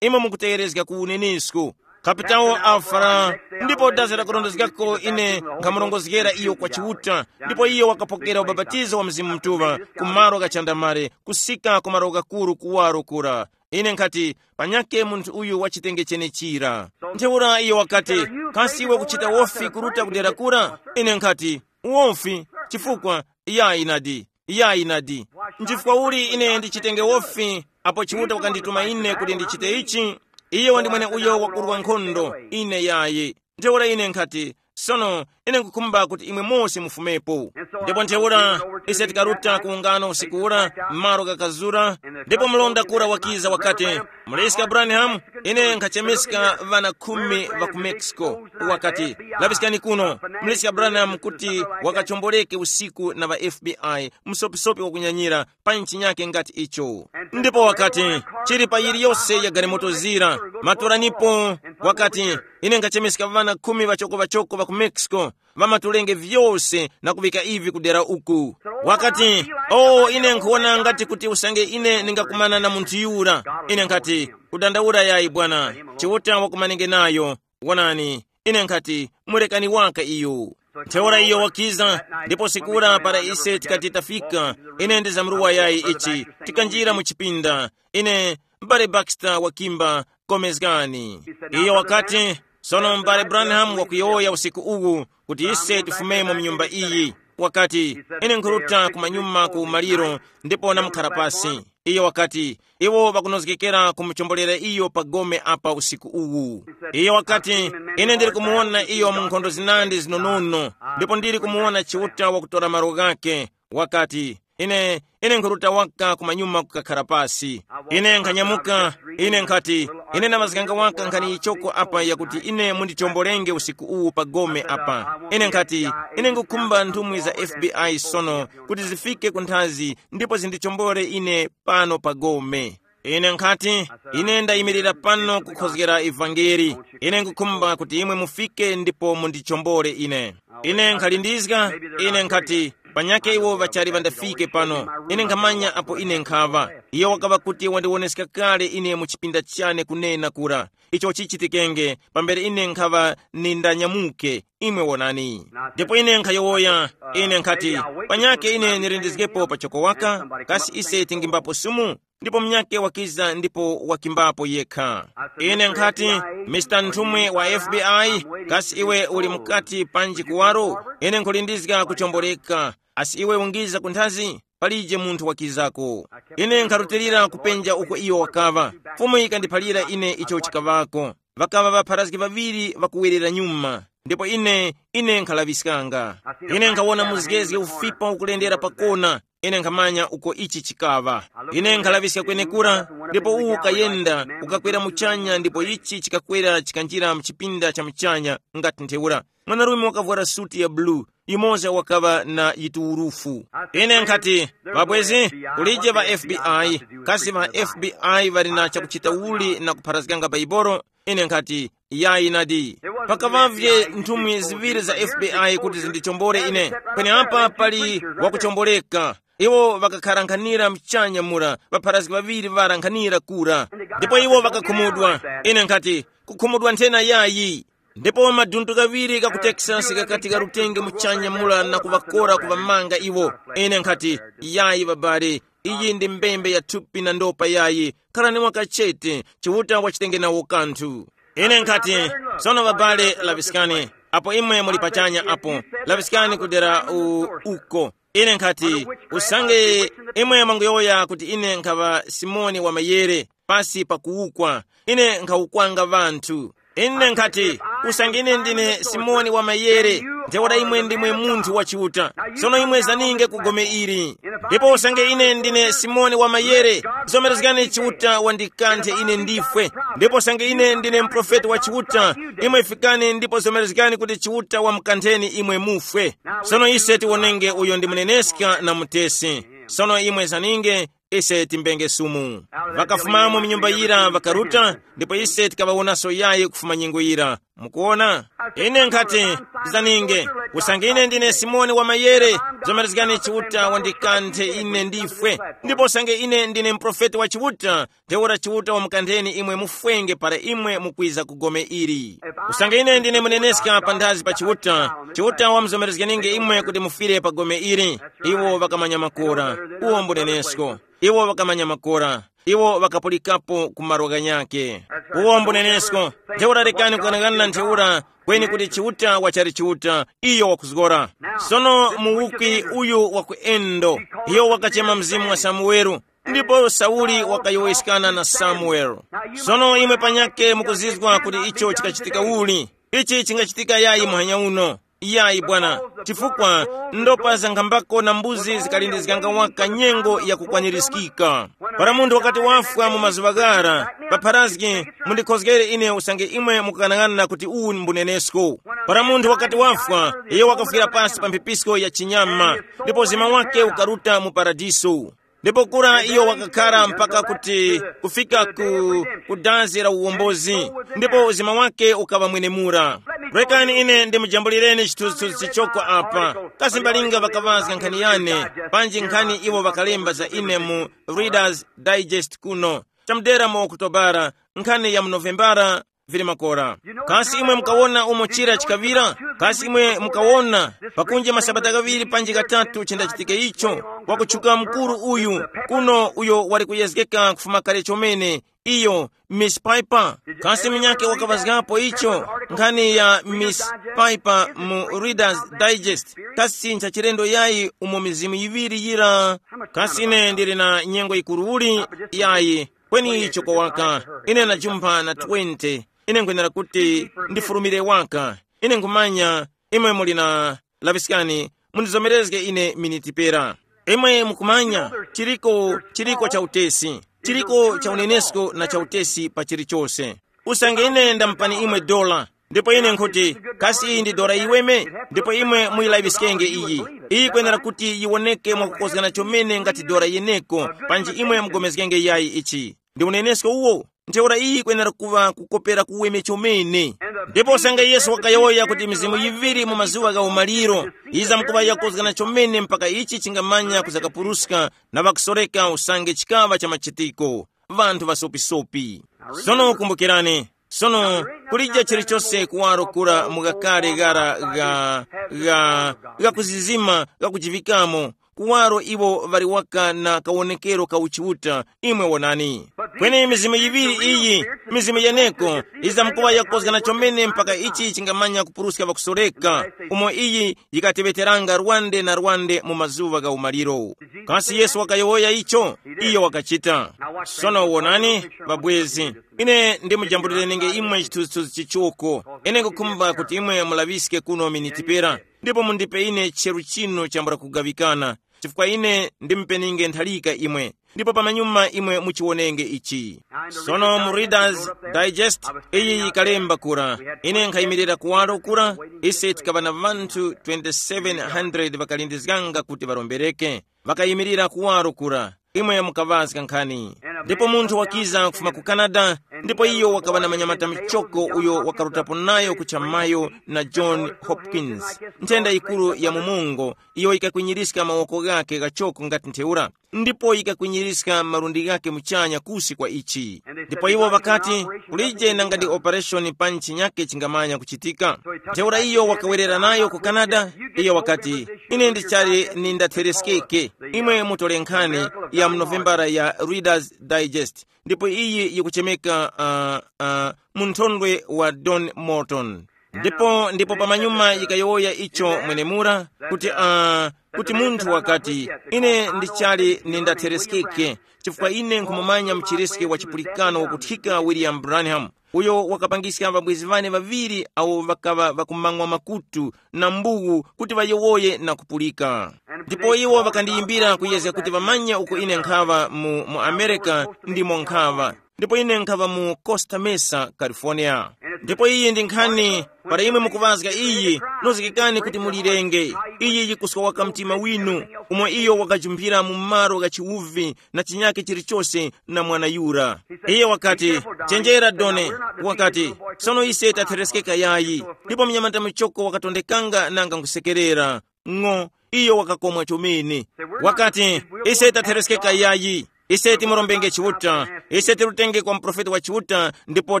imwe mukutegerezga ku unenesku. Kapitawo Alfara, ndipo dazi lakurondezgako ine nkhamurongozgera iyo kwa Chiuta, ndipo iyo wakapokera ubapatizo wa Mzimu Mutuŵa ku malo gha chandamale, kusika ku malo ghakuru kuwaro kura. Ine nkhati, panyakhe munthu uyu wachitenge chenechira. Ntheura iyo wakati, kasi iwe kuchita wofi kuruta kudera kura? Ine nkhati, wofi, chifukwa, iyayi nadi, iyayi nadi. Nchifukwa uli ine ndichitenge wofi, apo Chiuta wakandituma ine kuti ndichite ichi? Iye wandimwene uyo wakurwa nkhondo, ine yayi. Ntheura ine nkhati, sono, ine nkukhumba kuti imwe mose mufumepo. Ndipo ntheura ise tikaruta ku ungano usiku ura, m'malo ghakazura, ndipo mlonda kura wakiza wakati, muliska Branham, ine nkhachemeska ŵana khumi ŵa ku Mexico. Wakati, laŵiskani kuno, muliska Branham kuti wakachomboleke usiku na ŵa F B I, msopisopi wakunyanyira, pa nchinyake ngati icho. Ndipo wakati, chili pa yiliyose ya galimoto zira, matoranipo. Wakati, ine nkhachemeska ŵana khumi ŵachoko ŵachoko ŵa ku Mexico, ŵamatulenge vyose na kuŵika ivi kudera uku. Wakati, o ine nkhuwona ngati kuti usange ine ndingakumana na munthu yura. Ine nkhati, kudandaula yayi bwana, Chiuta wakumanenge nayo. Wonani, ine nkhati, murekani waka iyo. Ntheura iyo wakiza, ndipo sikura para ise tikati tafika, ine ndizamruwa yayi ichi, tikanjira mu chipinda. Ine, m'bale Baxter wakimba, komezgani. Iyo wakati, sono m'bale Branham wakuyowoya usiku uwu, kuti ise tifumemo mu nyumba iyi. Wakati, ine nkhuruta kumanyuma ku umaliro, ndipo namukhara pasi. Iyo wakati, iwo ŵakunozgekera kumuchombolera iyo pa gome apa usiku uwu. Iyo wakati, ine ndili kumuwona iyo mu nkhondo zinandi zinonono, ndipo ndili kumuwona Chiuta wakutora malo ghake. Wakati, ine, ine nkhuruta waka kumanyuma kukakhara pasi. Ine nkhanyamuka, ine nkhati, ine namazganga waka nkhani yichoko apa yakuti ine mundichombolenge usiku uwu pa gome apa. Ine nkhati, ine ngukhumba nthumwi za F B I sono kuti zifike ku nthazi ndipo zindichombore ine pano pa gome. Ine nkhati, ine ndayimirira pano kukhozgera ivangeli. Ine nkukhumba kuti imwe mufike ndipo mundichombore ine. Ine nkhalindizga, ine nkhati, panyakhe iwo ŵachali ŵandafike pano. Ine nkhamanya apo ine nkhaŵa. Iyo wakaŵa kuti wandiwoneska kale ine mu chipinda chane kunena kura. Icho chichitikenge, pambere ine nkhaŵa nindanyamuke, imwe wonani. Ndipo ine nkhayowoya, ine nkhati, panyakhe ine nilindizgepo pachoko waka, kasi ise tingimbapo sumu? Ndipo munyakhe wakiza ndipo wakimbapo yekha. Ine nkhati, Mister Nthumwi wa F B I, kasi iwe uli mukati panji kuwaro? Ine nkhulindizga kuchomboleka. Asi iwe ungiza ku nthazi? Palije munthu wakizako. Ine nkharutilira kupenja uko iyo wakaŵa. Fumu yikandiphalira ine icho chikaŵako. Ŵakaŵa ŵapharazgi ŵaŵiri ŵakuwerera nyuma, ndipo ine, ine nkhalaŵiskanga. Ine nkhawona muzgezge ufipa ukulendera pakona. Ine nkhamanya uko ichi chikaŵa. Ine nkhalaŵiska kwenekura, ndipo uwu ukayenda, ukakwera muchanya, ndipo ichi chikakwera chikanjira mu chipinda cha muchanya. Ngati ntheura, mwanarume wakavwara suti ya bulu, yumoza wakaŵa na yituwurufu. Ine nkhati, ŵabwezi, kulije ŵa F B I, kasi ŵa F B I ŵali na chakuchita uli na kupharazganga Baibolo? Ine nkhati, yayi nadi. Pakaŵavye nthumwi ziŵiri za F B I kuti zindichombore ine. Peneapa pali wakuchomboreka. Iwo ŵakakharankhanira mchanya mura, ŵapharazgi ŵaŵiri ŵarankhanira kura. Ndipo iwo ŵakakhumudwa. Ine nkhati, kukhumudwa nthena yayi. Ndipo maduntu ghaŵiri ga ku Texas gakati garutenge muchanya mura na kuŵakora kuŵamanga iwo. Ine nkhati, yayi ŵabale, iyi ndi mbembe ya thupi na ndopa yayi. Kharani mwakachete, Chiuta wachitenge nawo kanthu. Ine nkhati, sono ŵabale, laŵiskani. Apo imwe muli pachanya apo, laŵiskani kudera u- uko. Ine nkhati, usange imwe mwanguyowoya kuti ine nkhaŵa Simoni wa mayere, pasi pa kuwukwa, ine nkhawukwanga ŵanthu. Ine nkhati, usange ine ndine Simoni wa mayere, ntheura imwe ndimwe munthu wa Chiuta. Sono imwe zaninge ku gome ili. Ndipo usange ine ndine Simoni wa mayere, zomerezgani Chiuta wandikanthe ine ndifwe. Ndipo usange ine ndine mprofeti wa Chiuta, imwe fikani ndipo zomerezgani kuti Chiuta wamukantheni imwe mufwe. Sono ise tiwonenge uyo ndi muneneska na mutesi. Sono imwe zaninge, ise timbenge sumu. Ŵakafumamo mu nyumba yira ŵakaruta, ndipo ise tikaŵawonaso yayi kufuma nyengo yira. Mukuona? Ine nkhati, zaninge, usange ine ndine Simoni wa mayere, zomerezgani Chiuta wandikanthe ine ndifwe. Ndipo usange ine ndine mprofeti wa Chiuta, ntheura Chiuta wamukantheni imwe mufwenge para imwe mukwiza ku gome ili. Usange ine ndine muneneska panthazi pa Chiuta, Chiuta wamuzomerezgeninge imwe kuti mufire pa gome ili. Iwo ŵakamanya makora. Uwo mbunenesko. Iwo ŵakamanya makora. Iwo ŵakapulikapo ku malo ghanyakhe. Uwo mbunenesko. Ntheura rekani kughanaghanana ntheura kweni kuti Chiuta wachali Chiuta, iyo wakuzgora. Sono muwukwi uyu wa ku Endo, iyo wakachema mzimu wa Samuwelo, ndipo Sauli wakayowoyeskana na Samuwelo. Sono imwe panyakhe mukuzizwa kuti icho chikachitika uli. Ichi chingachitika yayi muhanya uno. Iyayi bwana, chifukwa ndopa zankhambako na mbuzi zikalindizganga waka nyengo yakukwanirizgika. Para munthu wakati wafwa mu mazuŵa ghara, papharazgi, mundikhozgere ine usange imwe mukughanaghanana kuti uwu mbunenesko. Para munthu wakati wafwa, iyo wakafwira pasi pa mphipisko ya chinyama, ndipo uzima wake ukaruta mu paradiso. Ndipo kura iyo wakakhara mpaka kuti kufika ku, ku dazi la uwombozi, ndipo uzima wake ukaŵa mwenemura. Rekani ine ndimujambulireni chithunzithunzi chichoko apa. Kasi mbalinga ŵakaŵazga nkhani yane, panji nkhani iwo ŵakalemba za ine mu Reader's Digest kuno, chamudera mu Okutobara, nkhani ya mu Novembara, vili makora. Kasi imwe mukawona umo chira chikaŵira? Kasi imwe mukawona pakunje masabata ghaŵiri panji ghatatu chindachitike icho? Wakutchuka mukuru uyu kuno uyo wali kuyezgeka kufuma kale chomene, iyo Miss Piper. Kasi munyakhe wakaŵazgapo icho? Nkhani ya Miss Piper mu Reader's Digest. Kasi nchachilendo yayi umo mizimu yiŵiri yira? Kasi ine ndili na nyengo yikuru uli? Yayi. Kweni icho kowaka, ine najumpha na twenty. Ine nkhwenera kuti ndifurumire waka. Ine nkhumanya imwe muli na, laŵiskani, mundizomerezge ine miniti pera. Imwe mukumanya, chiriko chiriko cha utesi, chiriko cha unenesko na cha utesi pa chilichose. Usange ine ndamupani imwe dola, ndipo ine nkhuti, kasi iyi ndi dola yiweme? Ndipo imwe muyilaŵiskenge iyi. Iyi kwenera kuti yiwoneke mwakukozgana chomene ngati dola yeneko, panji imwe mugomezgenge yayi ichi. Ndi unenesko uwo. Ntheura iyi kwenera kuŵa kukopera kuweme chomene. Ndipo usange Yesu wakayowoya kuti mizimu yiŵiri mu mazuŵa gha umaliro yizamkuŵa yakozgana chomene mpaka ichi chingamanya kuzakapuruska na ŵakusoreka usange chikaŵa cha machitiko, ŵanthu ŵasopisopi. Sono kumbukirani, sono kulija chilichose kuwaro kura mu ghakale ghara gha, gha, gha kuzizima gha kujivikamo, kuwaro iwo ŵali waka na kawonekero ka uchiuta. Imwe wonani, kweni mizimu yiŵiri iyi, mizimu yeneko, yizamkuŵa yakozgana chomene mpaka ichi chingamanya kupuruska ŵakusoreka, umo iyi yikateŵeteranga rwande na rwande mu mazuŵa gha umaliro. Kasi Yesu wakayowoya icho? Iyo wakachita. Sono wonani, ŵabwezi, ine ndimujambulirenge imwe chithunzithunzi chichoko. Ine nkukhumba kuti imwe mulaŵiske kuno miniti pera, ndipo mundipe ine cheru chino chambula kugaŵikana. chifukwa ine ndimupeninge ntharika imwe, ndipo pamanyuma imwe muchiwonenge ichi. Sono mu Reader's Digest, iyi yikalemba kura, ine nkhayimirira kuwaro kura, ise tikaŵa na ŵanthu twenty-seven hundred ŵakalindizganga kuti ŵarombereke, ŵakayimirira kuwaro kura, imwe mukaŵazga nkhani. Ndipo munthu wakiza kufuma ku Canada, ndipo iyo wakaŵa na manyamata michoko uyo wakarutapo nayo ku chamayo na John Hopkins, nthenda yikuru ya mumungo, iyo yikakwinyirizga mawoko ghake ghachoko ngati ntheura, ndipo yikakwinyirizga malundi ghake muchanya kusi kwa ichi. Ndipo iwo ŵakati, kulije nanga ndi operation panji chinyake chingamanya kuchitika. Ntheura iyo wakawerera nayo ku Canada. Iyo wakati, ine ndichali ni ndathereskeke. Imwe mutole nkhani ya mu Novembara ya Reader's Digest, ndipo iyi yikuchemeka uh, uh, mu nthondwe wa Don Morton. Ndipo ndipo pamanyuma yikayowoya icho mwenemura, kuti uh, kuti munthu wakati, ine ndichali ni ndathereskeke, chifukwa ine nkhumumanya mchiriske wa chipulikano wakuthika William Branham, uyo wakapangiska ŵabwezi ŵane ŵaŵiri awo ŵakaŵa ŵakumang'wa makutu na mbuwu kuti ŵayowoye na kupulika. Ndipo iwo ŵakandiyimbira kuyezga kuti ŵamanye uko ine nkhaŵa mu, mu Amerika, ndimo nkhaŵa. Ndipo ine nkhaŵa mu Costa Mesa, California. Ndipo iyi ndi nkhani, para imwe mukuŵazga iyi, nozgekani kuti mulirenge. Iyi yikuswa waka mtima winu, umo iyo wakajumphira mu malo gha chiwuvi na chinyake chilichose na mwana yura. Iye wakati, chenjera Done, wakati, sono ise tathereskeka yayi, ndipo mnyamata muchoko wakatondekanga nanga nkusekerera. Ng'o, iyo wakakomwa chomene. Wakati, ise tathereskeka yayi, ise timurombenge Chiuta, ise tirutenge kwa muprofeti wa Chiuta ndipo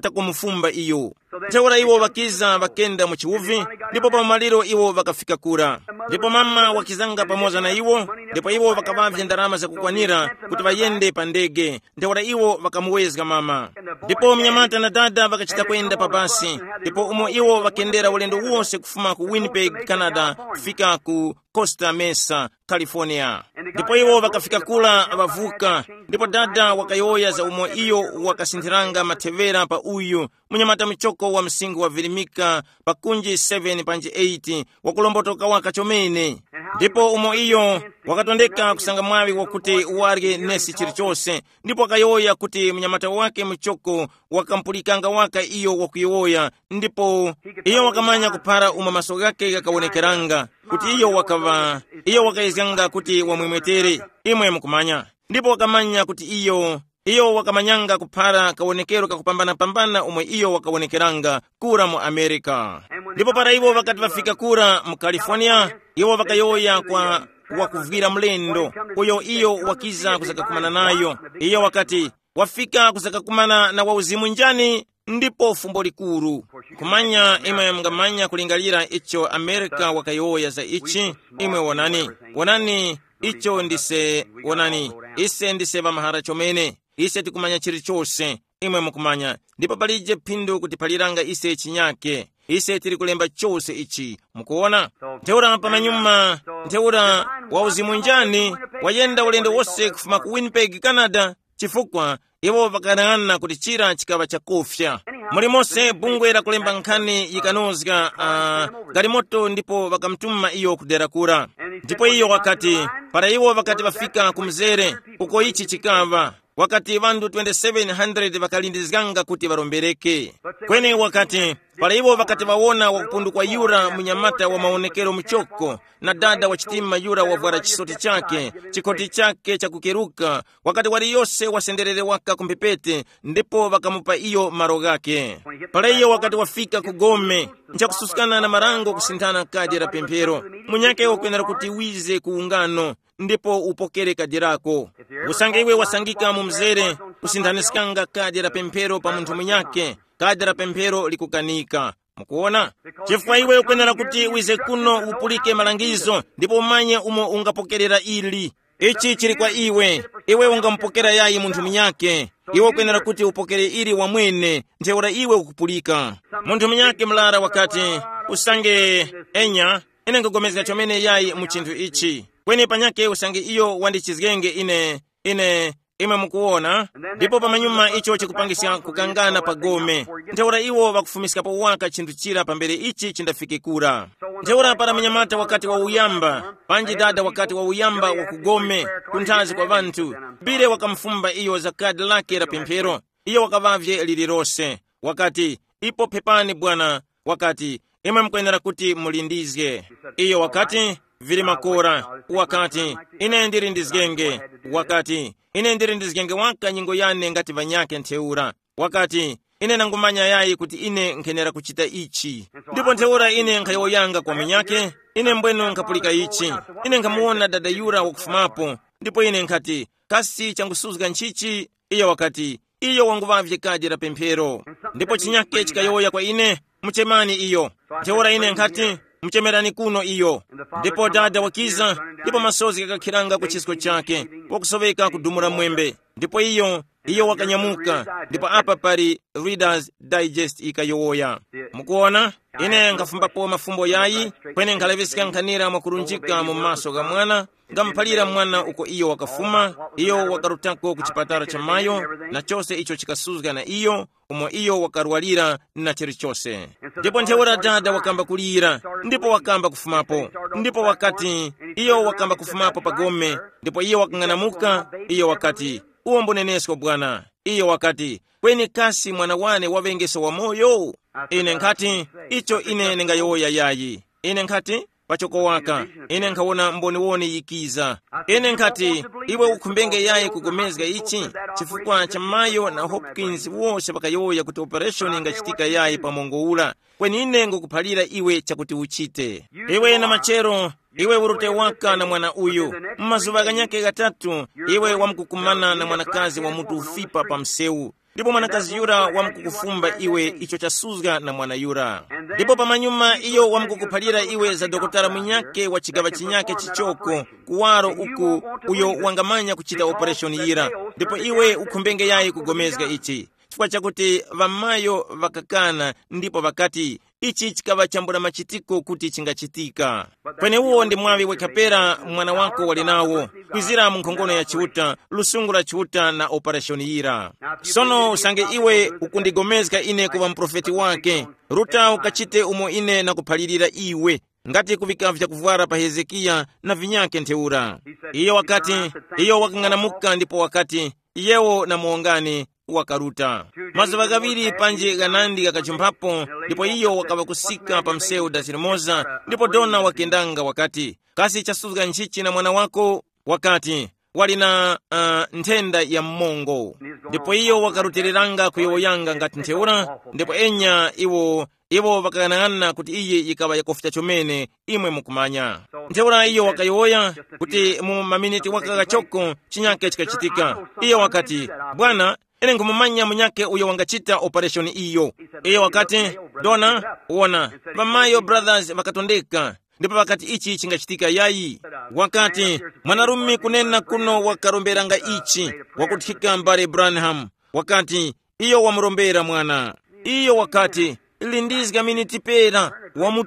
takumufumba iyo. Ntheura iwo ŵakiza ŵakenda mu chiwuvi, ndipo pa maliro iwo ŵakafika kura. Ndipo mama wakizanga pamoza na iwo, ndipo iwo ŵakaŵavye ndarama zakukwanira kuti ŵayende pa ndege. Ntheura iwo ŵakamuwezga mama. Ndipo mnyamata na dada ŵakachita kwenda pa basi, ndipo umo iwo ŵakendera ulendo wose kufuma ku Winnipeg, Canada, kufika ku Costa Mesa, California. Ndipo iwo ŵakafika kula ŵavuka, ndipo dada wakayowoya za umo iyo wakasinthiranga mathevera pa uyu munyamata muchoko wa msinkhu wa virimika pa kunji seven panji eight, wakulombotoka waka chomene. Ndipo umo iyo wakatondeka kusanga mwaŵi wakuti warye nesi chilichose, ndipo wakayowoya kuti munyamata wake muchoko wakampulikanga waka iyo wakuyowoya, ndipo iyo wakamanya kuphara umo maso ghake ghakawonekeranga, kuti iyo wakaŵa, iyo wakayezganga kuti wamwemwetere. Imwe mukumanya, ndipo wakamanya kuti iyo, iyo wakamanyanga kuphara kawonekero kakupambana-pambana umwe iyo wakawonekeranga kura mu Amerika. Ndipo para iwo ŵakati ŵafika kura mu California, iwo ŵakayowoya kwa wakuvwira mlendo, uyo iyo wakiza kuzakakumana nayo. Iyo wakati, wafika kuzakakumana na wauzimu njani? Ndipo fumbo likuru. Kumanya imwe mungamanya kulingalira icho Amerika wakayowoya za ichi. Imwe wonani, wonani, icho ndise, wonani, ise ndise ŵamahara chomene. Ise tikumanya chilichose, imwe mukumanya, ndipo palije phindu kutiphaliranga ise chinyake. Ise tili kulemba chose ichi, mukuona. Ntheura pamanyuma, ntheura wauzimu njani wayenda ulendo wose kufuma ku Winnipeg, Canada, chifukwa iwo ŵakanang'ana kuti chira chikaŵa chakufya. Mulimonse bungwe la kulemba nkhani yikanozga uh, galimoto ndipo ŵakamutuma iyo kudera kura. Ndipo iyo wakati, para iwo ŵakati ŵafika ku mzere uko ichi chikaŵa, wakati ŵanthu twenty-seven hundred ŵakalindizganga kuti ŵarombereke. Kweni wakati, para iwo ŵakati ŵawona wakupundukwa yura munyamata wa mawonekero muchoko, na dada wa chitima yura wavwara chisoti chake, chikhoti chake chakukeruka, wakati waliyose wasenderere waka ku mphepete, ndipo ŵakamupa iyo malo ghake. Para iyo wakati wafika ku gome, nchakususkana na marango kusinthana kadya la pemphero, munyake wakwenera kuti wize ku ungano, ndipo upokere kadya lako. Usange iwe wasangika mu mzere, kusinthaniskanga kadya la pemphero pa munthu munyake, kadya la pemphero likukanika. Mukuona? Chifukwa iwe ukwenera kuti wize kuno upulike malangizo ndipo umanye umo ungapokerera ili. Ichi chili kwa iwe. Iwe ungamupokera yayi munthu munyake? Iwe ukwenera kuti upokere ili wamwene, ntheura iwe ukupulika. Munthu munyake murara wakati, usange, enya, ine nkugomezga chomene yayi mu chinthu ichi. Kweni panyake usange iyo wandichizgenge ine, ine Imwe mukuwona, ndipo pamanyuma icho chikupangiska kukangana pa gome. Ntheura iwo ŵakufumiskapo waka chinthu chira pambere ichi chindafike kura. Ntheura para munyamata wakati wauyamba, panji dada wakati wauyamba wa ku gome, kunthazi kwa ŵanthu, Bile wakamufumba iyo za kadi lake la pemphero. Iyo wakaŵavye lilirose. Wakati, ipo phepani bwana. Wakati, imwe mukwenera kuti mulindizge. Iyo wakati, vili makora. Wakati, ine ndilindizgenge. Wakati, ine ndilindizgenge waka nyingo yane ngati ŵanyakhe ntheura. Wakati, ine nangumanya yayi kuti ine nkhenera kuchita ichi. Ndipo ntheura ine nkhayowoyanga kwa munyakhe, ine mbwenu nkhapulika ichi. Ine nkhamuwona dada yura wakufumapo. Ndipo ine nkhati, kasi changusuzga nchichi? Iyo wakati, iyo wanguŵavye kadi la pemphero. Ndipo chinyake chikayowoya kwa ine, muchemani iyo. Ntheura ine nkhati, muchemerani kuno iyo. Ndipo dada wakiza, ndipo masozi ghakakhiranga ku chisko chake, wakusoweka kudumula mwembe. Ndipo iyo, iyo wakanyamuka. Ndipo apa pali Reader's Digest ikayowoya. Mukuona, ine nkhafumbapo mafumbo yayi, kweni nkhalaŵiska nkhanira mwakurunjika mu maso gha mwana, ngamuphalira mwana uko iyo wakafuma, iyo wakarutako ku chipatala cha mayo, na chose icho chikasuzga na iyo, umo iyo wakarwalira na chilichose. Ndipo ntheura dada wakamba kulira, ndipo wakamba kufumapo. Ndipo wakati, iyo wakamba kufumapo pa gome, ndipo iyo wakang'anamuka, iyo wakati, uwo mbunenesko bwana. Iyo wakati, kweni kasi mwana wane waŵengeso wamoyo? Ine nkhati, icho ine ndingayowoya yayi. Ine nkhati, pachoko waka, ine nkhawona mboniwoni yikiza. Ine nkhati, iwe ukhumbenge yayi kugomezga ichi? Chifukwa cha mayo na Hopkins wose ŵakayowoya kuti operation ingachitika yayi pa mongo ura. Kweni ine ngukuphalira iwe chakuti uchite. Iwe na machero, iwe urute waka na mwana uyu. Mu mazuŵa ghanyakhe ghatatu, iwe wamkukumana na mwanakazi wa mutu ufipa pa msewu. Ndipo mwanakazi yura wamkukufumba iwe icho chasuzga na mwana yura. Ndipo pamanyuma iyo wamkukuphalira iwe za dokotala munyake wa chigaŵa chinyake chichoko, kuwaro uku, uyo wangamanya kuchita operation yira. Ndipo iwe ukhumbenge yayi kugomezga ichi, chifukwa chakuti ŵamayo ŵakakana, ndipo ŵakati, ichi chikaŵa chambula machitiko kuti chingachitika. Kweneuwo ndi mwaŵi wekha pera mwana wako wali nawo, kwizira mu nkhongono ya Chiuta, lusungu la Chiuta na opereshoni yira. Sono usange iwe ukundigomezga ine kuŵa muprofeti wake, ruta ukachite umo ine nakuphalirira iwe, ngati kuŵika vyakuvwara pa Hezekiya na vinyakhe ntheura. Iyo wakati, iyo wakang'anamuka ndipo wakati, iyewo na muwongani, wakaruta. Mazuŵa ghaŵiri panji ghanandi ghakajumphapo, ndipo iyo wakaŵa kusika pa msewu dasi limoza, ndipo dona wakendanga wakati, kasi chasuzga nchichi na mwana wako? Wakati, wali na uh, nthenda ya mmongo. Ndipo iyo wakarutiliranga kuyowoyanga ngati ntheura, ndipo enya iwo iwo ŵakaghanaghanana kuti iyi yikaŵa yakufika chomene, imwe mukumanya. Ntheura iyo wakayowoya kuti mu maminiti waka ghachoko chinyake chikachitika. Iyo wakati, bwana, ine nkhumumanya munyakhe uyo wangachita opereshoni iyo. Iyo wakati, dona, wona, ŵamayo brothers ŵakatondeka, ndipo ŵakati ichi chingachitika yayi. Wakati, mwanarume kunena kuno wakaromberanga ichi, wakuthika mbale Branham. Wakati, iyo wamurombera mwana. Iyo wakati, lindizga miniti pera,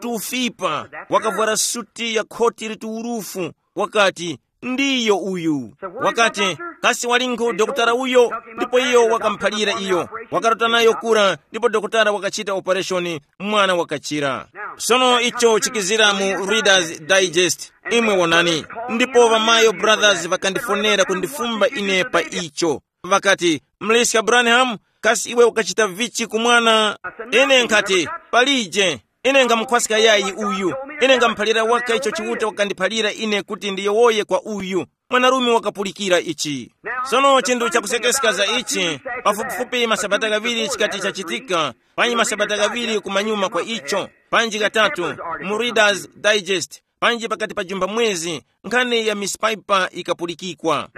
wamutufipa, wakavwara suti ya khoti lituwurufu. Wakati, ndiyo uyu. Wakati, kasi walinkhu dokotala uyo? Ndipo iyo wakamuphalira iyo, wakarota nayo kura, ndipo dokotala wakachita opereshoni, mwana wakachira. Sono icho chikizira mu Reader's Digest. Imwe wonani, ndipo ŵamayo brothers ŵakandifonera kundifumba ine pa icho. Ŵakati, mliska Branham, kasi iwe ukachita vichi ku mwana? Ine nkhati, palije. Ine ngamkhwaska yayi uyu. Ine ngamuphalira waka icho Chiuta wakandiphalira ine kuti ndiyowoye kwa uyu. Mwanarume wakapulikira ichi. Sono chinthu chakusekeska za ichi, pafupifupi masabata ghaŵiri chikati chachitika, panyi masabata ghaŵiri kumanyuma kwa icho, panji ghatatu, mu Reader's Digest, panji pakati pa jumba mwezi, nkhani ya Miss Piper ikapulikikwa.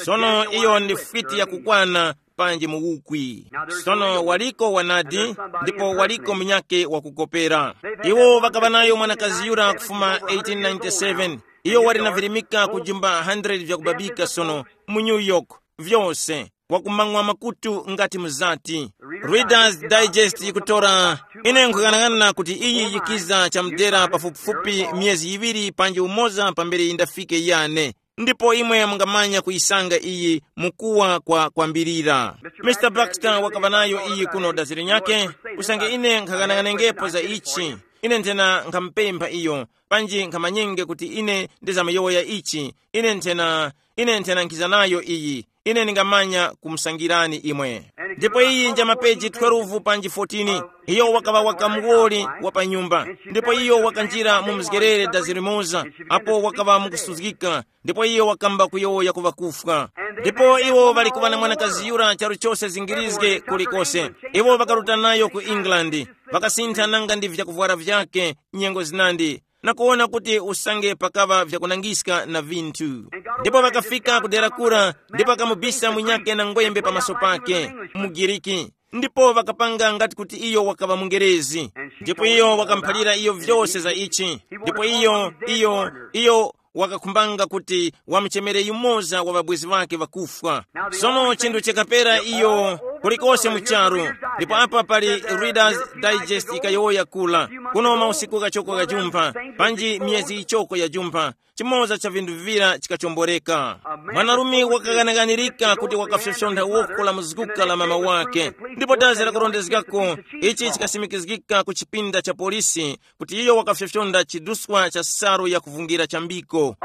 Sono iyo ndi fiti yakukwana panji mu ukwi. Sono waliko wanadi, ndipo waliko munyake wakukopera. Iwo ŵakaŵa nayo mwanakazi yura kufuma eighteen ninety-seven. Iyo wali na virimika ku jumba hundred vyakubabika sono mu New York, vyose, wakumang'wa makutu ngati mzati. Reader's Digest yikutora, ine nkhughanaghanana kuti iyi yikiza chamudera pafupifupi myezi yiŵiri panji umoza pambere yindafike yane. Ndipo imwe mungamanya kuyisanga iyi mukuwa kwa kwambirira. Mr Baxter wakaŵa nayo iyi kuno daziri nyake. Usange ine nkhaghanaghanengepo za ichi, ine nthena nkhamupempha iyo, panji nkhamanyenge kuti ine ndizamyowoya ichi. Ine nthena ine nthena nkhiza nayo iyi. Ine ndingamanya kumusangirani imwe. Ndipo iyi nja mapeji twelve panji fourteen. Iyo wakaŵa wakamuwoli wa pa nyumba, ndipo iyo wakanjira mu mzgerere dazirimoza, apo wakaŵa mukusuzgika. Ndipo iyo wakamba kuyowoya ku ŵakufwa. Ndipo iwo ŵali kuŵa na mwanakazi yura charu chose zingirizge kulikose. Iwo ŵakaruta nayo ku England, ŵakasintha nanga ndi vyakuvwara vyake nyengo zinandi, na kuwona kuti usange pakaŵa vyakunangiska na vinthu. Ndipo ŵakafika ku dera kura, ndipo akamubisa munyake na ngwembe pamaso pake, mugiriki. Ndipo ŵakapanga ngati kuti iyo wakaŵa mungerezi. Ndipo iyo wakamuphalira iyo vyose za ichi. Ndipo iyo iyo iyo wakakhumbanga kuti wamuchemere yumoza wa ŵabwezi ŵake ŵakufwa. Sono chinthu chikapera iyo kulikose mu charu. Ndipo apa pali Reader's Digest ikayowoya kula, kuno mausiku kachoko kajumpha, panji myezi ichoko yajumpha, chimoza cha vinthu vivira chikachomboreka. Mwanarume wakaghanaghanirika kuti wakafyofyontha woko la muzguka la mama wake. Ndipo dazi lakurondezgako ichi chikasimikizgika ku chipinda cha polisi kuti iyo wakafyofyonda chiduswa cha salu ya kuvungira chambiko.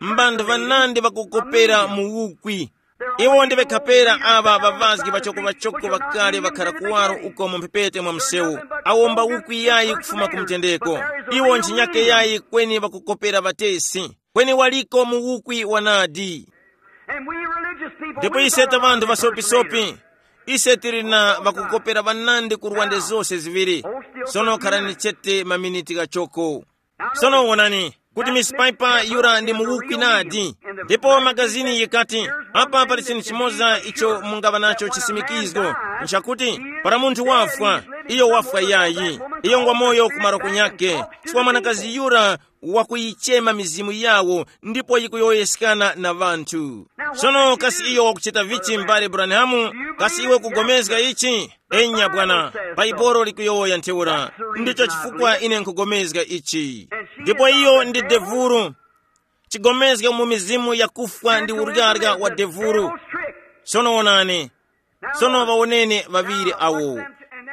Mbanthu vanandi vakukopera mu ukwi. Iwo ndi ŵekhapera aŵa ŵavazgi ŵachoko-ŵachoko ŵakale ŵakhara kuwaro uko mu mphepete mwa msewu, awomba ukwi yayi kufuma ku mtendeko. Iwo ntchinyake yayi kweni ŵakukopera ŵatesi, kweni waliko mu ukwi wanadi. Ndipo ise ta ŵanthu ŵasopisopi, ise tili na ŵakukopera ŵanandi ku rwande zose ziŵiri. Sono kharani chete maminiti ghachoko. Sono wonani kuti Miss Piper yura ndi muwukwi nadi. Ndipo magazini yikati, apa pali chinthu chimoza icho mungaŵa nacho chisimikizgo, nchakuti para munthu wafwa, iyo wafwa yayi, iyo ngwa moyo ku maroko nyakhe. Chifukwa mwanakazi yura wakuyichema mizimu yawo ndipo yikuyowoyeskana na ŵanthu. Sono kasi iyo wakuchita vichi mbale Branhamu? Kasi iwe kugomezga ichi? Enya bwana, Baibolo likuyowoya ntheura. Ndicho chifukwa ine nkugomezga ichi. Ndipo iyo ndi devuru. Chigomezga mu mizimu yakufwa ndi uryarya wa devuru. Sono wonani. Sono ŵawoneni ŵaŵiri awo.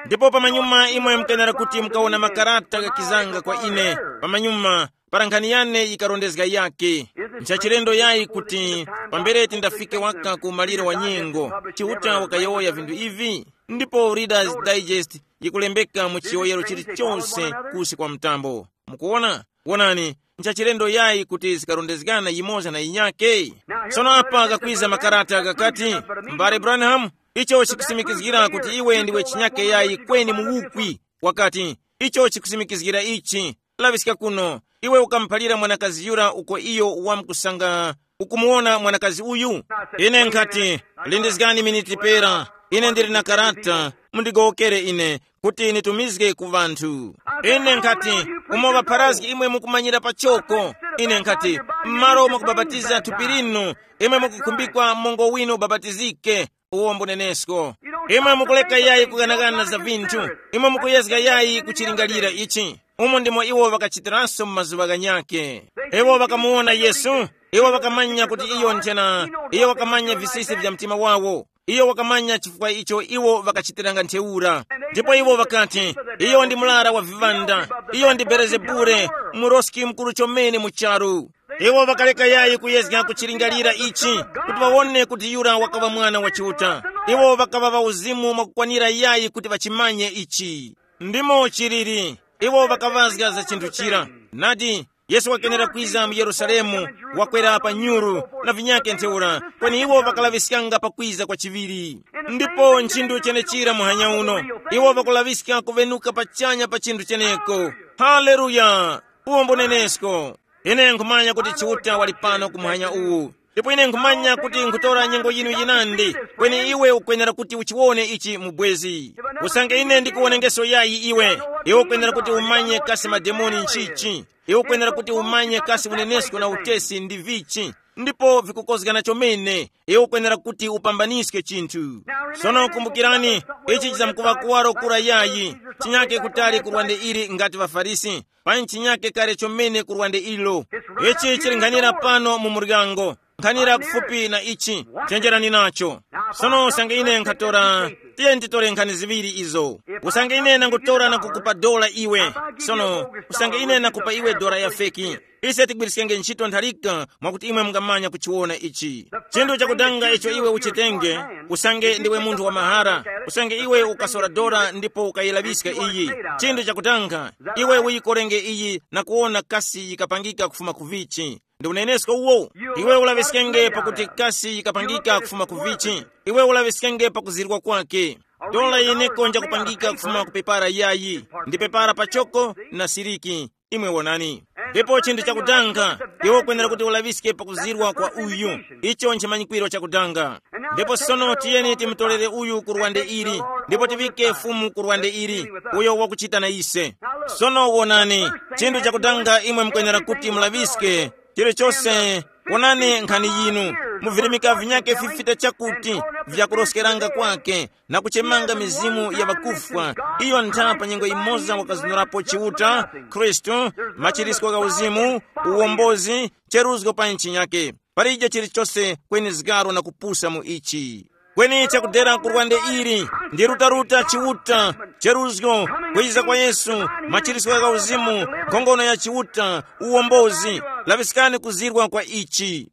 Ndipo pamanyuma imwe mukenera kuti mukawona makarata ghakizanga kwa ine. Pamanyuma para nkhani yane yikarondezga yake. Nchachilendo yayi kuti pambere tindafike waka ku maliro wa nyengo, Chiuta wakayowoya vinthu ivi. Ndipo Reader's Digest yikulembeka mu chiyowoyero chilichonse kusi kwa mtambo. Mukuwona? Wonani, nchachilendo yayi kuti zikarondezgana yimoza na yinyake. Sono apa kakwiza makarata gakati, mbale Branham, icho chikusimikizgira kuti iwe ndiwe chinyake yayi kweni muwukwi. Wakati, icho chikusimikizgira ichi. Laŵiska kuno, iwe ukamuphalira mwanakazi yura uko iyo wamkusanga ukumuwona mwanakazi uyu? Ine nkhati, lindizgani miniti pera, ine ndili na karata, mundigowokere ine kuti nitumizge ku ŵanthu. Ine nkhati, umo ŵapharazgi imwe mukumanyira pachoko. Ine nkhati, m'malo mwakubapatiza thupi linu, imwe mukukhumbikwa mongo winu ubapatizike. Uwo mbunenesko. Imwe mukuleka yayi kuganagana za vinthu. Imwe mukuyezga yayi kuchilingalira ichi. Umo ndimo iwo ŵakachitiranso mu mazuŵa ghanyakhe. Iwo ŵakamuwona Yesu. Iwo ŵakamanya kuti iyo nthena. Iyo wakamanya visisi vya mtima wawo. Iyo wakamanya chifukwa icho iwo ŵakachitiranga ntheura. Ndipo iwo ŵakati, iyo ndi murara wa viŵanda. Iyo ndi Belezebule, muroski mukuru chomene mu charu. Iwo ŵakaleka yayi kuyezga kuchilingalira ichi, kuti ŵawone kuti yura wakaŵa Mwana wa Chiuta. Iwo ŵakaŵa ŵauzimu mwakukwanira yayi kuti ŵachimanye ichi. Ndimo chiliri. Iwo ŵakaŵazga za chinthu chira. Nadi, Yesu wakenera kwiza mu Yerusalemu, wakwera pa nyuru, na vinyake ntheura, kweni iwo ŵakalaŵiskanga pakwiza kwa chiŵiri. Ndipo nchinthu chenechira muhanya uno, iwo ŵakulaŵiska kuŵenuka pachanya pa chinthu cheneko. Haleluya! Uwo mbunenesko. Ine nkhumanya kuti Chiuta wali pano ku muhanya uwu. Ndipo ine nkhumanya kuti nkhutora nyengo yinu yinandi, kweni iwe ukwenera kuti uchiwone ichi mu bwezi. Usange ine ndikuwonengeso yayi iwe, iwe ukwenera kuti umanye kasi mademoni nchichi. Iwe ukwenera kuti umanye kasi unenesko na utesi ndi vichi. Ndipo vikukozgana chomene, iwe ukwenera kuti upambaniske chinthu. Sono kumbukirani, ichi chizamkuŵa kuwaro kura yayi, chinyake kutali ku lwande ili ngati ŵaFarisi. pa ntchinyake kale chomene kurwande ilo. Ichi chili nkhanira pano mu muryango, nkhanira kufupi na ichi. Chenjerani nacho. Sono usange ine nkhatora, tiye nditore nkhani ziŵiri izo. Usange ine nangutora na kukupa dola iwe, sono usange ine nakupa iwe dola ya feki, ise tigwiriskenge ntchito ntharika mwakuti imwe mungamanya kuchiwona ichi. Chinthu chakudanga icho iwe uchitenge, usange ndiwe munthu wa mahara, usange iwe ukasora dora ndipo ukayilaŵiska iyi. Chinthu chakudanga, iwe uyikorenge iyi na kuwona kasi yikapangika kufuma ku vichi. Ndi unenesko uwo. Iwe ulaŵiskenge pakuti kasi yikapangika kufuma ku vichi. Iwe ulaŵiskenge pakuzirwa kwake. Dola yeneko njakupangika kufuma ku pepara yayi, ndi pepara pachoko na siriki. Imwe wonani. Ndipo chinthu chakudanga, iwe ukwenera kuti ulaŵiske pakuzirwa kwa uyu. Icho nchimanyikwiro chakudanga. Ndipo sono tiyeni timutolere uyu ku rwande ili, ndipo tivike fumu ku rwande ili, uyo wakuchita na ise. Sono wonani, chinthu chakudanga imwe mukwenera kuti mulaŵiske chilichose. Wonani nkhani yinu, muvirimika vinyake fifita chakuti vyakuroskeranga kwake na kuchemanga mizimu ya ŵakufwa. Iyo ntha pa nyengo imoza wakazunurapo Chiuta, Khristu, machirisiko gha uzimu, uwombozi, cheruzgo pa ntchi nyake. Palije chilichose kweni zgaro na kupusa mu ichi. Kweni chakudera ku rwande ili ndi rutaruta Chiuta, cheruzgo, kwiza kwa Yesu, machirisiko gha uzimu, nkhongono ya Chiuta, uwombozi. Laŵiskani kuzirwa kwa ichi.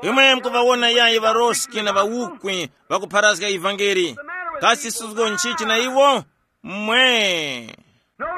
Imwe mukuŵawona yayi ŵaroski na ŵawukwi ŵakupharazga ivangeli. Kasi suzgo nchichi na iwo? Mwe.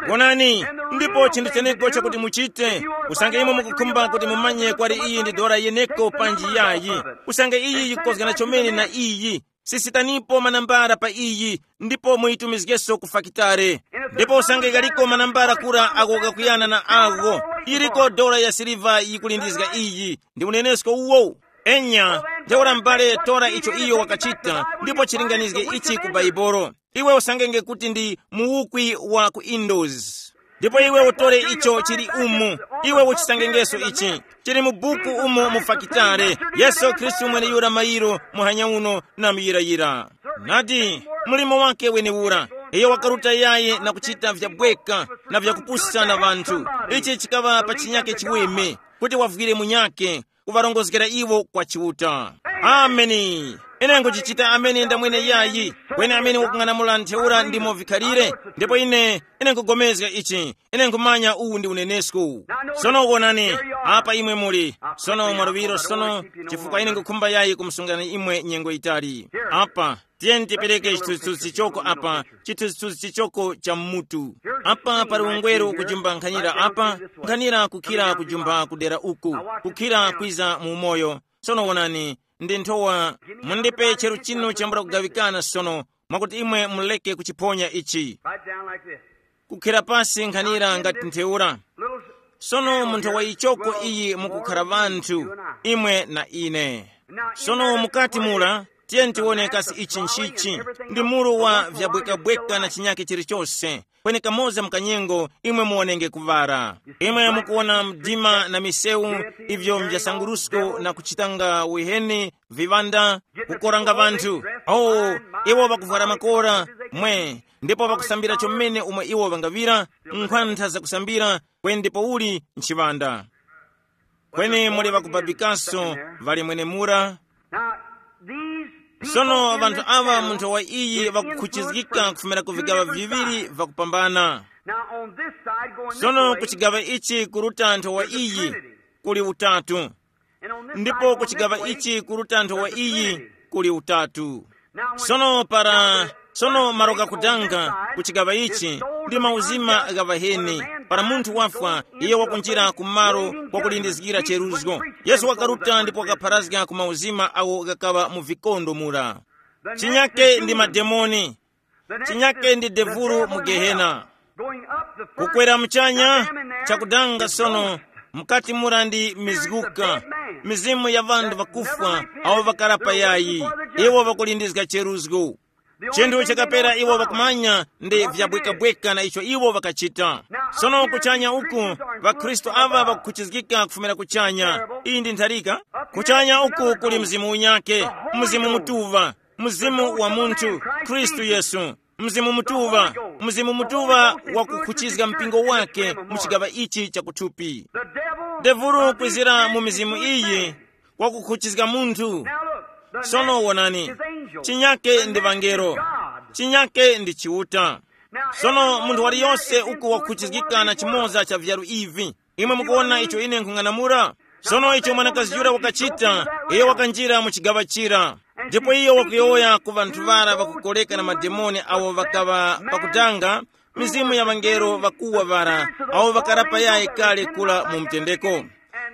Wonani, ndipo chinthu cheneko chakuti muchite, usange imwe mukukhumba kuti mumanye kwali iyi ndi dora yeneko panji yayi, usange iyi yikozgana chomene na iyi, sisitanipo manambala pa iyi, ndipo muyitumizgeso ku fakitare. Ndipo usange ghaliko manambala kura agho gakuyana na agho, yiriko dora ya siliva yikulindizga iyi, ndi unenesko uwo. Enya, ntheura m'bale tora icho iyo wakachita, ndipo chilinganizge ichi ku Baibolo. Iwe usangenge kuti ndi muwukwi wa ku Indoors. Ndipo iwe utore icho chili umu, iwe uchisangengeso ichi. Chili mu buku umu mu fakitare, Yesu Khristu mweneyura mayiro muhanya uno na muyirayira. Nadi, mulimo wake wenewura. Iyo wakaruta yayi na kuchita vyabweka na vyakupusa na ŵanthu. Ichi chikaŵa pa chinyake chiweme, kuti wavwire munyake, kuŵarongozgera iwo kwa Chiuta. Ameni. Ine nkuchichita ameni ndamwene yayi, kweni amene wakung'anamula ntheura ndimo vikhalire. Ndipo ine, ine nkugomezga ichi. Ine nkhumanya uwu ndi unenesko. Sono wonani, apa imwe muli. Sono mwaluŵiro sono, chifukwa ine nkukhumba yayi kumsungani imwe nyengo yitali. Apa, tiyeni tipereke chithunzithunzi choko apa, chithunzithunzi choko cha mmutu. Apa pali ungweru kujumba nkhanira apa, nkhanira kukhira kujumba kudera uku, kukhira kwiza mu umoyo. Sono wonani, ndi nthowa, mundipe cheru chinu chambula kugaŵikana sono, mwakuti imwe muleke kuchiphonya ichi. Right down like this. Kukhira pasi nkhanira ngati ntheura. Little sono munthu wa ichoko iyi mukukhara ŵanthu, imwe na ine. Sono mukati mura, tiye tiwone kasi ichi nchichi, ndi muru wa vyabwekabweka na chinyake chilichose. Kweni kamoza mkanyengo imwe muonenge kuvara. Imwe mukuwona mdima na misewu, ivyo mvyasangurusko na kuchitanga wiheni, viŵanda, kukoranga ŵanthu. Oh, iwo ŵakuvwara makora, mwe, ndipo ŵakusambira chomene umwe iwo ŵangaŵira, nkhwantha zakusambira, kweni ndipo uli nchiŵanda. Kweni muli ŵakubabikaso ŵali mwenemura. Now, these people sono in ŵanthu this aŵa town mu nthowa iyi is ŵakukhuchizgika influenced kufumira ku by two vigaŵa different viŵiri sides. Vakupambana. Now, on this side, going this sono way, ku chigaŵa ichi kuruta nthowa there's a iyi Trinity. Kuli utatu. And on this ndipo side, ku going chigaŵa this way, ichi kuruta nthowa there's a iyi Trinity. Kuli utatu. Now, when sono para sono maro gakudanga ku chigaŵa ichi ndi mauzima gha ŵaheni. Para munthu wafwa, iye wakunjira ku malo kwakulindizgira cheruzgo. Yesu wakaruta ndipo wakapharazga ku mauzima awo ghakaŵa mu vikondo mura. Chinyake ndi mademoni. Chinyake ndi devulu mu gehena. Kukwera muchanya, chakudanga sono, mukati mura ndi mizguka, mizimu ya ŵanthu ŵakufwa awo ŵakara payayi, iwo ŵakulindizga cheruzgo. Chinthu chakapera iwo ŵakumanya ndi vyabwekabweka na icho iwo ŵakachita. Sono kuchanya uku, ŵakhristu aŵa ŵakukhuchizgika kufumira kuchanya. Iyi ndi ntharika. Kuchanya uku kuli Mzimu unyake, Mzimu Mutuŵa, Mzimu wa munthu, Khristu Yesu. Mzimu Mutuŵa, Mzimu Mutuŵa wakukhuchizga mpingo wake mu chigaŵa ichi chakuthupi. Devulu kwizira mu mizimu iyi wakukhuchizga munthu. Sono wonani, chinyake ndi ŵangelo, chinyake ndi Chiuta. Sono munthu waliyose uku wakukhuchizgika na chimoza cha vyalu ivi. Imwe mukuwona icho ine nkhung'anamula? Sono icho mwanakazi yura wakachita, iyo wakanjira mu chigaŵa chira. Ndipo iyo wakuyowoya ku ŵanthu ŵara ŵakukoreka na mademoni awo ŵakaŵa pakutanga, mizimu ya ŵangelo ŵakuwa ŵara, awo ŵakarapa yayi kale kula mu mtendeko.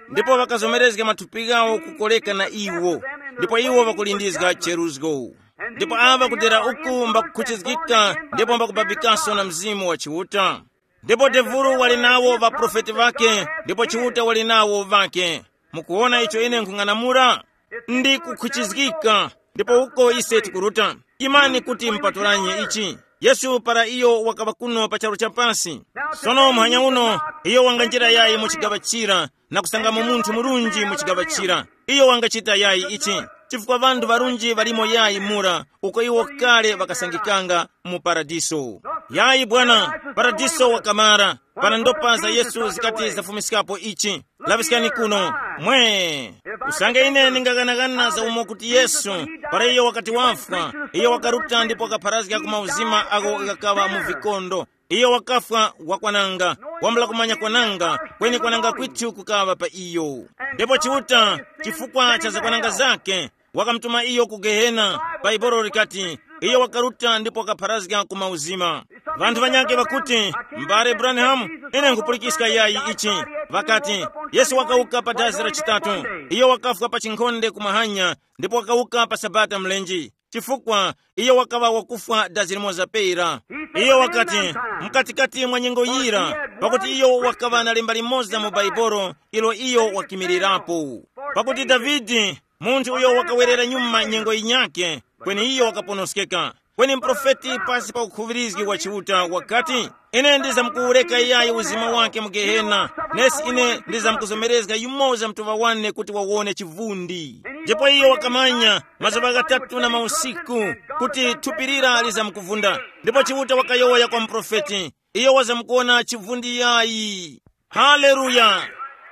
Ndipo ŵakazomerezga mathupi ghawo kukoreka na iwo, ndipo iwo ŵakulindizga cheruzgo. Ndipo aŵa kudera uku mbakukhuchizgika ndipo mbakubabikaso na Mzimu wa Chiuta. Ndipo devulu wali nawo ŵaprofeti ŵake, ndipo Chiuta wali nawo ŵake. Mukuwona icho ine nkhung'anamula? Ndi kukhuchizgika, ndipo uko ise tikuruta. Imani kuti mpatulanye ichi. Yesu para iyo wakaŵa kuno pa charu cha pasi. Sono muhanya uno, iyo wanganjira yayi mu chigaŵa chira, na kusangamo munthu murunji mu chigaŵa chira. Iyo wangachita yayi ichi, chifukwa ŵanthu ŵarunji ŵalimo yayi mura, uko iwo kale ŵakasangikanga mu paradiso. Yayi bwana, paradiso wakamara. Pana ndopa za Yesu zikati zafumiskapo ichi. Laŵiskani kuno. Mwe, usange ine ndingaghanaghana za umo kuti Yesu, para iyo wakati wafwa, iyo wakaruta ndipo wakapharazga ku mauzima ako ghakaŵa mu vikondo. Iyo wakafwa wakwananga, wambula kumanya kwananga, kweni kwananga kwithu kukaŵa pa iyo. Ndipo Chiuta, chifukwa cha zakwananga zake, wakamutuma iyo ku Gehena. Baibolo likati, iyo wakaruta ndipo wakapharazga ku mauzima. Vanthu vanyake ŵakuti, mbale Branham, ine nkhupulikiska yayi ichi. Ŵakati, Yesu wakawuka pa dazi la chitatu. Iyo wakafwa pa chinkhonde kumahanya, ndipo wakawuka pa sabata mlenji, chifukwa iyo wakaŵa wakufwa dazi limoza pera. Iyo wakati, mkatikati mwa nyengo yira, pakuti iyo wakaŵa na lemba limoza mu Baibolo ilo iyo wakimirirapo. Pakuti Davide, munthu uyo wakawerera nyuma nyengo yinyakhe, kweni iyo wakaponoskeka. Kweni muprofeti pasi pa ukhuŵirizgi wa Chiuta wakati, ine ndizamkuwureka iyayi uzima wake mu Gehena, nesi ine ndizamkuzomerezga yumoza mtuŵa wane kuti wawone chivundi. Ndipo iyo wakamanya mazuŵa ghatatu na mausiku kuti thupi lira lizamkuvunda. Ndipo Chiuta wakayowoya kwa muprofeti, iyo wazamkuwona chivundi yayi. Haleluya!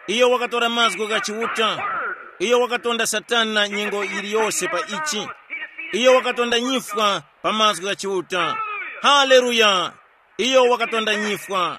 Iyo wakatora mazgu gha Chiuta. Iyo wakatonda Satana nyengo yiliyose pa ichi. Iyo wakatonda nyifwa pa mazgu gha Chiuta. Haleluya! Iyo wakatonda nyifwa.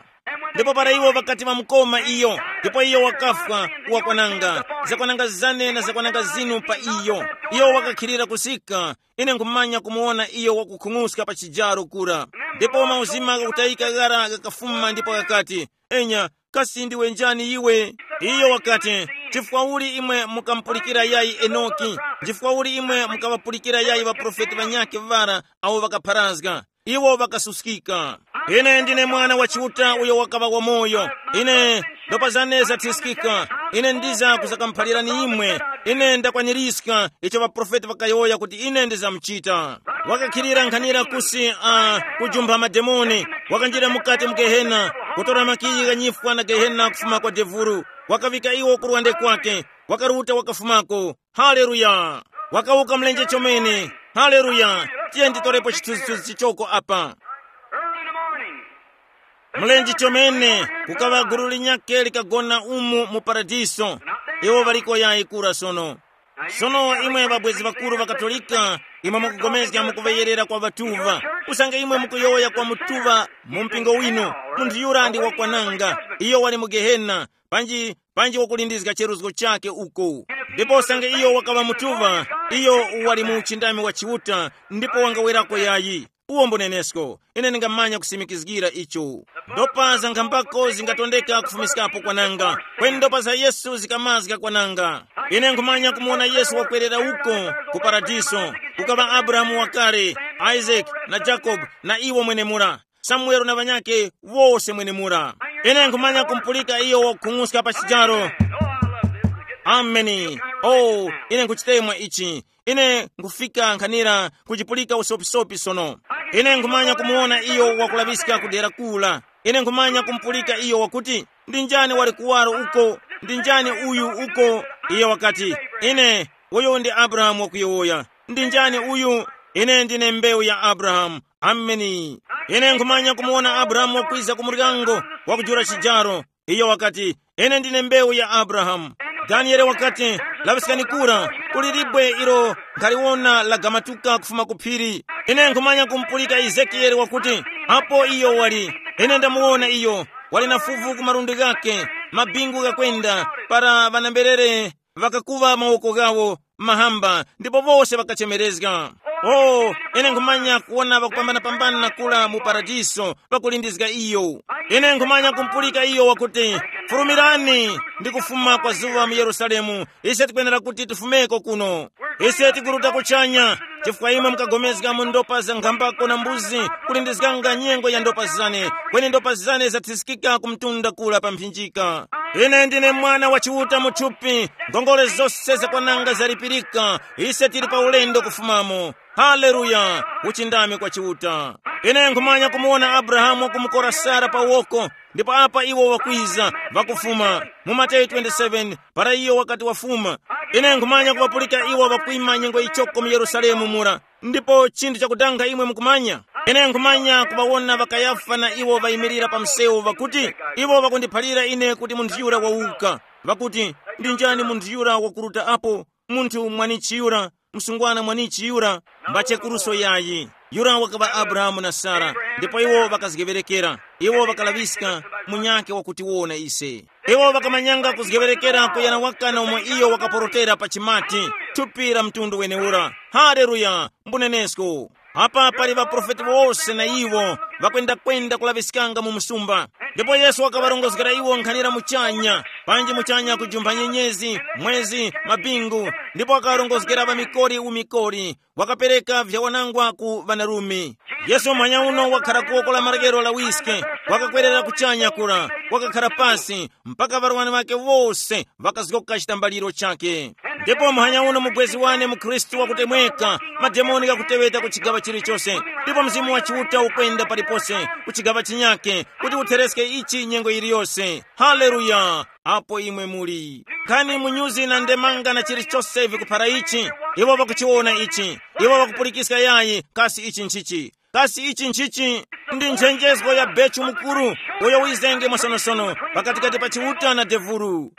Ndipo para iwo ŵakati ŵamukoma iyo, ndipo iyo wakafwa, wakwananga zakwananga zane na zakwananga zinu pa iyo. Iyo wakakhilira kusika. Ine nkhumanya kumuwona iyo wakukhung'uska pa chijaro kura. Ndipo mauzima ghakutayika ghara ghakafuma ndipo ghakati, enya, kasi ndiwe njani iwe? Iyo wakati, chifukwa uli imwe mukamupulikira yayi Enoki? Chifukwa uli imwe mukaŵapulikira yayi ŵaprofeti ŵanyakhe ŵara awo ŵakapharazga? Iwo ŵakasuskika. Ine ndine Mwana wa Chiuta uyo wakaŵa wamoyo. Ine ndopa zane zathiskika. Ine ndiza kuzakamuphalirani imwe. Ine ndakwanirizga icho ŵaprofeti ŵakayowoya kuti ine ndizamuchita. Wakakhilira nkhanira kusi uh, kujumpha mademoni. Wakanjira mukati mu Gehena, kutora makiyi gha nyifwa na Gehena kufuma kwa devulu. Wakaŵika iwo ku lwande kwake. Wakaruta wakafumako. Haleluya! Wakawuka mlenje chomene. Haleluya! Tiye nditorepo chithunzithunzi chichoko apa. Early in the morning, mlenje chomene, kukaŵa gulu linyakhe likagona umu mu paradiso. Iwo ŵaliko yayi kura sono. Sono imwe ŵabwezi ŵakuru ŵa Katolika, imwe mukugomezga mukuŵeyerera kwa ŵatuva. Usange imwe mukuyowoya kwa mutuŵa mu mpingo winu, munthu yura ndi wakwananga, iyo wali mu Gehena, panji panji wakulindizga cheruzgo chakhe uko. Ndipo usange iyo wakaŵa mutuŵa, iyo wali mu uchindami wa Chiuta, ndipo wangawerako yayi. Uwo mbunenesko, ine ndingamanya kusimikizgira icho. Ndopa za nkhambako zingatondeka kufumiskapo kwananga, kweni ndopa za Yesu zikamazga kwananga. Ine nkhumanya kumuwona Yesu wakwerera uko ku paradiso, kukaŵa Abrahamu wakale, Isaac, na Jacob, na iwo mwenemura. Samuelo na ŵanyakhe wose mwenemura. Ine nkhumanya kumpulika iyo wakukhung'uska pa chijaro. Ameni. Oh, ine nkhuchitemwa ichi. Ine nkhufika nkhanira kuchipulika usopisopi sono. Ine nkhumanya kumuwona iyo wakulaŵiska ku dera kula. Ine nkhumanya kumpulika iyo wakuti, ndi njani wali kuwaro uko? Ndi njani uyu uko? Iye wakati, ine, uyu ndi Abrahamu wakuyowoya. Ndi njani uyu? Ine ndine mbewu ya Abrahamu. Ameni. Ine nkhumanya kumuwona Abrahamu wakwiza ku muryango, wakujula chijaro. Iyo wakati, ine ndine mbewu ya Abrahamu. Daniele wakati, laŵiskani kura, kuli libwe ilo nkhaliwona lagamatuka kufuma ku phiri. Ine nkhumanya kumupulika Ezekiyele wakuti, apo iyo wali, ine ndamuwona iyo, wali na fuvu ku malundi ghake, mabingu ghakwenda, para ŵanamberere ŵakakuŵa mawoko ghawo mahamba, ndipo wose ŵakachemerezga. O, ine nkhumanya kuwona ŵakupambanapambana kula mu paradiso, ŵakulindizga iyo. Ine nkhumanya kumpulika iyo wakuti, fulumirani ndi kufuma kwa zuŵa mu Yerusalemu, ise tikwenera kuti tifumeko kuno. Ise tikuruta kuchanya, chifukwa imwe mukagomezga mu ndopa za nkhambako na mbuzi, kulindizganga nyengo ya ndopa zane, kweni ndopa zane zathiskika ku mtunda kula pa mphinjika. Ine ndine mwana wa Chiuta mu thupi, ngongole zose zakwananga zalipirika, ise tili pa ulendo kufumamo. Haleluya! Uchindami kwa Chiuta. Ine nkhumanya kumuwona Abrahamu kumukora Sara pa woko, ndipo apa iwo wakwiza, vakufuma. Mu Mateyu twenty-seven, para iyo wakati wafuma, ine nkhumanya kuŵapulika iwo ŵakwima nyengo ichoko mu Yerusalemu mura. Ndipo chinthu chakudanga imwe mukumanya, ine nkhumanya kuŵawona ŵa Kayafa na iwo ŵayimirira pa msewu ŵakuti, iwo ŵakundiphalira ine kuti munthu yura wawuka. Ŵakuti, ndi njani munthu yura wakuruta apo? Munthu mwanichi yura, msungwana mwanichi yura, mbachekuruso yayi. Yura wakaŵa Abrahamu na Sara, ndipo iwo ŵakazgeŵerekera. Iwo ŵakalaŵiska munyakhe wakutiwona ise. Iwo ŵakamanyanga kuzgeŵerekera kuyana waka na umo iyo wakaporotera pa chimati, thupi la mtundu weneura. Haleluya! Mbunenesko. Apa pali ŵaprofeti wose na iwo ŵakwendakwenda kulaŵiskanga mu msumba. Ndipo Yesu wakaŵarongozgera iwo nkhanira muchanya, panji muchanya kujumpha nyenyezi, mwezi, mabingu, ndipo wakaŵarongozgera ŵamikori umikori, wakapereka vyawanangwa ku ŵanarume. Yesu muhanya uno wakhara kuwoko la marekero la wiske, wakakwerera kuchanya kura, wakakhara pasi, mpaka ŵarwani ŵakhe wose ŵakazgoka chitambaliro chakhe. Ndipo muhanya uno mubwezi wane mu Khristu wakutemweka, mademoni ghakuteŵeta ku chigaŵa chilichose, ndipo Mzimu wa Chiuta ukwenda palipose ku chigaŵa chinyakhe, kuti uthereske ichi nyengo yiliyose. Haleluya! Apo imwe muli. Nkhani munyuzi na ndemanga na chilichose vikuphara ichi, iwo ŵakuchiwona ichi, iwo ŵakupulikiska yayi, kasi ichi nchichi? Kasi ichi nchichi? Ndi nchenjezgo ya Bechu Mukuru, uyo wizenge mwasonosono pakatikati pa Chiuta na devulu.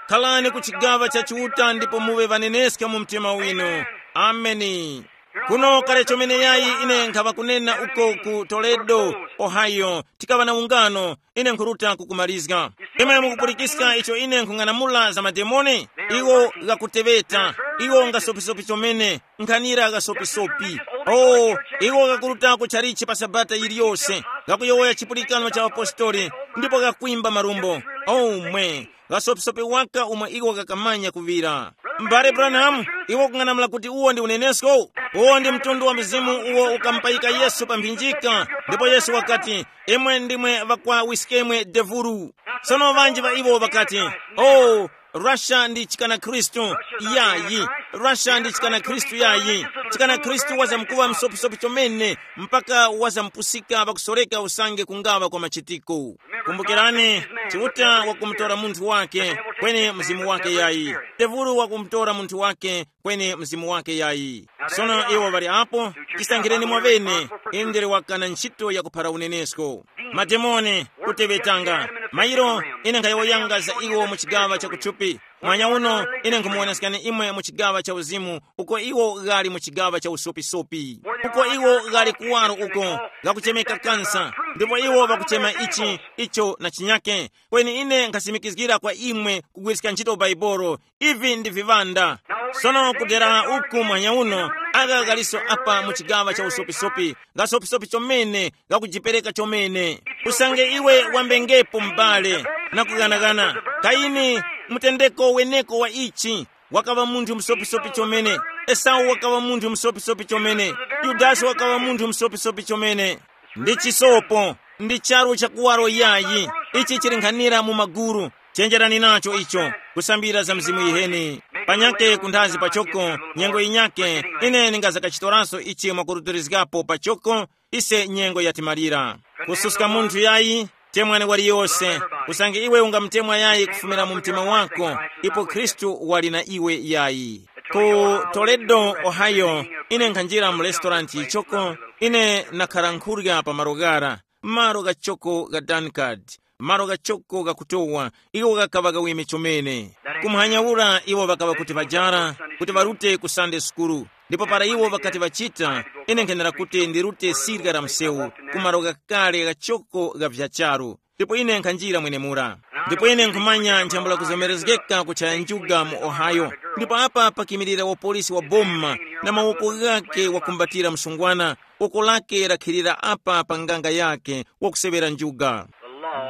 Khalani ku chigaŵa cha Chiuta ndipo muŵe ŵaneneska mu mtima winu. Ameni. Kuno kale chomene yayi ine nkhaŵa kunena uko ku Toledo, Ohio, tikaŵa na ungano, ine nkhuruta kukumarizga. Imwe mukupulikiska icho ine nkhung'anamula za mademoni? Iwo ghakuteŵeta, iwo ngasopisopi chomene, nkhanira ghasopisopi. O, iwo ghakuruta ku chalichi pa sabata yiliyose, ghakuyowoya chipulikano cha apostoli, ndipo ghakwimba marumbo. O mwe, ghasopisopi waka umwe iwo ghakamanya kuŵira. M'bale Branham, iwe ukung'anamula kuti uwo ndi unenesko? Uwo ndi mtundu wa mzimu uwo ukamupayika Yesu pa mphinjika, ndipo Yesu wakati, imwe ndimwe ŵakwa wiskemwe devulu. Sono ŵanji ŵa iwo ŵakati, oh, Russia ndi chikana Khristu. Yayi, Russia ndi chikana Khristu yayi. Chikana Khristu wazamkuŵa msopisopi chomene, mpaka wazampusika pakusoreka usange kungaŵa kwa machitiko. Kumbukirani, Chiuta wakumutora munthu wake, kweni mzimu wake yayi. Tevulu wakumutora munthu wake, kweni mzimu wake yayi. Sono iwo ŵali apo, chisankhireni mwaŵene, inde wakana ntchito yakuphara unenesko. Mademoni, kuteŵetanga. Mairo, ine nkhayowoyanga za iwo mu chigaŵa cha kuthupi. Mwanya uno, ine nkhumuwonesekani imwe mu chigaŵa cha uzimu, uko iwo ghali mu chigaŵa cha usopisopi, uko iwo ghali kuwaro uko, ghakuchemeka kansa, ndipo iwo ŵakuchema ichi, icho na chinyake. Kweni ine nkhasimikizgira kwa imwe kugwiriska ntchito Baibolo, ivi ndi viŵanda. Sono kudera uku mwanya uno, agha ghaliso apa mu chigaŵa cha usopisopi, ghasopisopi chomene, ghakujipereka chomene. Usange iwe wambengepo m'bale na kughanaghana, Kaini, mutendeko weneko wa ichi, wakaŵa munthu msopisopi chomene. Esau wakaŵa munthu msopisopi chomene. Yudasi wakaŵa munthu msopisopi chomene. Ndi chisopo, ndi charu cha kuwaro yayi. Ichi chili nkhanira mu maguru. Chenjerani nacho icho, kusambira za mzimu yiheni. Panyake kunthazi pachoko, nyengo yinyake, ine ningazakachitoranso ichi mwakurutilizgapo pachoko, ise nyengo yatimalira. Kususka munthu yayi, temwani waliyose, usange iwe ungamutemwa yayi kufumira mu mtima wako, ipo Khristu wali na iwe yayi. Ku Toledo, Ohio, ine nkhanjira mu restaurant yichoko. Ine nakhara nkhurya pa malo ghara, malo ghachoko gha Dunkard, malo ghachoko ghakutowa. Iwo ghakaŵa ghaweme chomene. Kumhanya ura iwo ŵakaŵa kuti ŵajara kuti ŵarute ku Sunday sukulu. Ndipo para iwo ŵakati ŵachita, ine nkhenera kuti ndirute sirya la msewu ku malo ghakale ghachoko gha vya charu. Ndipo ine nkhanjira mwenemura. Ndipo ine nkhumanya nchambula kuzomerezgeka kuchaya njuga mu Ohio. Ndipo apa pakimirira wapolisi wa boma, na mawoko ghake wakumbatira msungwana, woko lake lakhirira apa pa nganga yake wakusewera njuga.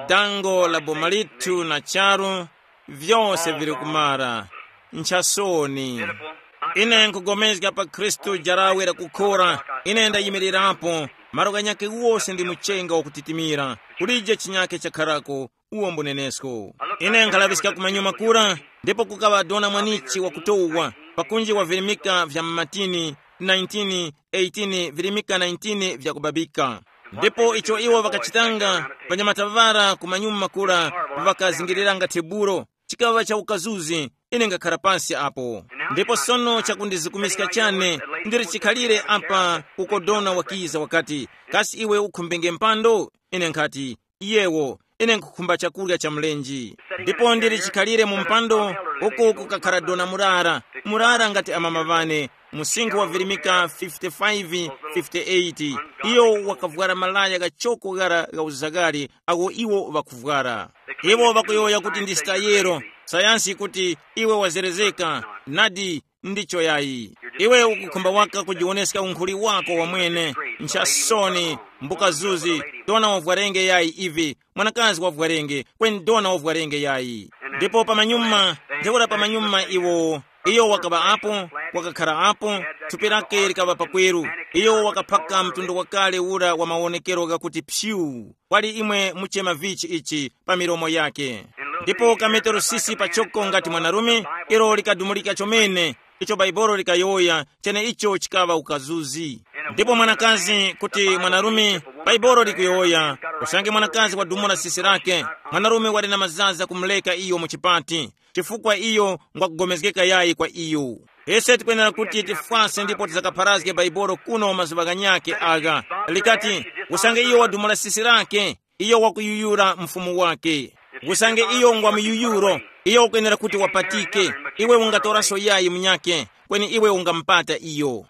Dango la boma lithu na charu, vyose vili kumara. Nchasoni. Ine nkugomezga pa Khristu jarawe lakukhora. Ine ndayimirirapo. Malo ghanyakhe wose ndi muchenga wakutitimira. Kulije chinyakhe chakharako, uwo mbunenesko. Ine nkhalaŵiska kumanyuma kura, ndipo kukaŵa dona mwanichi wakutowa, pakunji wavirimika vya mmatini, nineteen, eighteen virimika nineteen vyakubabika. Ndipo icho iwo ŵakachitanga, panyamata ŵara kumanyuma kura ŵakazingiriranga tebulo, chikaŵa cha ukazuzi. Ine ngakhara pansi apo. Ndipo sono chakundizikumiska chane, ndili chikhalire apa uko dona wakiza wakati, kasi iwe ukhumbenge mpando? Ine nkhati, yewo, ine nkhukhumba chakurya cha mlenji. Ndipo ndili chikhalire mu mpando, uku kukakhara dona murara, murara ngati amama ŵane, msinkhu wavirimika fifty-five, fifty-eight. Iyo wakavwara malaya ghachoko ghara gha uzagari agho iwo ŵakuvwara. Iwo ŵakuyowoya kuti ndi stayero. Sayansi ikuti iwe wazerezeka. Nadi, ndicho yayi. Iwe ukukhumba waka kujiwoneska unkhuli wako wamwene. Nchasoni, mbukazuzi, dona wavwarenge yayi ivi, mwanakazi wavwarenge, kweni dona wavwarenge yayi. Ndipo pamanyuma, ntheura pamanyuma iwo, iyo wakaŵa apo, wakakhara apo, thupi lake likaŵa pakweru. Iyo wakaphaka mtundu wakale ura wa mawonekero ghakuti pyu, kwali imwe muchema vichi ichi pa milomo yake. Ndipo kameterosisi pachoko ngati mwanarume, ilo likadumulika chomene, icho Baibolo likayowoya, cheneicho chikaŵa ukazuzi. Ndipo mwanakazi kuti mwanarume, Baibolo likuyowoya, usange mwanakazi wadumula sisi lake, mwanarume wali na mazaza kumuleka iyo mu chipati, chifukwa iyo ngwakugomezgeka yayi kwa iyo. Ise tikwenera kuti tifwase ndipo tizakapharazge Baibolo kuno mazuŵa ghanyakhe agha. Likati, usange iyo wadumula sisi lake, iyo wakuyuyura mfumu wake. Usange iyo ngwa muyuyuro, iyo ukwenera kuti wapatike. Iwe ungatoraso yayi munyakhe, kweni iwe ungamupata iyo.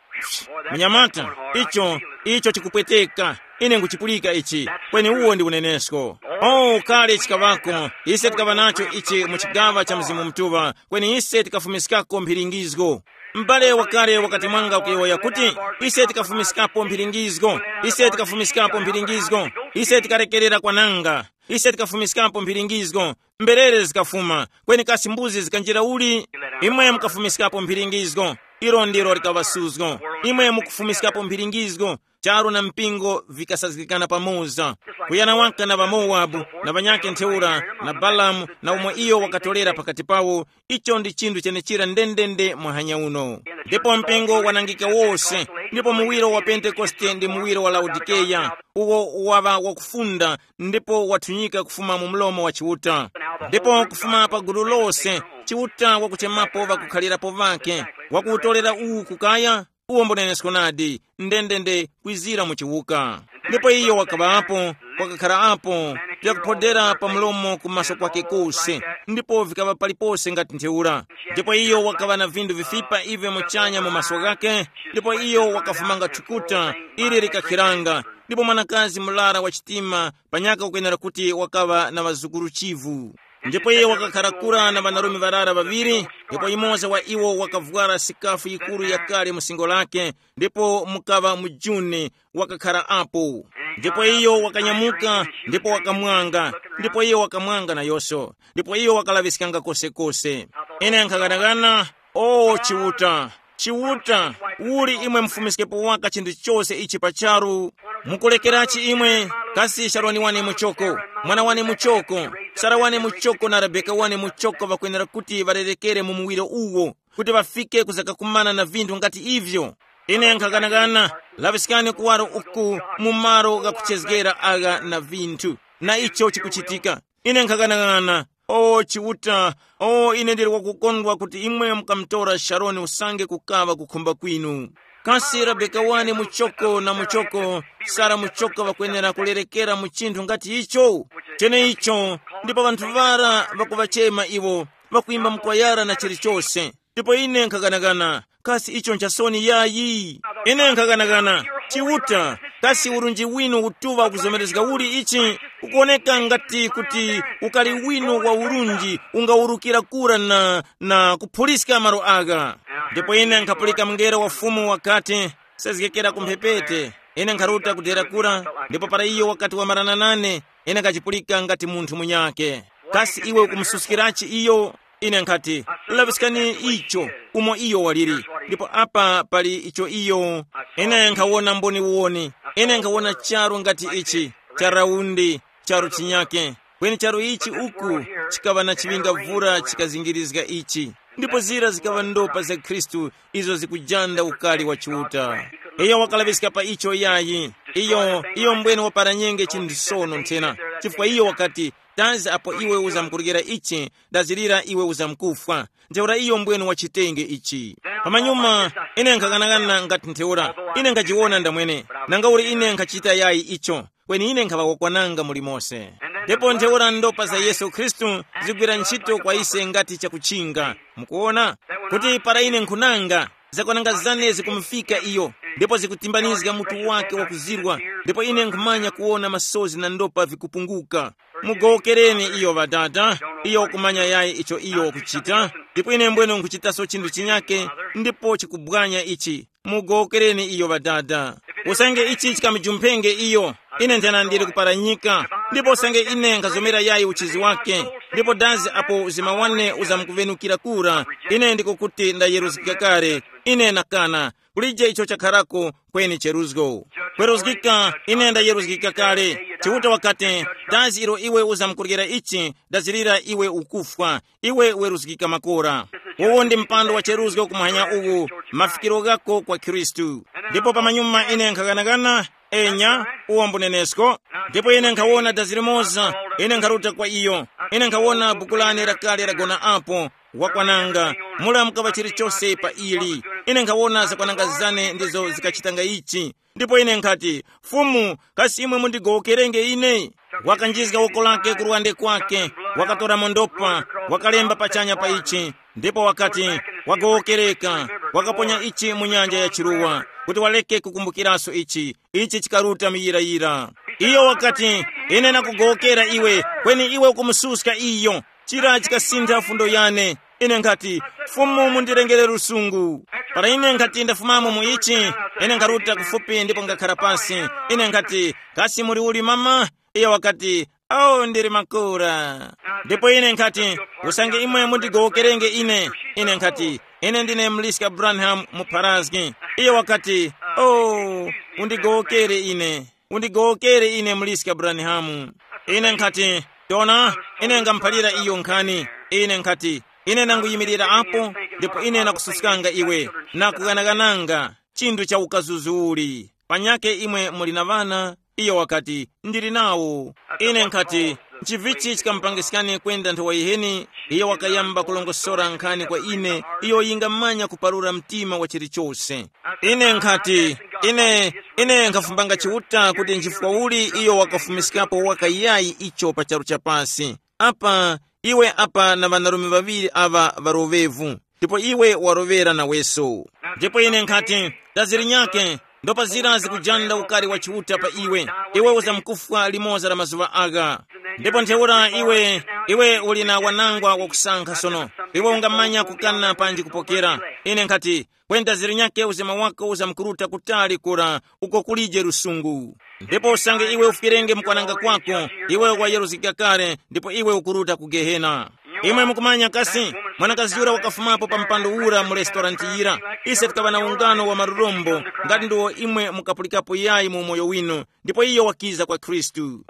Munyamata, icho, icho chikupweteka. Ine nguchipulika ichi, kweni uwo ndi unenesko. Oh, kale chikaŵako, ise tikaŵa nacho ichi mu chigaŵa cha Mzimu Mutuŵa, kweni ise tikafumiskako mphiringizgo. M'bale wakale wakati mwanga kuyowoya kuti, ise tikafumiskapo mphiringizgo, ise tikafumiskapo mphiringizgo, ise tikarekerera kwananga, ise tikafumiskapo mphiringizgo, mberere zikafuma, kweni kasi mbuzi zikanjira uli? Imwe mukafumiskapo mphiringizgo, ilo ndilo likaŵa suzgo. Imwe mukufumiskapo mphiringizgo, charu na mpingo vikasazgikana pamoza. Kuyana waka na ŵaMowabu, na ŵanyakhe ntheura, na Balamu, na umo iyo wakatolera pakati pawo, icho ndi chinthu chenechira ndendende mwahanya uno. Ndipo mpingo wanangika wose, ndipo muwiro wa Pentekoste ndi muwiro wa Laodikeya, uwo waŵa wakufunda, ndipo wathunyika kufuma mu mlomo wa Chiuta. Ndipo kufuma pa gulu lose, Chiuta wakuchemapo ŵakukhalirapo ŵake, wakuwutolera uwu kukaya, uwo mbunenesko nadi, ndendende kwizira mu chiwuka. Ndipo iyo wakaŵapo, wakakhara apo, vyakuphodera pa mlomo ku maso kwake kose, ndipo vikaŵa palipose ngati ntheura. Ndipo iyo wakaŵa na vinthu vifipa ivyo muchanya mu maso ghake, ndipo iyo wakafumanga thukuta, ili likakhiranga, ndipo mwanakazi murara wa chitima panyaka ukwenera kuti wakaŵa na ŵazukuru chivu. Ndipo iye wakakhara kura na ŵanarume ŵarara ŵaŵiri, ndipo yumoza wa iwo wakavwara sikafu yikuru yakale mu singo lake, ndipo mukaŵa mujuni wakakhara apo. Ndipo iyo wakanyamuka, ndipo wakamwanga, ndipo iyo wakamwanga nayose, ndipo iyo wakalaŵiskanga kosekose. Ine nkhaghanaghana, o Chiuta, Chiuta, uli imwe mufumiskepo waka chinthu chose ichi pa charu? Mukulekerachi imwe? Kasi Sharoni wane muchoko, mwana wane muchoko, Sara wane muchoko na Rebeka wane muchoko ŵakwenera kuti ŵarerekere mu muwiro uwo, kuti ŵafike kuzakakumana na vinthu ngati ivyo? Ine nkhaghanaghana, laŵiskani kuwaro uku mu malo ghakuchezgera agha na vinthu, na icho chikuchitika. Ine nkhaghanaghana, O Chiuta, o ine ndili wakukondwa kuti imwe mukamutora Sharoni usange kukaŵa kukhumba kwinu. Kasi Rebeka wane muchoko na muchoko, Sara muchoko ŵakwenera kulerekera mu chinthu ngati icho? Cheneicho, ndipo ŵanthu ŵara ŵakuŵachema iwo, ŵakuimba mkwayara na chilichose. Ndipo ine nkhaganagana, kasi icho nchasoni yayi? Ine nkhaganagana, Chiuta, kasi urunji winu utuŵa ukuzomerezga uli ichi? Ukuwoneka ngati kuti ukali winu wa urunji ungawurukira kura na, na kuphuliska malo agha. Ndipo ine nkhapulika mngelo wa Fumu wakati, sezgekera ku mphepete. Ine nkharuta kudera kura, ndipo para iyo wakati wamarana nane, ine nkachipulika ngati munthu munyakhe. Kasi iwe ukumususkirachi iyo? Ine nkhati, laŵiskani icho, umo iyo waliri. Ndipo apa pali icho iyo. Ine nkhawona mboniwoni. Ine nkhawona charu ngati ichi, cha raundi, charu chinyake. Kweni charu ichi uku chikaŵa na chiŵingavura chikazingirizga ichi. Ndipo zira zikaŵa ndopa za Khristu, izo zikujanda ukali wa Chiuta. Iyo wakalaŵiska pa icho yayi. Iyo, iyo mbwene waparanyenge chinthu sono nthena, chifukwa iyo wakati, tazi apo iwe uzamkuryera ichi, dazirira iwe uzamkufwa. Ntheura iyo mbwene wachitenge ichi. Pamanyuma, ine nkhakanakana ngati ntheura, ine nkhajiwona ndamwene, nanga uli ine nkhachita yayi icho, kweni ine nkhaŵa wakwananga mulimose. Ndipo ntheura ndopa za Yesu Khristu zigwira ntchito kwa ise ngati chakuchinga. Mukuona, kuti para ine nkhunanga, zakwananga zane zikumufika iyo, ndipo zikutimbanizga mutu wake wakuzirwa, ndipo ine nkhumanya kuwona masozi na ndopa vikupunguka. Mugowokereni iyo ŵadada, iyo wakumanya yayi icho iyo wakuchita, ndipo ine mbwene nkhuchitaso chinthu chinyake, ndipo chikubwanya ichi. Mugowokereni iyo ŵadada. Usange ichi chikamujumphenge iyo, ine nthena ndili kuparanyika, ndipo usange ine nkhazomera yayi uchizi wake, ndipo dazi apo uzima wane uzamkuvenukira kura, ine ndiko kuti ndayeruzgika kale. Ine nakana, kulije icho chakharako kweni cheruzgo. Kweruzgika, ine ndayeruzgika kale. Chiuta wakati, dazi ilo iwe uzamkuryera ichi, dazirira iwe ukufwa, iwe weruzgika makora. Uwu ndi mpando wa cheruzgo kumuhanya uwu, mafikiro ghako kwa Khristu. Ndipo pamanyuma ine nkhaganagana, enya, uwo mbunenesko. Ndipo ine nkhawona dazi limoza, ine nkharuta kwa iyo. Ine nkhawona buku lane lakale lagona apo, wakwananga, mula mukaŵa chilichose pa ili. Ine nkhawona zakwananga zane ndizo zikachitanga ichi. Ndipo ine nkhati, Fumu, kasi imwe mundigowokerenge ine? Wakanjizga woko lake ku luwande kwake, wakatora mondopa, wakalemba pachanya pa ichi, ndipo wakati, wagowokereka, wakaponya ichi mu nyanja ya chiruwa, kuti waleke kukumbukiraso ichi. Ichi chikaruta muyirayira. Iyo wakati, ine nakugowokera iwe, kweni iwe ukumususka iyo. Chira chikasintha fundo yane. Ine nkhati, Fumu, mundirengere lusungu. Para ine nkhati ndafumamo mu ichi, ine nkharuta kufupi ndipo ngakhara pasi. Ine nkhati, kasi muli uli mama? Iyo wakati, oh, ndili makura. Ndipo ine nkhati, usange imwe mundigowokerenge ine. Ine nkhati, ine ndine mliska Branham mupharazgi. Iyo wakati, oh, undigowokere ine. Undigowokere ine muliska Branhamu. Ine nkhati, tona, ine ngamuphalira iyo nkhani. Ine nkhati, ine nanguyimirira apo, ndipo ine nakususkanga iwe, nakughanaghananga chinthu cha ukazuzuli. Panyake imwe muli na ŵana? Iyo wakati, ndili nawo. Ine nkhati, nchivichi chikamupangiskani kwenda nthowa yiheni? Iyo wakayamba kulongosora nkhani kwa ine, iyo yingamanya kuparura mtima wa chilichose. Ine nkhati, ine, ine nkhafumbanga Chiuta kuti nchifukwa uli iyo wakafumiskapo waka yayi icho pa charu cha pasi. Apa, iwe apa na ŵanarume ŵaŵiri aŵa ŵaroŵevu, ndipo iwe waroŵera naweso. Ndipo ine nkhati, tazirinyake, ndopa zira zikujanda ukari wa Chiuta pa iwe. Iwe uzamkufwa limoza la mazuŵa agha. Ndipo ntheura iwe, iwe uli na wanangwa wakusankha sono. Iwe ungamanya kukana panji kupokera. Ine nkhati, kwenda zirinyake uzima wako uzamkuruta kutali kura, uko kulije lusungu. Ndipo usange iwe ufwirenge mukwananga kwako, iwe wayeruzgika kale, ndipo iwe ukuruta ku Gehena. Imwe mukumanya kasi, mwanakazi yura wakafumapo pa mpando ura mu restorant yira. Ise tikaŵa na ungano wa marurombo, ngati ndiwo imwe mukapulikapo yayi mu umoyo winu, ndipo iyo wakiza kwa Khristu.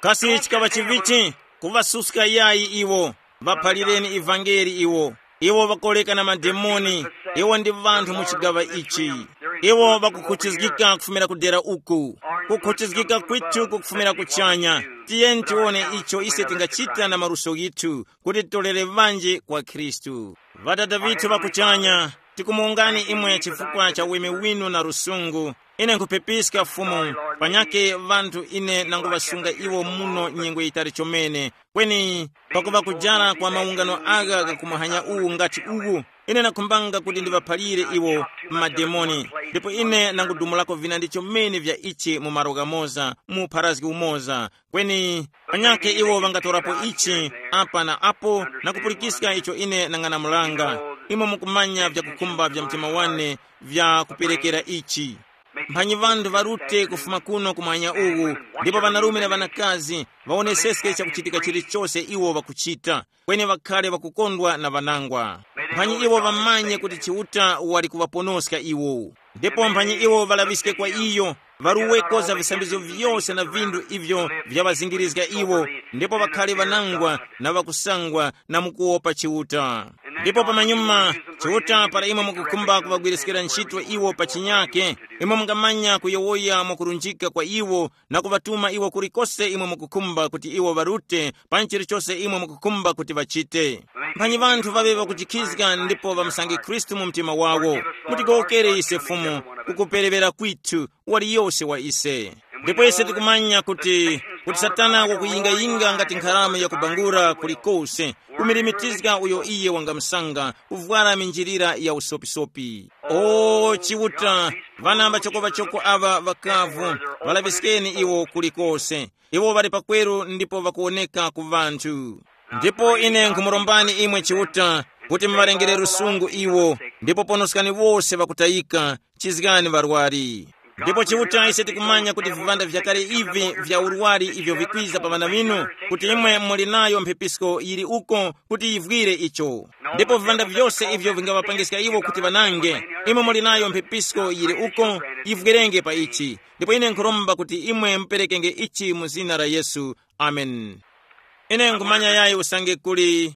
Kasi chikaŵa chivichi? Kuŵasuska yayi iwo. Ŵaphalireni ivangeli iwo. Iwo ŵakoleka na mademoni. Iwo ndi ŵanthu mu chigaŵa ichi. Iwo ŵakukhuchizgika kufumira ku dera uku. Kukhuchizgika kwithu kukufumira kuchanya. Tiyeni tiwone icho ise tingachita na maluso ghithu kuti titolere ŵanji kwa Khristu. Ŵadada vithu ŵa kuchanya, tikumuwungani imwe chifukwa cha uweme winu na lusungu. Ine nkhupepiska Fumu, panyakhe ŵanthu ine nanguŵasunga iwo muno nyengo yitali chomene, kweni pakuŵa kujara kwa mawungano agha gakumuhanya uwu ngati uwu, ine nakhumbanga kuti ndiŵaphalire iwo mademoni. Ndipo ine nangudumulako vinandi chomene vya ichi mu malo ghamoza, mu pharazgi umoza, kweni panyakhe iwo ŵangatorapo ichi apa na apo na kupulikiska icho ine nang'anamulanga. Imwe mukumanya vyakukhumba vya mtima wane vya kuperekera ichi. Mphanyi ŵanthu ŵarute kufuma kuno kumwanya uwu, ndipo ŵanarume na ŵanakazi ŵawoneseske chakuchitika chilichose iwo ŵakuchita, kweni ŵakhale ŵakukondwa na ŵanangwa. Mphanyi iwo ŵamanye kuti Chiuta wali kuŵaponoska iwo. Ndipo mphanyi iwo ŵalaŵiske kwa iyo, ŵaruweko za visambizgo vyose na vinthu ivyo vyaŵazingirizga iwo, ndipo ŵakhale ŵanangwa na ŵakusangwa na mukuwopa Chiuta. Ndipo pamanyuma, Chiuta para imwe mukukhumba kuŵagwiriskira ntchito iwo pa chinyake, imwe mungamanya kuyowoya mwakurunjika kwa iwo na kuŵatuma iwo kulikose imwe mukukhumba kuti iwo ŵarute pa chilichose imwe mukukhumba kuti ŵachite. Mphanyi ŵanthu ŵaŵe ŵakujikhizga ndipo ŵamusange Khristu mu mtima wawo. Mutigowokere ise Fumu, kukuperewera kwithu, waliyose wa ise. Ndipo ise tikumanya kuti, kuti Satana wakuyingayinga ngati nkharama yakubangura kulikose, kumilimitizga uyo iye wangamsanga kuvwara minjilira ya usopisopi. O Chiuta, ŵana ŵachokoŵachoko aŵa ŵakavu, ŵalaŵiskeni iwo kulikose. Iwo ŵali pakweru ndipo ŵakuwoneka ku ŵanthu. Ndipo ine nkhumurombani imwe Chiuta, kuti muŵalengere lusungu iwo, ndipo ponoskani wose ŵakutayika, chizgani ŵarwari. Ndipo Chiuta, ise tikumanya kuti vivanda vyakale ivi vya urwari ivyo vikwiza pa ŵana ŵinu, kuti imwe muli nayo mphepisko yili uko kuti yivwire icho. Ndipo vivanda vyose ivyo vingaŵapangiska iwo kuti ŵanange, imwe muli nayo mphepisko yili uko, yivwerenge pa ichi. Ndipo ine nkhuromba kuti imwe muperekenge ichi mu zina la Yesu. Amen. Ine nkhumanya yayi usange kuli